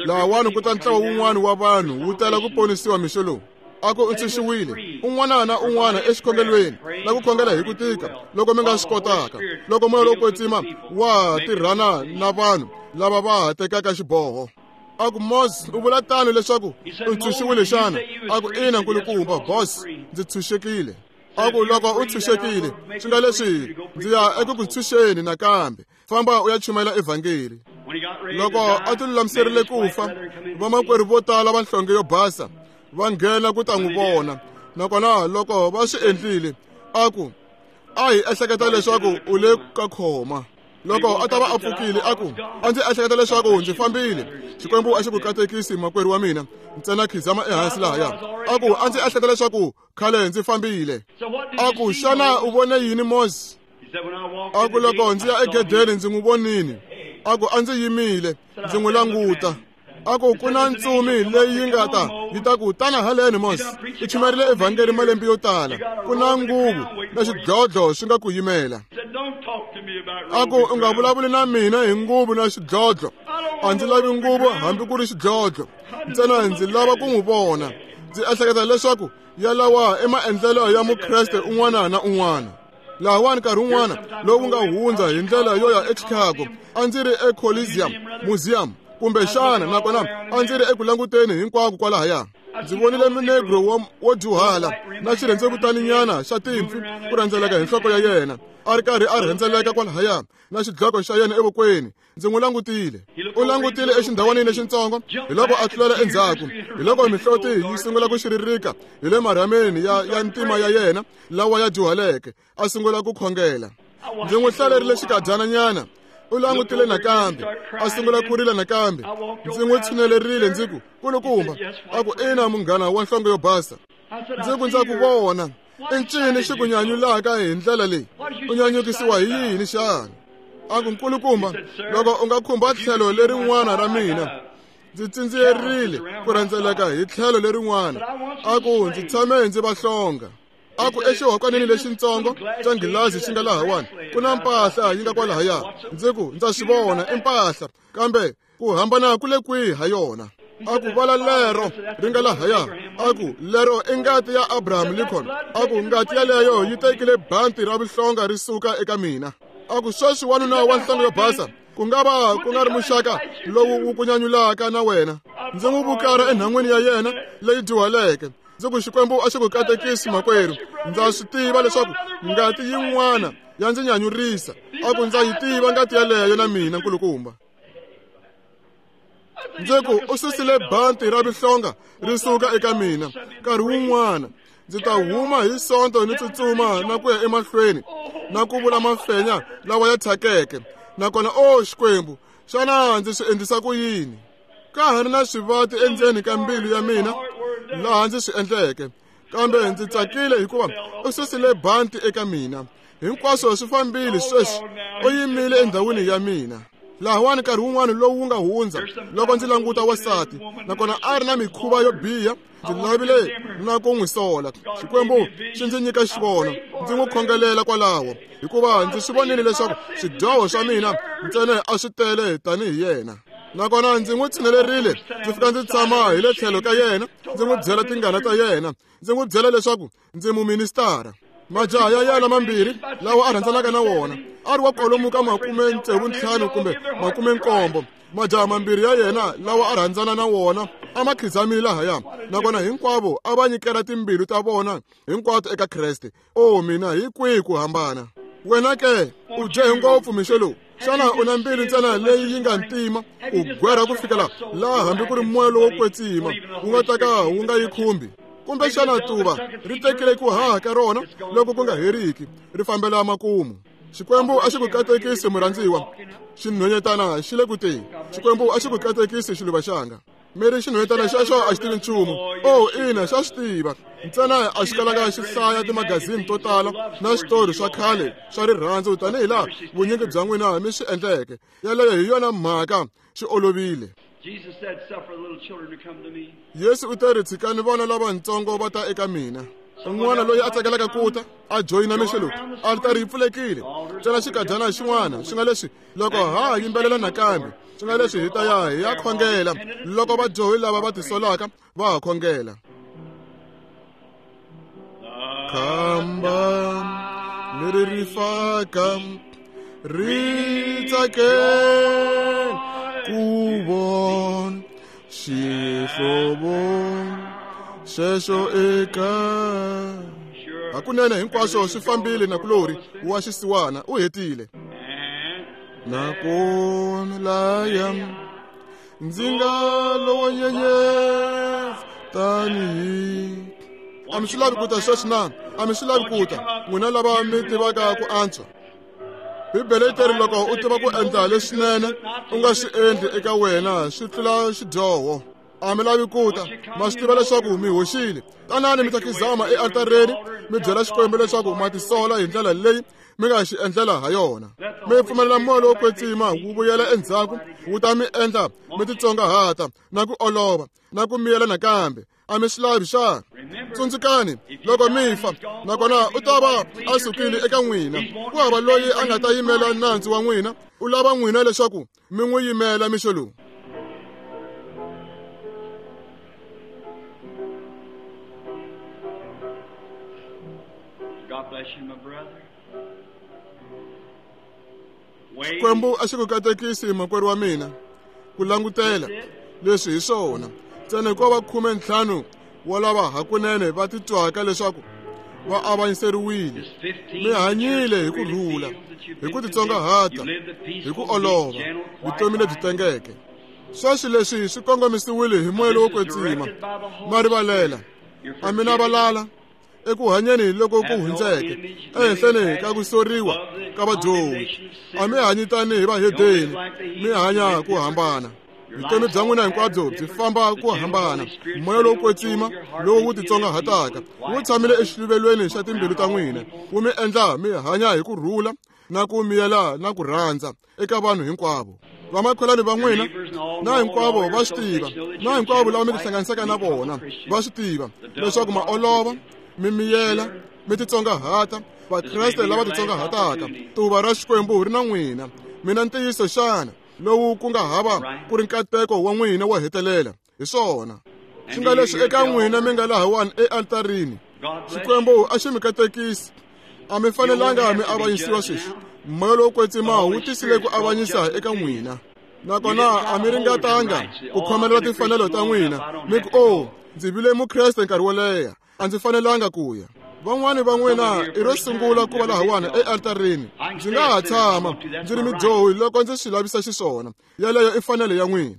Lahawani ku ta ntlawa wun'wana wa vanhu wu tala ku ponisiwa mixo lowu. A ku u tshunxiwile, un'wana na un'wana exikhongelweni na ku khongela hi ku tika loko mi nga swi kotaka, loko moya lowo kwetsima wa tirhana na vanhu lava va ha tekaka xiboho. A ku Moses, u vula tano leswaku u tshunxiwile xana? A ku ina nkulukumba, boss, ndzi tshunxekile. A ku loko u tshunxekile, swi nga leswi ndzi ya eku ku tshunxeni nakambe, famba u ya chumayela evhangeli. Loko a ti lulamiserile ku fa, vamakwerhu vo tala va nhlonge yo basa va nghena ku ta n'wi vona. Nakona loko va swi endlile, a ku a hi ehleketa leswaku u le ka khoma. Loko a ta va a pfukile, a ku a ndzi ehleketa leswaku ndzi fambile. Xikwembu a xi ku katekisi makwerhu wa mina, ntsena khizama ehansi lahaya. A ku a ndzi ehleketa leswaku khale ndzi fambile. A ku xana u vone yini Moses? A ku loko ndzi ya egedeni ndzi n'wi vonile. A ku a ndzi yimile ndzi n'wi languta. A ku ku na ntsumi leyi yi nga ta yi ta ku tana haleni Moses, u chumayerile evhangeli malembe yo tala, ku na nguvu na xidlodlo swi nga ku yimela. A ku u nga vulavuli na mina hi nguvu na xidlodlo, a ndzi lavi nguvu hambi ku ri xidlodlo, ntsena ndzi lava ku n'wi vona. Ndzi ehleketa leswaku yalawa i maendlelo ya Mukreste un'wana na un'wana. Lahawani nkarhi wun'wana lowu nga hundza hi ndlela yo ya eChicago, a ndzi ri eColiseum Museum kumbexana, nakona a ndzi ri eku languteni hinkwako kwalahaya. Ndzi vonile munegro wo dyuhala na xirhendzevutaninyana xa timpfi ku rhendzeleka hi nhloko ya yena, a ri karhi a rhendzeleka kwalahaya na xidloko xa yena evokweni. Ndzi n'wi langutile. U langutile exindhawanini lexitsongo, hi loko a tlulela endzhaku, hi loko mihloti yi sungula ku xiririka hi le marhameni ya ntima ya yena lawa ya dyuhaleke, a sungula ku khongela. Ndzi n'wi hlalerile xikadyananyana. U langutile nakambe, a sungula ku rila nakambe. Ndzi n'wi tshinelerile ndzi ku, kulukumba. A ku ina munghana wa nhlonge yo basa. Ndzi ku ndza ku vona. I ncini xi ku nyanyulaka hi ndlela leyi? U nyanyukisiwa hi yini xana? A ku nkulukumba, loko u nga khumba tlhelo lerin'wana ra mina, ndzi tsindziyerile ku rhendzeleka hi tlhelo lerin'wana. A ku ndzi tshame ndzi va hlonga. A ku exihokwanini lexitsongo xa nghilazi xi nga lahawani ku na mpahla yi nga kwalahaya. Ndzi ku ndza swi vona i mpahla, kambe ku hambana ku le kwihi ha yona? A ku vala lero ri nga lahaya. A ku lero i ngati ya Abraham Lincoln. A ku ngati yaleyo yi tekile banti ra vuhlonga ri suka eka mina. A ku sweswi wanuna wa nhlonge yo basa, ku nga va ku nga ri muxaka lowu wu ku nyanyulaka na wena. Ndzi n'wi vukara enhan'wini ya yena leyi dyuhaleke. Ndzi ku Xikwembu a xi ku katekisi makwerhu, ndza swi tiva leswaku ngati yin'wana ya ndzi nyanyurisa. A ku ndza yi tiva ngati yaleyo na mina nkulukumba. Ndzi ku u susile banti ra vuhlonga ri suka eka mina. Nkarhi wun'wana ndzi ta huma hi sonto ni tsutsuma na ku ya emahlweni na ku vula mafenya lawa ya thyakeke. Nakona o Xikwembu, xana ndzi swi endlisa ku yini? Ka ha ri na swivati endzeni ka mbilu ya mina laha ndzi swi endleke, kambe ndzi tsakile hikuva u susile banti eka mina. Hinkwaswo swi fambile sweswi, u yimile endhawini ya mina. Lahawani nkarhi wun'wana lowu wu nga hundza, loko ndzi languta wansati, nakona a ri na mikhuva yo biha, ndzi lavile na ku n'wi sola. Xikwembu xi ndzi nyika xivono, ndzi n'wi khongelela kwalaho, hikuva ndzi swi vonile leswaku swidyoho swa mina ntsena a swi tele tanihi yena. Nakona ndzi n'wi tshinelerile, ndzi fika ndzi tshama hi le tlhelo ka yena, ndzi n'wi byela tingana ta yena, ndzi n'wi byela leswaku ndzi muministara. Majaha ya yena mambirhi lawa a rhandzanaka na wona a ri wa kwalomu ka 65 kumbe 70. Majaha mambirhi ya yena lawa a rhandzana na wona a ma khizamile lahaya, nakona hinkwavo a va nyikela timbilu ta vona hinkwato eka Kreste. O mina, hi kwihi ku hambana? Wena ke u dye hi ngopfu mixo lowu. Xana u na mbilu ntsena leyi yi nga ntima u gwera ku fikela laha hambi ku ri moya lowo kwetsima wu nga ta ka wu nga yi khumbi? Kumbe xana tuva ri tekile ku haha ka rona loko ku nga heriki ri fambela makumu? Xikwembu a xi ku katekisi, murhandziwa. Xinhwanyetana xi le ku teni. Xikwembu a xi ku katekisi, xiluva xanga. Mi ri xinhwanyetana xexo a xi tivi nchumu. O ina, xa swi tiva, ntsena a xi kalanga xi hlaya timagazini to tala na switori swa khale swa rirhandzu tanihi laha vunyingi bya n'wina mi swi endleke. Yeleyo hi yona mhaka, swi olovile. Jesus said, "Suffer the little children to come to me." Yesu u te ri, tshikani vana lavatsongo va ta eka mina. Un'wana loyi a tsakelaka ku ta a joyina mixo lowu, altari yi pfulekile. Ntsena xikadyana xin'wana, swi nga leswi loko ha yimbelela nakambe, swi nga leswi hi ta ya hi ya khongela loko vadyohi lava va tisolaka va ha khongela. Khamba leri ri faka ri tsakela ku vona xihlovo xexo eka hakunene hinkwaswo swi fambile. Nakulori wa xisiwana u hetile. Nakona laya ndzi nga lowo nyenyetsa tanihi a mi swi lavi ku ta sweswi na? A mi swi lavi ku ta, n'wina lava mi tivaka ku antswa? Bibele yi teri loko u tiva ku endla leswinene u nga swi endli, eka wena swi tlula xidyoho. A mi lavi ku ta? Ma swi tiva leswaku mi hoxile. Tanani mi ta khizama ealtareni, mi byela Xikwembu leswaku ma tisola hi ndlela leyi mi nga xi endlela ha yona. Mi pfumelela moya lowo kwetsima wu vuyela endzhaku, wu ta mi endla mi titsongahata na ku olova na ku miyela nakambe. A mi swi lavi xana? Tsundzukani, loko mi fa, nakona u ta va a sukile eka n'wina, ku hava loyi a nga ta yimela nandzu wa n'wina. U lava n'wina leswaku mi n'wi yimela mixo lowu. God bless you, my brother. Xikwembu a xi ku katekisi, makwerhu wa mina. Ku langutela leswi hi swona ntsena ko va 15 wa lava hakunene va titwaka leswaku va avanyiseriwile. Mi hanyile hi ku rhula, hi ku titsongahata, hi ku olova, vutomi lebyi tengeke. Sweswi leswi swi kongomisiwile hi moya lowo kwetsima. Ma rivalela, a mi na valala eku hanyeni loko ku hundzeke ehenhleni ka ku soriwa ka vadyohi. A mi hanyi tanihi vahedeni, mi hanya ku hambana. Vutomi bya n'wina hinkwabyo byi famba ku hambana. Moya lowo kwetsima lowu wu titsongahataka wu tshamile exiluvelweni xa timbilu ta n'wina, wu mi endla mi hanya hi ku rhula na ku miyela na ku rhandza eka vanhu hinkwavo. Vamakhelwani va n'wina na hinkwavo va swi tiva, na hinkwavo lava mi tihlanganisaka na vona va swi tiva leswaku ma olova, mi miyela, mi titsongahata, vakreste lava titsongahataka. Tuva ra Xikwembu ri na n'wina. Mina ntiyiso xana lowu ku nga hava ku ri nkateko wa n'wina wo hetelela? Hi swona swi nga leswi eka n'wina mi nga lahawani ealtarini, Xikwembu a xi mi katekisi. A mi fanelanga mi avanyisiwa sweswi. Moya lowo kwetsima wu tisile ku avanyisa eka n'wina, nakona a mi ringatanga ku khomelela timfanelo ta n'wina, mi ku, "O, ndzi vile mukreste nkarhi wo leha, a ndzi fanelanga ku ya." Van'wani va n'wina i ro sungula ku va lahawani ealtarini. Ndzi nga ha tshama ndzi ri midyohi loko ndzi swi lavisa xiswona. Yeleyo i fanelo ya n'wina.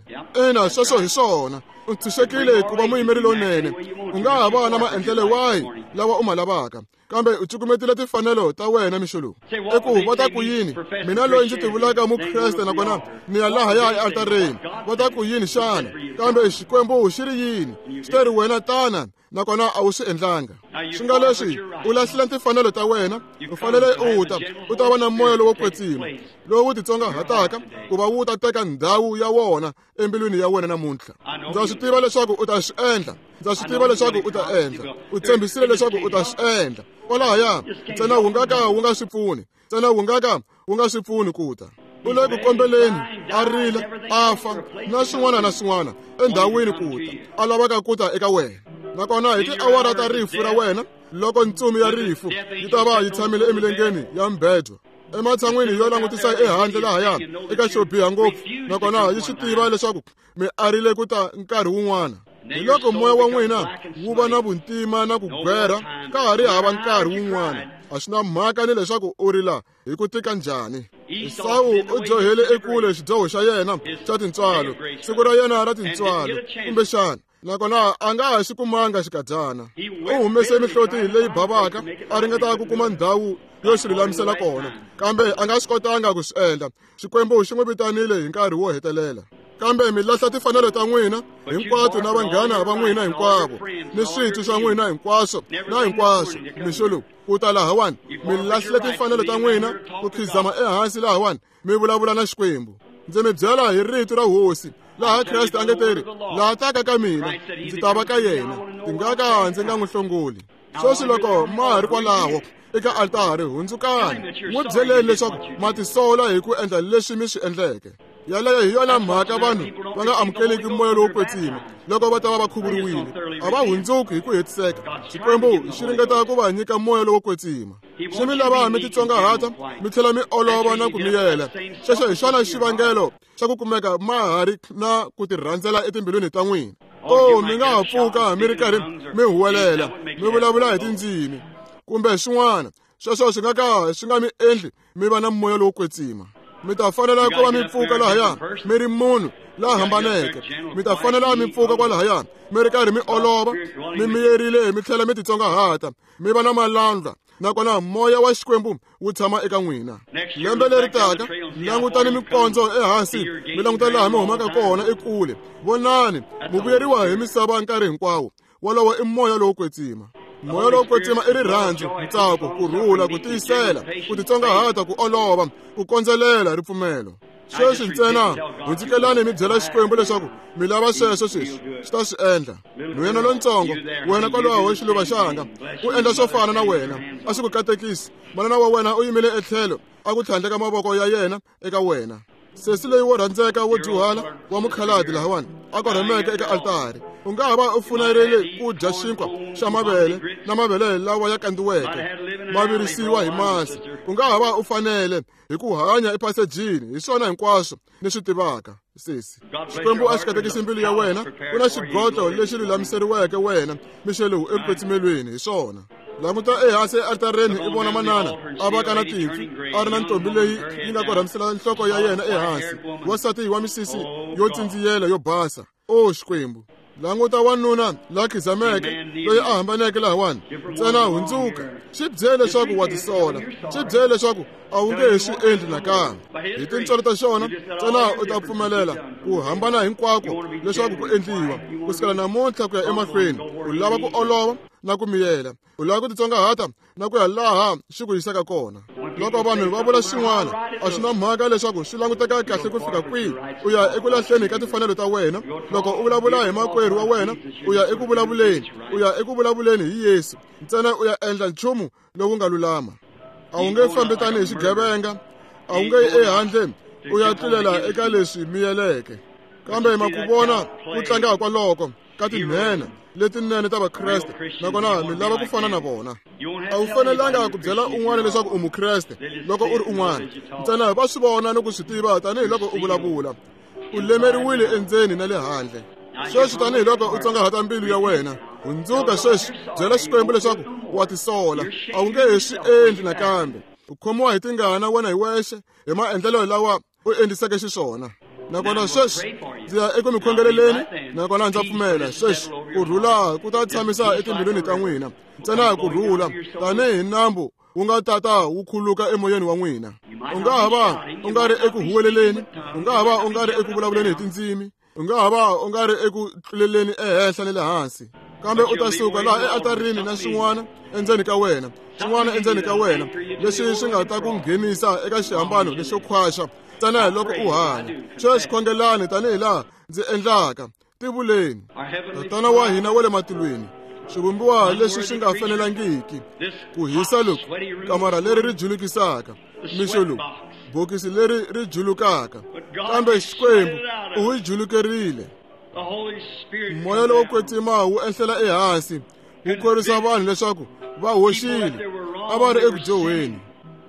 Ina, sweswo hi swona. U ntshunxekile ku va muyimeri lowunene. U nga ha va na maendlelo wahi lawa u ma lavaka, kambe u cukumetile timfanelo ta wena mixo lowu. I ku va ta ku yini mina loyi ndzi tivulaka mukreste, nakona ni ya lahaya ealtareni? Va ta ku yini xana? Kambe Xikwembu xi ri yini? Xi te ri wena tana, nakona a wu swi endlanga. Swi nga leswi u lahlile timfanelo ta wena, u fanele u ta u ta va na moya lowo kwetsima lowu titsongahataka ku va wu ta teka ndhawu ya wona embilwini ya wena namuntlha. Ndza swi tiva leswaku u ta swi endla. Ndza swi tiva leswaku u ta endla. U tshembisile leswaku u ta swi endla kwalahaya. Ntsena wu nga ka wu nga swi pfuni, ntsena wu nga ka wu nga swi pfuni ku ta. U le ku kombeleni, a rila, a fa na swin'wana na swin'wana endhawini ku ta a lavaka ku ta eka wena. Nakona hi tiawara ta rifu ra wena, loko ntsumi ya rifu yi ta va yi tshamile emilengeni ya mbedwa. Ematshan'wini yo langutisa ehandle lahaya eka xo biha ngopfu, nakona yi swi tiva leswaku mi arile ku ta nkarhi wun'wana. Hi loko moya wa n'wina wu va na vuntima na ku gwera, ka ha ri hava nkarhi wun'wana. A swi na mhaka ni leswaku u rila hi ku tika njhani. Esawu u dyohele ekule xidyoho xa yena xa tintswalo, siku ra yena ra tintswalo, kumbexana, nakona a nga ha xi kumanga xikadyana. U humese mihloti leyi bavaka a ringeta ku kuma ndhawu yo xi lulamisela kona, kambe a nga swi kotanga ku swi endla. Xikwembu xi n'wi vitanile hi nkarhi wo hetelela. Kambe mi lahla timfanelo ta n'wina hinkwato na vanghana va n'wina hinkwavo ni switwi swa n'wina hinkwaswo na hinkwaswo. Mixo lowu ku ta lahawani, mi lahlile timfanelo ta n'wina ku khizama ehansi lahawani, mi vulavula na Xikwembu. Ndzi mi byela hi rito ra Hosi, laha Kreste a nge teri, laha taka ka mina, ndzi ta va ka yena, ndzi nga ka ndzi nga n'wi hlongoli. Sweswi loko ma ha ri kwalaho eka altari, hundzukani, n'wi byeleni leswaku ma tisola hi ku endla leswi mi swi endleke. Yaleyo hi yona mhaka vanhu va nga amukeleki moya lowo kwetsima loko va ta va va khuvuriwile. A va hundzuki hi ku hetiseka. Xikwembu xi ringeta ku va nyika moya lowo kwetsima. Xi mi lava mi titsongahata mi tlhela mi olova na ku miyela. Xexo hi xona xivangelo xa ku kumeka ma ha ri na ku tirhandzela etimbilwini ta n'wina. O, mi nga ha pfuka mi ri karhi mi huwelela, mi vulavula hi tindzimi kumbe swin'wana. Sweswo swi nga ka swi nga mi endli mi va na moya lowo kwetsima. Mi ta fanela ku va mi pfuka lahaya mi ri munhu la hambaneke. Mi ta fanela mi pfuka kwalahaya mi ri karhi mi olova, mi miyerile, mi tlhela mi titsongahata, mi va na malandla, nakona moya wa Xikwembu wu tshama eka n'wina. Lembe leri taka, langutani mikondzo ehansi, mi languta laha mi humaka kona ekule. Vonani, mi vuyeriwa hi misava nkarhi hinkwawo. Wolowo i moya lowo kwetsima. Moya lowo kwetsima i rirhandzu, ntsako, ku rhula, ku tiyisela, ku titsongahata, ku olova, ku kondzelela, ripfumelo. Sweswi ntsena hundzukelani mi byela Xikwembu leswaku mi lava sweswo sweswi, xi ta swi endla. Nhwena lontsongo, wena kwalaho xiluva xanga, u endla swo fana na wena, a swi ku katekisi. Manana wa wena u yimile etlhelo, a ku tlhandleka mavoko ya yena eka wena. Sesi leyi wo rhandzeka wo dyuhala wa mukhaladi lahawani a korhameke eka altari, u nga ha va u funerile ku dya xinkwa xa mavele na mavele lawa ya kandziweke ma virisiwa hi masi. U nga ha va u fanele hi ku hanya ephasejini, hi swona hinkwaswo ni swi tivaka. Sesi, Xikwembu a xi katekisi mbilu ya wena. Ku na xigotlo lexi lulamiseriweke wena mixo lowu ekukwetsimelweni, hi swona. Languta ehansi ealtareni i vona manana a va ka na timpfu, a ri na ntombi leyi yi nga korhamisela nhloko ya yena ehansi, wansati wa misisi yo tsindziyela yo basa. O Xikwembu, languta wanuna la khizameke loyi a hambaneke lahawani. Ntsena hundzuka, xi byele leswaku wa tisola, xi byele leswaku a wu nge he swi endli nakambe. Hi tintswalo ta xona ntsena u ta pfumelela ku hambana hinkwako leswaku ku endliwa kusukela namuntlha ku ya emahlweni. U lava ku olova na ku miyela, u lava ku titsongahata na ku ya laha xi ku yisaka kona. Loko vanhu va vula xin'wana, a swi na mhaka leswaku swi languteka kahle ku fika kwihi, u ya eku lahleni ka timfanelo ta wena. Loko u vulavula hi makwerhu wa wena, u ya eku vulavuleni, u ya eku vulavuleni hi Yesu. Ntsena u ya endla nchumu lowu nga lulama. A wu nge fambi tanihi xigevenga, a wu nge yi ehandle u ya tlulela eka leswi miyeleke. Kambe ma ku vona ku tlanga kwaloko ka tinhena letinene ta Vakreste, nakona mi lava ku fana na vona. A wu fanelanga ku byela un'wana leswaku u Mukreste loko u ri un'wana. Ntsena va swi vona ni ku swi tiva tanihiloko u vulavula. U lemeriwile endzeni na le handle. Sweswi tanihiloko u tsongahata mbilu ya wena, hundzuka sweswi, byela Xikwembu leswaku wa tisola, a wu nge he swi endli nakambe. U khomiwa hi tingana wena hi wexe hi maendlelo lawa u endliseke xiswona. Nakona sweswi ndzi ya eku mi khongeleleni, nakona ndza pfumela sweswi ku rhula ku ta tshamisa etimbilwini ta n'wina. Ntsena ku rhula tanihi nambu wu nga tata wu khuluka emoyeni wa n'wina. U nga ha va u nga ri eku huweleleni, u nga ha va u nga ri eku vulavuleni hi tindzimi, u nga ha va u nga ri eku tluleleni ehenhla ni le hansi, kambe u ta suka laha ealtarini na swin'wana endzeni ka wena, swin'wana endzeni ka wena leswi swi nga ta ku nghenisa eka xihambano lexo khwaxa ntsena hi loko u hanya. Sweswi khongelani tanihi laha ndzi endlaka. Tivuleni, Tatana wa hina wa le matilweni, swivumbiwa leswi swi nga fanelangiki ku hisa loku, kamara leri ri julukisaka, mixo lowu, bokisi leri ri julukaka, kambe Xikwembu u wu julukerile. Moya lowo kwetsima wu ehlela ehansi, wu khorwisa vanhu leswaku va hoxile, a va ri eku dyohweni.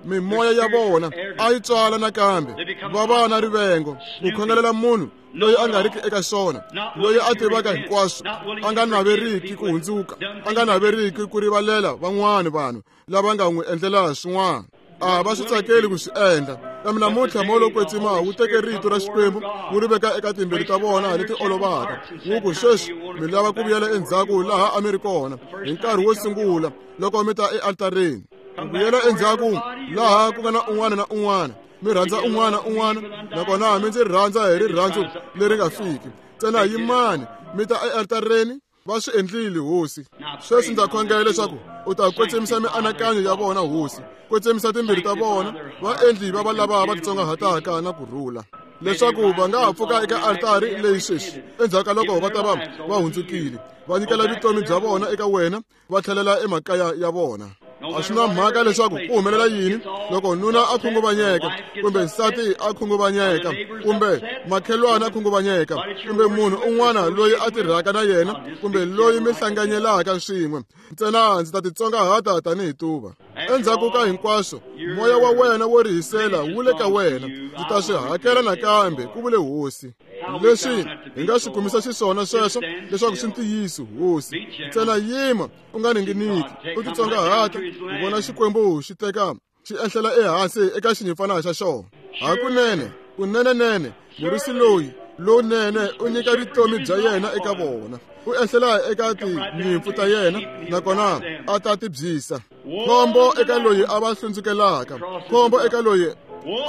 Mimoya ya vona a yi tswala nakambe, va va na rivengo, ku khongelela munhu loyi a nga riki eka xona, loyi a tivaka hinkwaswo, a nga naveriki ku hundzuka, a nga naveriki ku rivalela van'wana vanhu lava nga n'wi endlela swin'wana. A va swi tsakeli ku swi endla. Kambe namuntlha moya lowo kwetsima wu teke rito ra Xikwembu wu ri veka eka timbilu ta vona leti olovaka, wu ku sweswi mi lava ku vuyela endzhaku laha a mi ri kona hi nkarhi wo sungula loko mi ta ealtareni. Ku vuyela endzhaku laha ku nga na un'wana na un'wana, mi rhandza un'wana na un'wana, nakona mi ndzi rhandza hi rirhandzu leri nga fiki. Ntsena yimani mi ta ealtareni. Va swi endlile, Hosi. Sweswi ndza khongela leswaku u ta kwetsimisa mianakanyo ya vona, Hosi, kwetsimisa timbilu ta vona, va endli va va lava va titsongahataka na ku rhula, leswaku va nga ha pfuka eka altari leyi sweswi endzhaku ka loko va ta va va hundzukile, va nyikela vutomi bya vona eka wena, va tlhelela emakaya ya vona. A swi na mhaka leswaku ku humelela yini loko nuna a khunguvanyeka, kumbe nsati a khunguvanyeka, kumbe makhelwana a khunguvanyeka, kumbe munhu un'wana loyi a tirhaka na yena, kumbe loyi mi hlanganyelaka swin'we. Ntsena ndzi ta titsongahata tanihi tuva. Endzhaku ka hinkwaswo, moya wa wena wo rihisela wu le ka wena. Ndzi ta swi hakela nakambe, ku vule Hosi. Leswi hi nga swi kumisa xiswona sweswo leswaku swi ntiyiso, Hosi. Ntsena yima u nga ninginiki, u titsongahata ku vona Xikwembu xi teka xi ehlela ehansi eka xinyimpfana xa xona. Hakunene, kunenenene, murisi loyi lowunene u nyika vutomi bya yena eka vona, u ehlela eka tinyimpfu ta yena nakona a ta ti byisa. Khombo eka loyi a va hlundzukelaka, khombo eka loyi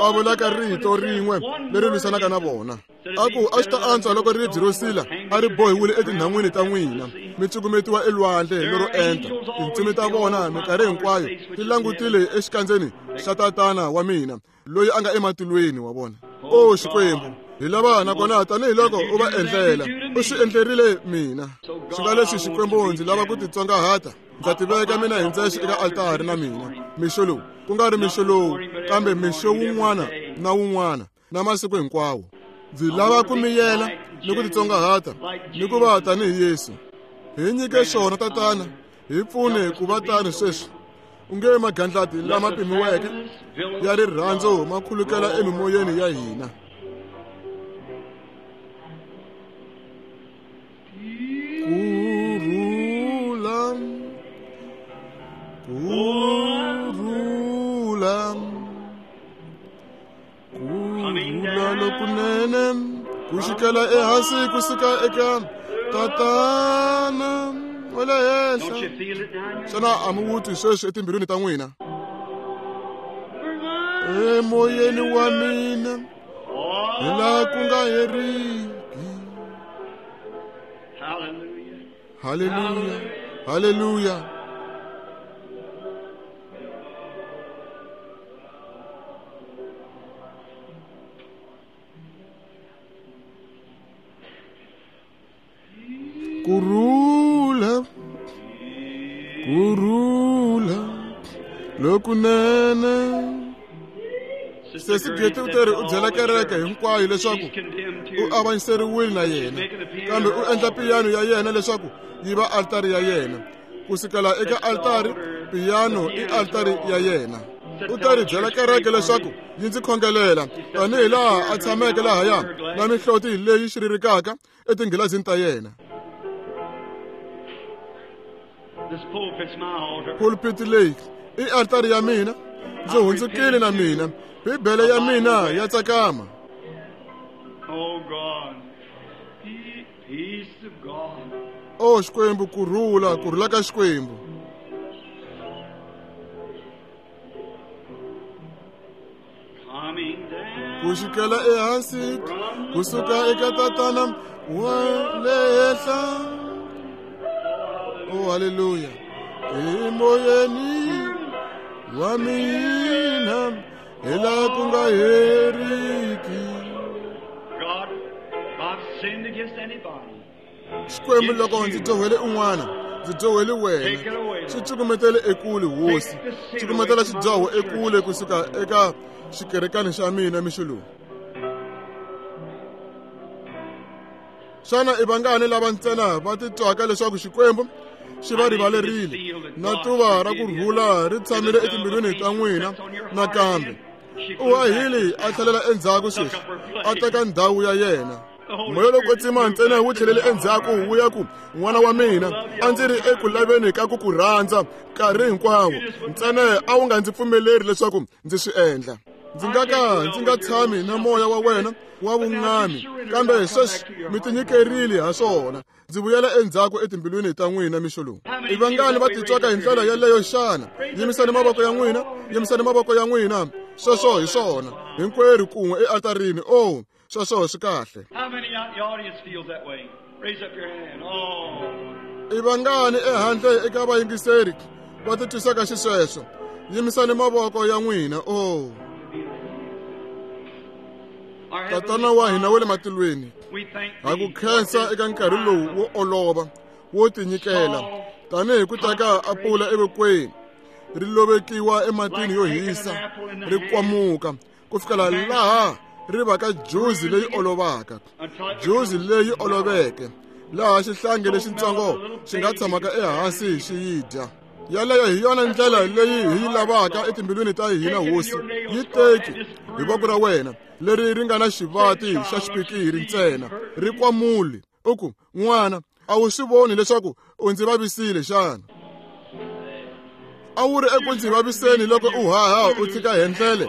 a vulaka rito rin'we leri lwisanaka na vona. A ku a swi ta antswa loko ribye ro sila a ri bohiwile etinhan'wini ta n'wina, mi cukumetiwa elwandle lero enta. Tintsumi ta vona minkarhi hinkwayo ti langutile exikandzeni xa Tatana wa mina loyi a nga ematilweni wa vona. O Xikwembu, hi lava nakona tanihiloko u va endlela, u swi endlerile mina. Swi nga leswi, Xikwembu, ndzi lava ku titsongahata. Ndza tiveka mina hi ndzexe eka altari na mina mixo lowu, ku nga ri mixo lowu, kambe mixo wun'wana na wun'wana na masiku hinkwawo. Ndzi lava ku miyela ni ku titsongahata ni ku va tanihi Yesu. Hi nyike swona, Tatana, hi pfune ku va tani sweswi. U nge magandlati lama pimiweke ya rirhandzu ma khulukela emimoyeni ya hina. Kurhula, kurhula, kurhula lokunene ku xikela ehansi ku suka eka Tatana wa le henhla. Xana a mi wu twi sweswi etimbilwini ta n'wina? Emoyeni wa mina hi laha ku nga heriki. Haleluya, haleluya. Kurhula, kurhula lokunene. Sesi Geti u teri u byela kereke hinkwayo leswaku u avanyiseriwile na yena, kambe u endla piyano ya yena leswaku yi va altari ya yena. Ku sukela eka altari, piyano i altari ya yena. U ta ri byela kereke leswaku yi ndzi khongelela tanihi laha a tshameke lahaya na mihloti leyi xiririkaka etinghilazini ta yena. Pulpit leyi i altari ya mina, ndzi hundzukile na mina, Bibele ya mina ya tsakama. O Xikwembu, kurhula, kurhula ka Xikwembu. Ku xikela ehansi ku suka eka Tatana wa le henhla. O haleluya, emoyeni wa mina hi laha ku nga heriki. Xikwembu, loko ndzi dyohele un'wana, ndzi dyohele wena. Swi cukumetele ekule, Hosi. Cukumetela xidyoho ekule kusuka eka xikerekani xa mina mixo lowu. Xana i vangani lava ntsena va titwaka leswaku Xikwembu xi va rivalerile na tuva ra ku rhula ri tshamile etimbilwini ta n'wina nakambe. U hahile a tlhelela endzhaku sweswi a teka ndhawu ya yena. Moya lowo kwetsima ntsena wu tlhelele endzhaku wu ya ku n'wana wa mina a ndzi ri eku laveni ka ku ku rhandza nkarhi hinkwawo ntsena a wu nga ndzi pfumeleri leswaku ndzi swi endla. Ndzi nga ka ndzi nga tshami na moya wa wena wa vun'ami kambe sweswi mi tinyikerile ha swona. Ndzi vuyela endzhaku etimbilwini ta n'wina mixo lowu. I vangani va titwaka hi ndlela yeleyo xana? Yimisani mavoko ya n'wina, yimisani mavoko ya n'wina. Sweswo hi swona hinkwerhu kun'we ealtarini. Oh, sweswo swi kahle. I vangani ehandle eka vayingiseri va titwisaka xisweswo? Yimisani mavoko ya n'wina. Oh, Tatana wa hina wa le matilweni, ha ku khensa eka nkarhi lowu wo olova wo tinyikela tanihi ku teka apula evokweni ri lovekiwa ematini yo hisa ri kwamuka ku fikela laha ri va ka juzi leyi olovaka, juzi leyi oloveke laha xihlangi lexitsongo xi nga tshamaka ehansi xi yi dya. Yaleyo hi yona ndlela leyi hi yi lavaka etimbilwini ta hina Hosi. Yi teki hi voko ra wena leri ri nga na xivati xa xipikiri ntsena ri kwamuli u ku n'wana a wu swi voni leswaku u ndzi vavisile xana? A wu ri eku ndzi vaviseni loko u haha u tshika hendlele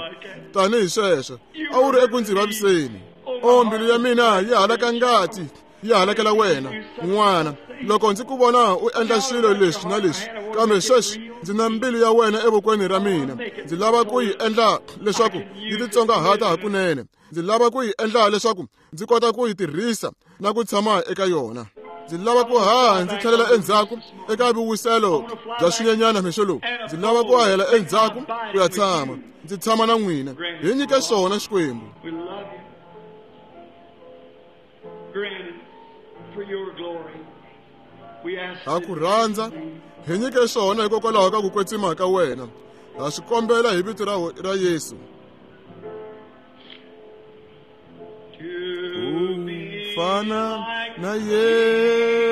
tanihi sweswo. A wu ri eku ndzi vaviseni. O mbilu ya mina yi halaka ngati yi halakela wena n'wana loko ndzi ku vona u endla swilo leswi na leswi, kambe sweswi ndzi na mbilu ya wena evokweni ra mina. Ndzi lava ku yi endla leswaku yi titsongahata hakunene. Ndzi lava ku yi endla leswaku ndzi kota ku yi tirhisa na ku tshama eka yona. Ndzi lava ku haha ndzi tlhelela endzhaku eka vuwiselo bya swinyenyana mixo lowu. Ndzi lava ku hahela endzhaku ku ya tshama ndzi tshama na n'wina. Hi nyike swona Xikwembu. Ha ku rhandza hi nyike swona hikokwalaho ka ku kwetsima ka wena. Ha swi kombela hi vito ra Yesu. U fana na Yesu.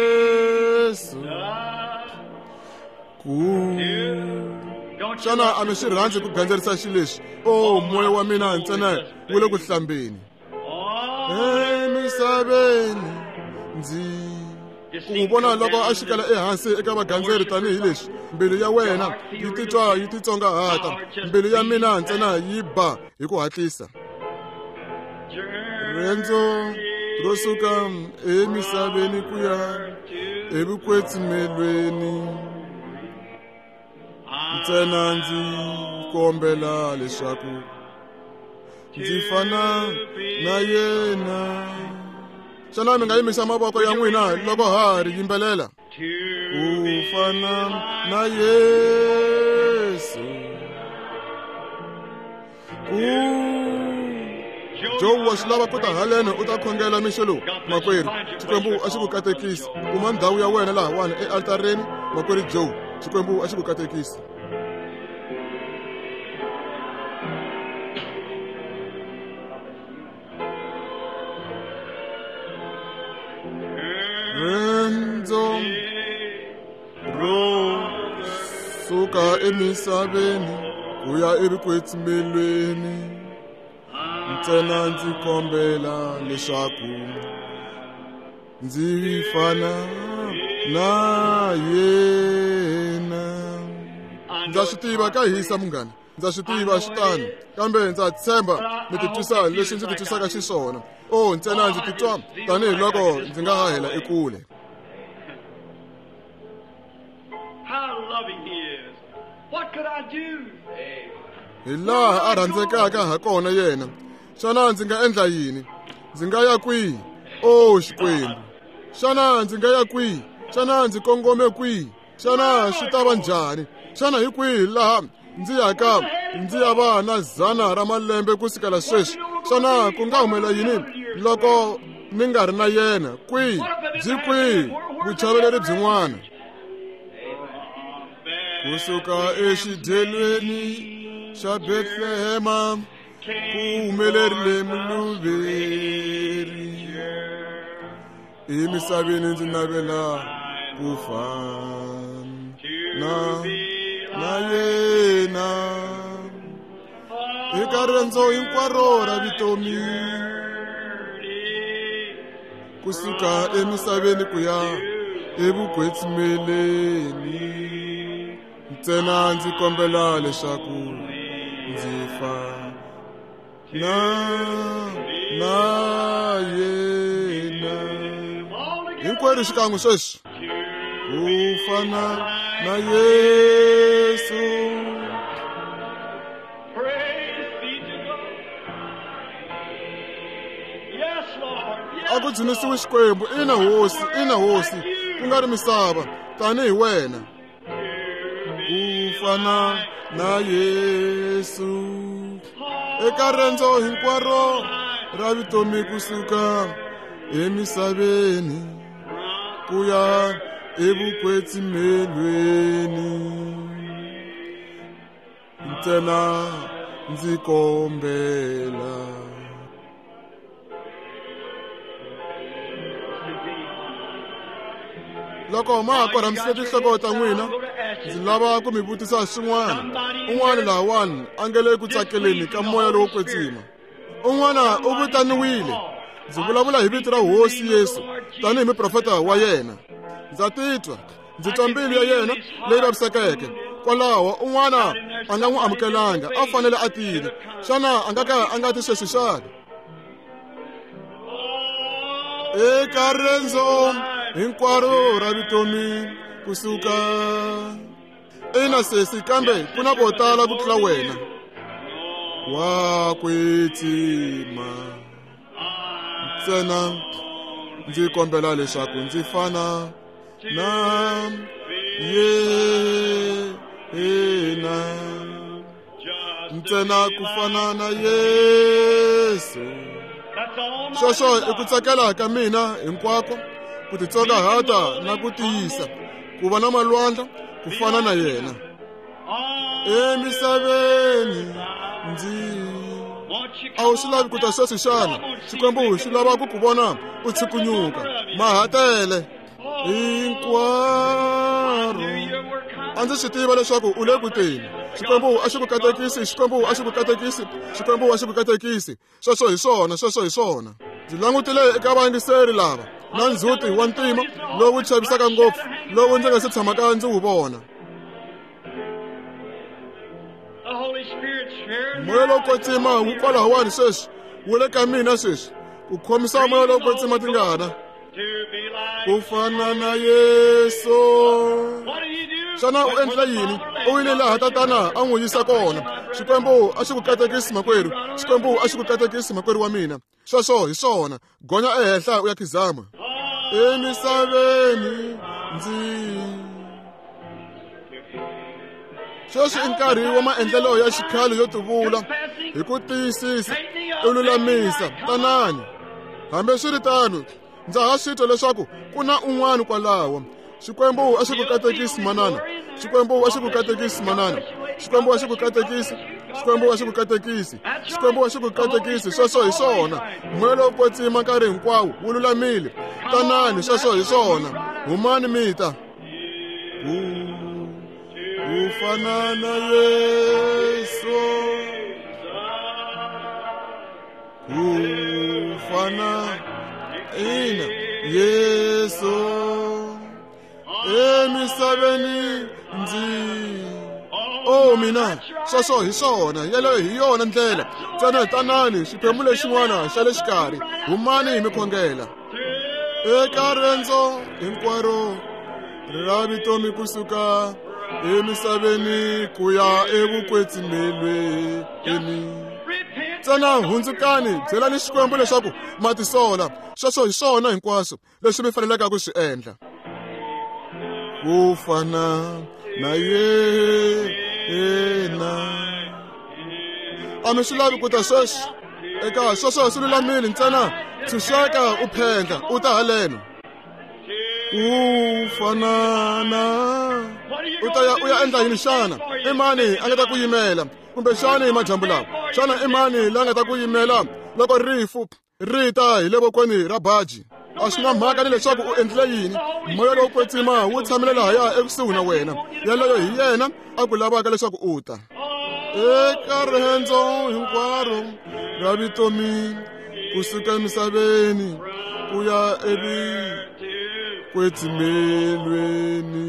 Xana a mi swi rhandzi ku gandzerisa xileswi? O moya wa mina ntsena wu le ku hlambeni emisaveni. Ndzi ku n'wi vona loko a xikela ehansi eka vagandzeri tanihileswi mbilu ya wena yi titwa yi titsongahata. Mbilu ya mina ntsena yi ba hi ku hatlisa. Riendzo ro suka emisaveni ku ya evukwetsimelweni ntsena ndzi kombela leswaku ndzi fana na yena. Xana mi nga yimisa mavoko ya n'wina loko ha ri yimbelela? U fana na Yesu. Joe wa swi lava ku ta haleno u ta khongela mixo lowu makwerhu. Xikwembu a xi ku katekisi. Kuma ndhawu ya wena lahawani ealtareni makwerhu Joe. Xikwembu a xi ku katekisi. Riendzo ro suka emisaveni ku ya evukwetsimeni ntsena ndzi kombela leswaku ndzi fana na yena. Ndza swi tiva ka hisa munghana, ndza swi tiva swi tano, kambe ndza tshemba mi titwisa leswi ndzi titwisaka xiswona. O ntsena ndzi titwa tanihiloko ndzi nga hahela ekule. Hi laha a rhandzekaka ha kona yena. Xana ndzi nga endla yini? Ndzi nga ya kwihi? O Xikwembu, xana ndzi nga ya kwihi? Xana ndzi kongome kwihi? Xana swi ta va njhani? Xana hi kwihi laha ndzi yaka ndzi ya va na 100 ra malembe ku sukela sweswi? Xana ku nga humela yini loko ni nga ri na yena? Kwihi byi kwihi vuchaveleri byin'wana? Kusuka exidyelweni xa Bethlehema ku humelerile muluveri. Emisaveni ndzi navela ku fana na yena eka riendzo hinkwaro ra vutomi kusuka emisaveni ku ya evukwetsimeni ntsena ndzi kombela leswaku ndzi fana na yena hinkwerhu xikan'we sweswi ku fana na Yesu. A ku dzunisiwe Xikwembu, ina hosi, ina hosi, ku nga ri misava, tanihi wena. Ku fana na Yesu eka riendzo hinkwaro ra vutomi kusuka emisaveni ku ya evukwetsimelweni ntsena ndzi kombela. Loko ma ha korhamisile tinhloko ta n'wina, ndzi lava ku mi vutisa swin'wana. Un'wana lahawani a nga le ku tsakeleni ka moya lowo kwetsima. Un'wana u vitaniwile. Ndzi vulavula hi vito ra Hosi Yesu tanihi muprofeta wa yena. Ndza titwa, ndzi twa mbilu ya yena leyi vavisekeke. Kwalaho un'wana a nga n'wi amukelanga, a fanele a tile. Xana a nga ka a nga ti sweswi xana? Eka riendzo hinkwaro ra vutomi kusuka ina sesi, kambe ku na vo tala ku tlula wena. Wa kwetsima ntsena ndzi kombela leswaku ndzi fana na yena ntsena ku fana na Yesu. Sweswo i ku tsakela ka mina hinkwako, ku titsongahata na ku tiyisa, ku va na malwandla ku fana na yena. Emisaveni ndzi a wu swi lavi ku ta sweswi xana? Xikwembu xi lava ku ku vona u tshukunyuka mahatele hinkwaro. A ndzi swi tiva leswaku u le ku teni. Xikwembu a xi ku katekisi, Xikwembu a xi ku katekisi, Xikwembu a xi ku katekisi. Sweswo hi swona, sweswo hi swona. Ndzi langutile eka vayingiseri lava na ndzhuti wa ntima lowu chavisaka ngopfu lowu ndzi nga se tshamaka ndzi wu vona. Moya lowo kwetsima wu kwalahawani sweswi, wu le ka mina sweswi, ku khomisa moya lowo kwetsima tingana. Ku fana na Yesu. Xana u endla yini? U yile laha tatana a n'wi yisa kona. Xikwembu a xi ku katekisi makwerhu, Xikwembu a xi ku katekisi makwerhu wa mina. Sweswo hi swona, gonya ehenhla u ya khizama. Emisaveni ndzi sweswi i nkarhi wa maendlelo ya xikhale yo tivula hi ku tiyisisa u lulamisa. Tanani. Hambi swi ri tano, ndza ha swi twa leswaku ku na un'wana kwalaho. Xikwembu a xi ku katekisi manana, Xikwembu a xi ku katekisi manana, Xikwembu a xi ku katekisi, Xikwembu a xi ku katekisi, Xikwembu a xi ku katekisi. Sweswo hi swona. Moya lowo kwetsima nkarhi hinkwawo wu lulamile. Tanani, sweswo hi swona. Humani mi ta. Ku fana na Yesu, ku fana ina Yesu emisaveni ndzi. O mina, sweswo hi swona, yeleyo hi yona ndlela. Ntsena tanani, xiphemu lexin'wana xa le xikarhi, humani hi mi khongela. Eka riendzo hinkwaro ra vutomi kusuka emisaveni ku ya evukwetsimelweni. Ntsena hundzukani, byelani Xikwembu leswaku ma tisola. Sweswo hi swona hinkwaswo leswi mi faneleke ku swi endla. Ku fana na yena. A mi swi lavi ku ta sweswi? Eka sweswo swi lulamile, ntsena tshunxeka u phendla u ta haleno. Ku fana na u ta ya u ya endla yini xana? I mani a nga ta ku yimela? Kumbe xana hi madyambu lawa, xana i mani la nga ta ku yimela loko rifu ri ta hi le vokweni ra baji? A swi na mhaka ni leswaku u endlile yini, moya lowo kwetsima wu tshamile lahaya ekusuhi na wena. Yaloyo hi yena a ku lavaka leswaku u ta. Eka riendzo hinkwaro ra vutomi kusuka emisaveni ku ya evukwetsimelweni.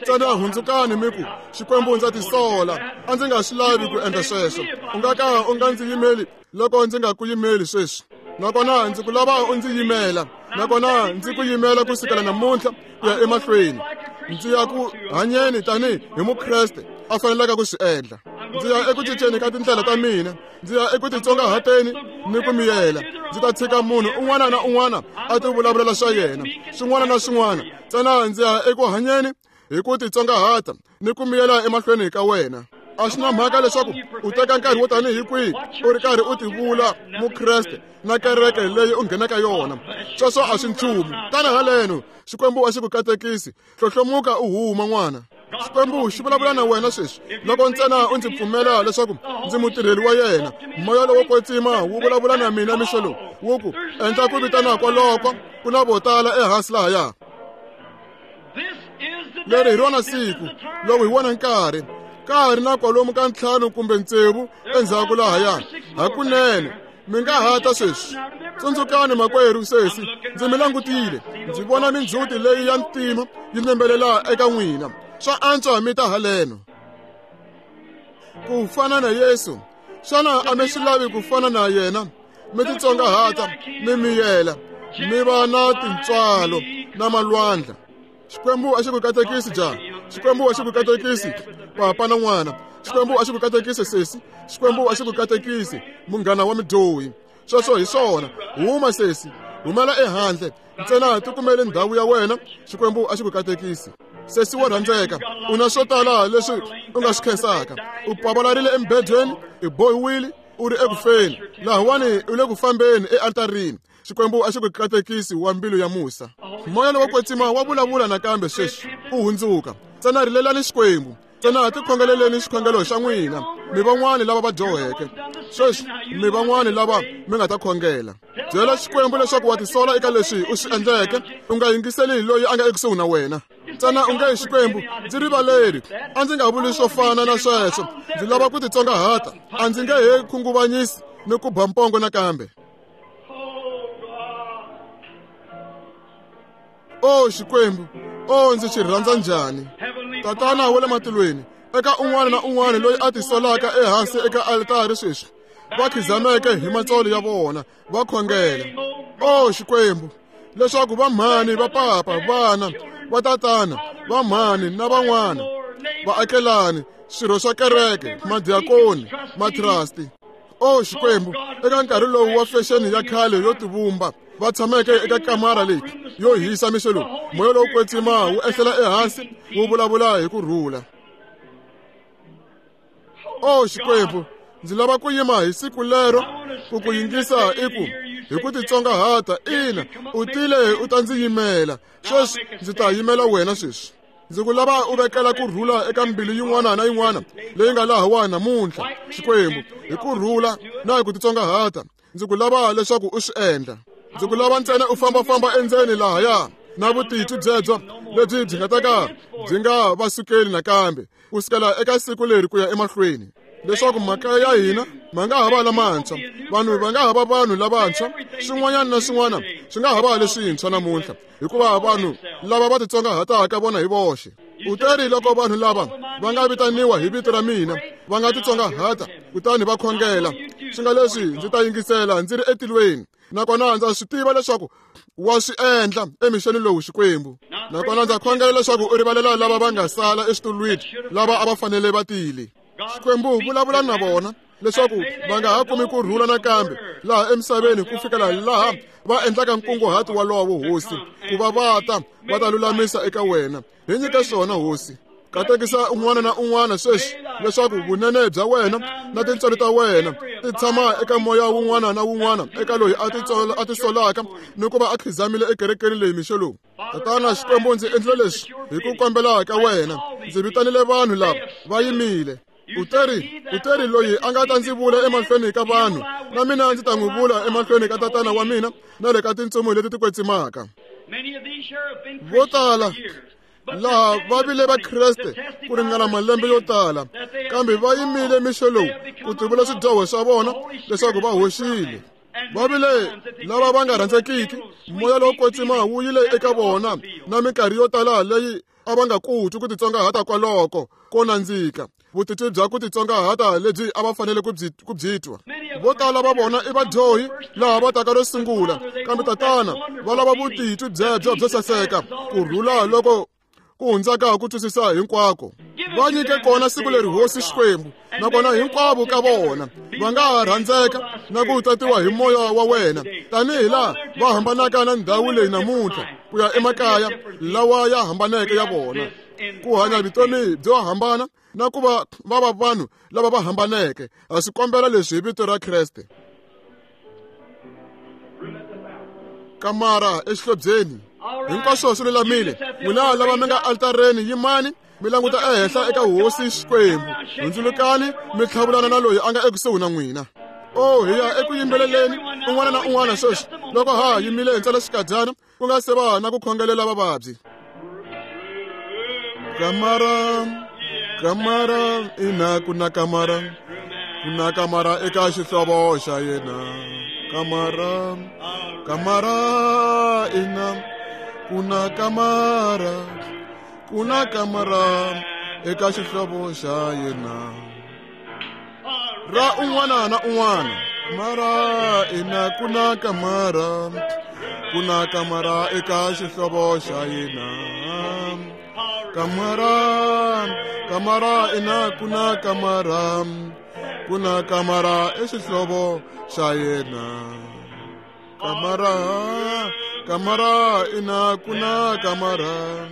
Ntsena hundzukani mi ku, Xikwembu ndza tisola, a ndzi nga swi lavi ku endla sweswo. U nga ka u nga ndzi yimeli loko ndzi nga ku yimeli sweswi. Nakona ndzi ku lava u ndzi yimela, nakona ndzi ku yimela kusukela namuntlha ku ya emahlweni. Ndzi ya ku hanyeni tanihi hi Mukreste a fanelaka ku swi endla. Ndzi ya eku cinceni ka tindlela ta mina, ndzi ya eku titsongahateni ni ku miyela. Ndzi ta tshika munhu un'wana na un'wana a ti vulavulela swa yena, swin'wana na swin'wana. Ntsena ndzi ya eku hanyeni hi ku titsongahata ni ku miyela emahlweni ka wena. A swi na mhaka leswaku u teka nkarhi wo tanihi kwihi u ri karhi u tivula Mukreste na kereke leyi u nghenaka yona. Sweswo a swi nchumu. Tana haleno, Xikwembu a xi ku katekisi. Hlohlomuka u huma n'wana. Xikwembu xi vulavula na wena sweswi. Loko ntsena u ndzi pfumela leswaku ndzi mutirheli wa yena, moya lowo kwetsima wu vulavula na mina mixo lowu, wu ku, endla ku vitana kwaloko, ku na vo tala ehansi lahaya. Leri hi rona siku, lowu hi wona nkarhi. Ka ha ri na kwalomu ka 5 kumbe 6 endzhaku lahaya. Hakunene, mi nga ha ta sweswi. Tsundzukani makwerhu sesi, ndzi mi langutile, ndzi vona mindzhuti leyi ya ntima yi nembelela eka n'wina. Swa antswa mi ta haleno. Ku fana na Yesu, xana a mi swi lavi ku fana na yena? Mi titsongahata, mi miyela, mi va na tintswalo na malwandla. Xikwembu a xi ku katekisi jaha. Xikwembu a xi ku katekisi papa na n'wana. Xikwembu a xi ku katekisi sesi. Xikwembu a xi ku katekisi munghana wa midyohi. Sweswo hi swona. Huma sesi, humela ehandle. Ntsena tikumele ndhawu ya wena. Xikwembu a xi ku katekisi. Sesi wo rhandzeka, u na swo tala leswi u nga swi khensaka. U pavalarile emubedweni, u bohiwile, u ri ekufeni. Lahawani u le ku fambeni ealtarini. Xikwembu a xi ku katekisi wa mbilu ya musa. Moya lowo kwetsima wa vulavula nakambe sweswi, u hundzuka. Ntsena rilelani Xikwembu. Ntsena tikhongeleleni xikhongelo xa n'wina. Mi van'wani lava va dyoheke. Sweswi mi van'wani lava mi nga ta khongela. Byela Xikwembu leswaku wa tisola eka leswi u swi endleke. U nga yingiseli loyi a nga ekusuhi na wena. Ntsena u nge, Xikwembu, ndzi rivaleri. A ndzi nga vuli swo fana na sweswo. Ndzi lava ku titsongahata. A ndzi nge he khunguvanyisi ni ku ba mpongo nakambe. O Xikwembu, o ndzi xi rhandza njhani. Tatana wa le matilweni, eka un'wana na un'wana loyi a tisolaka ehansi eka altari sweswi, va khizameke hi matsolo ya vona, va khongela. O Xikwembu, leswaku va mhani, va papa, vana, va tatana, va mhani na van'wana, vaakelani, swirho swa kereke, madiakoni, matrasti. O Xikwembu, eka nkarhi lowu wa fexeni ya khale yo tivumba, va tshameke eka kamara leyi yo hisa mixo lowu, moya lowo kwetsima wu ehlela ehansi wu vulavula hi ku rhula. O Xikwembu, ndzi lava ku yima hi siku lero ku ku yingisa i ku hi ku titsongahata. Ina, u tile u ta ndzi yimela. Sweswi ndzi ta yimela wena sweswi. Ndzi ku lava u vekela ku rhula eka mbilu yin'wana na yin'wana leyi nga lahawani namuntlha, Xikwembu, hi ku rhula na hi ku titsongahata. Ndzi ku lava leswaku u swi endla. Ndzi ku lava ntsena u fambafamba endzeni lahaya na vutitwi byebyo lebyi byi nga ta ka byi nga va sukeli nakambe kusukela eka siku leri ku ya emahlweni, leswaku makaya ya hina ma nga ha va lamantshwa, vanhu va nga ha va vanhu lavantshwa, swin'wanyana na swin'wana swi nga ha va leswintshwa namuntlha, hikuva vanhu lava va titsongahataka vona hi voxe. U teri loko vanhu lava va nga vitaniwa hi vito ra mina va nga titsongahata kutani va khongela, swi nga leswi ndzi ta yingisela ndzi ri etilweni. Nakona ndza swi tiva leswaku wa swi endla emixeni lowu, Xikwembu. Nakona ndza khongela leswaku u rivalela lava va nga sala eswitulwini, lava a va fanele va tile. Xikwembu, vulavula na vona leswaku va nga ha kumi ku rhula nakambe laha emisaveni ku fikela laha va endlaka nkunguhato walowo, Hosi, ku va va ta va ta lulamisa eka wena. Hi nyike swona, Hosi. Katekisa un'wana na un'wana sweswi leswaku vunene bya wena na tintswalo ta wena ti tshama eka moya wun'wana na wun'wana eka loyi a tisolaka ni ku va a khizamile ekerekeni leyi mixo lowu. Tatana Xikwembu, ndzi endlile leswi hi ku kombela ka wena. Ndzi vitanile vanhu lava va yimile. U teri loyi a nga ta ndzi vula emahlweni ka vanhu, Na mina ndzi ta n'wi vula emahlweni ka tatana wa mina na le ka tintsumi leti ti kwetsimaka. Vo tala laha va vile va Kreste ku ringana malembe yo tala, kambe va yimile mixo lowu ku tivula swidyoho swa vona leswaku va hoxile. Va vile lava va nga rhandzekiki, moya lowo kwetsima wu yile eka vona na minkarhi yo tala leyi a va nga ku twi ku titsongahata kwaloko ko nandzika, vutitwi bya ku titsongahata lebyi a va fanele ku byi twa. Vo tala va vona i vadyohi laha va taka ro sungula, kambe tatana va lava vutitwi byebyo byo saseka, ku rhula loko ku hundzaka ku twisisa hinkwako. Va nyike kona siku leri Hosi Xikwembu, nakona hinkwavo ka vona va nga ha rhandzeka na ku tatiwa hi moya wa wena, tanihi laha va hambanaka na ndhawu leyi namuntlha ku ya emakaya lawa ya hambaneke ya vona, ku hanya vutomi byo hambana na ku va va va vanhu lava va hambaneke. Ha swi kombela leswi hi vito ra Kreste. Kamara exihlobyeni hinkwaswo swi lulamile. N'wina lava mi nga altareni, yimani mi languta ehenhla eka Hosi Xikwembu, hundzulukani mi tlhavulana na loyi a nga ekusuhi na n'wina. O hi ya eku yimbeleleni un'wana na un'wana sweswi, loko ha yimile ntsena xikadyana ku nga se va na ku khongelela vavabyi. Kamara, kamara, ina ku na kamara, ku na kamara eka xihlovo xa yena. Kamara, kamara, ina ku na kamara, ku na kamara eka xihlovo xa yena. Ra un'wana na un'wana, mara ina ku na kamara, ku na kamara eka xihlovo xa yena. Kamara, kamara, ina ku na kamara, ku na kamara exihlovo xa yena. Kamara, kamara, ina ku na kamara.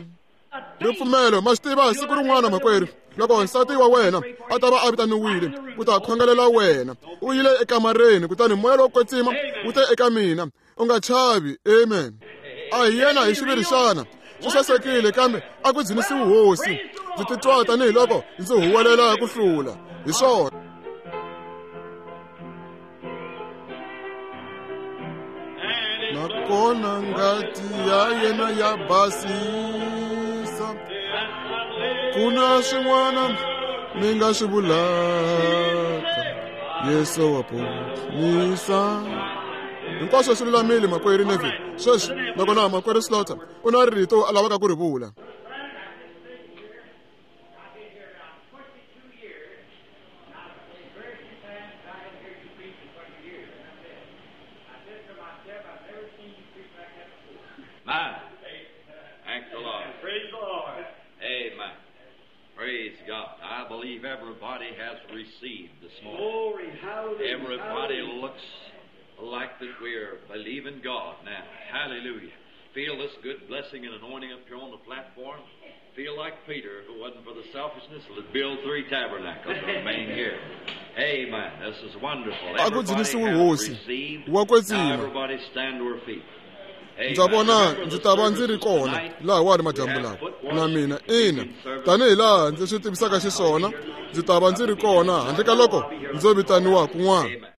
Ripfumelo, ma swi tiva siku rin'wana makwerhu, loko nsati wa wena a ta va a vitaniwile ku ta khongelela wena, u yile ekamareni, kutani moya lowo kwetsima wu te eka mina, u nga chavi. Amen. A hi yena hi xiviri xana? Swi sasekile, kambe a ku dzunisiwi Hosi. Ndzi titwa tanihiloko ndzi huwelela ku hlula. Hi swona. Nakona ngati ya yena ya basisa, ku na swin'wana mi nga swi vulaka, Yesu wa ponisa. Hinkwaswo swi lulamile makwerhu Neville. Sweswi nakona makwerhu Slaughter u na rito a lavaka ku ri vula. My. Thank the Lord. Praise the Lord. Amen. Praise God. I believe everybody has received this morning. Glory, hallelujah. Everybody hallelujah. looks like that we're believing God now. Hallelujah. Feel this good blessing and anointing up here on the platform. Feel like Peter, if it wasn't for the selfishness, would build 3 tabernacles and remain here. Amen. This is wonderful. A ku Everybody dzunisiwe has Hosi. received. Wa kwetsima. Now everybody stand to her feet. Ndza vona ndzi ta va ndzi ri kona lahawani madyambu lawa na mina. Ina, tanihi laha ndzi swi tivisaka xiswona, ndzi ta va ndzi ri kona handle ka loko ndzo vitaniwa kun'wana.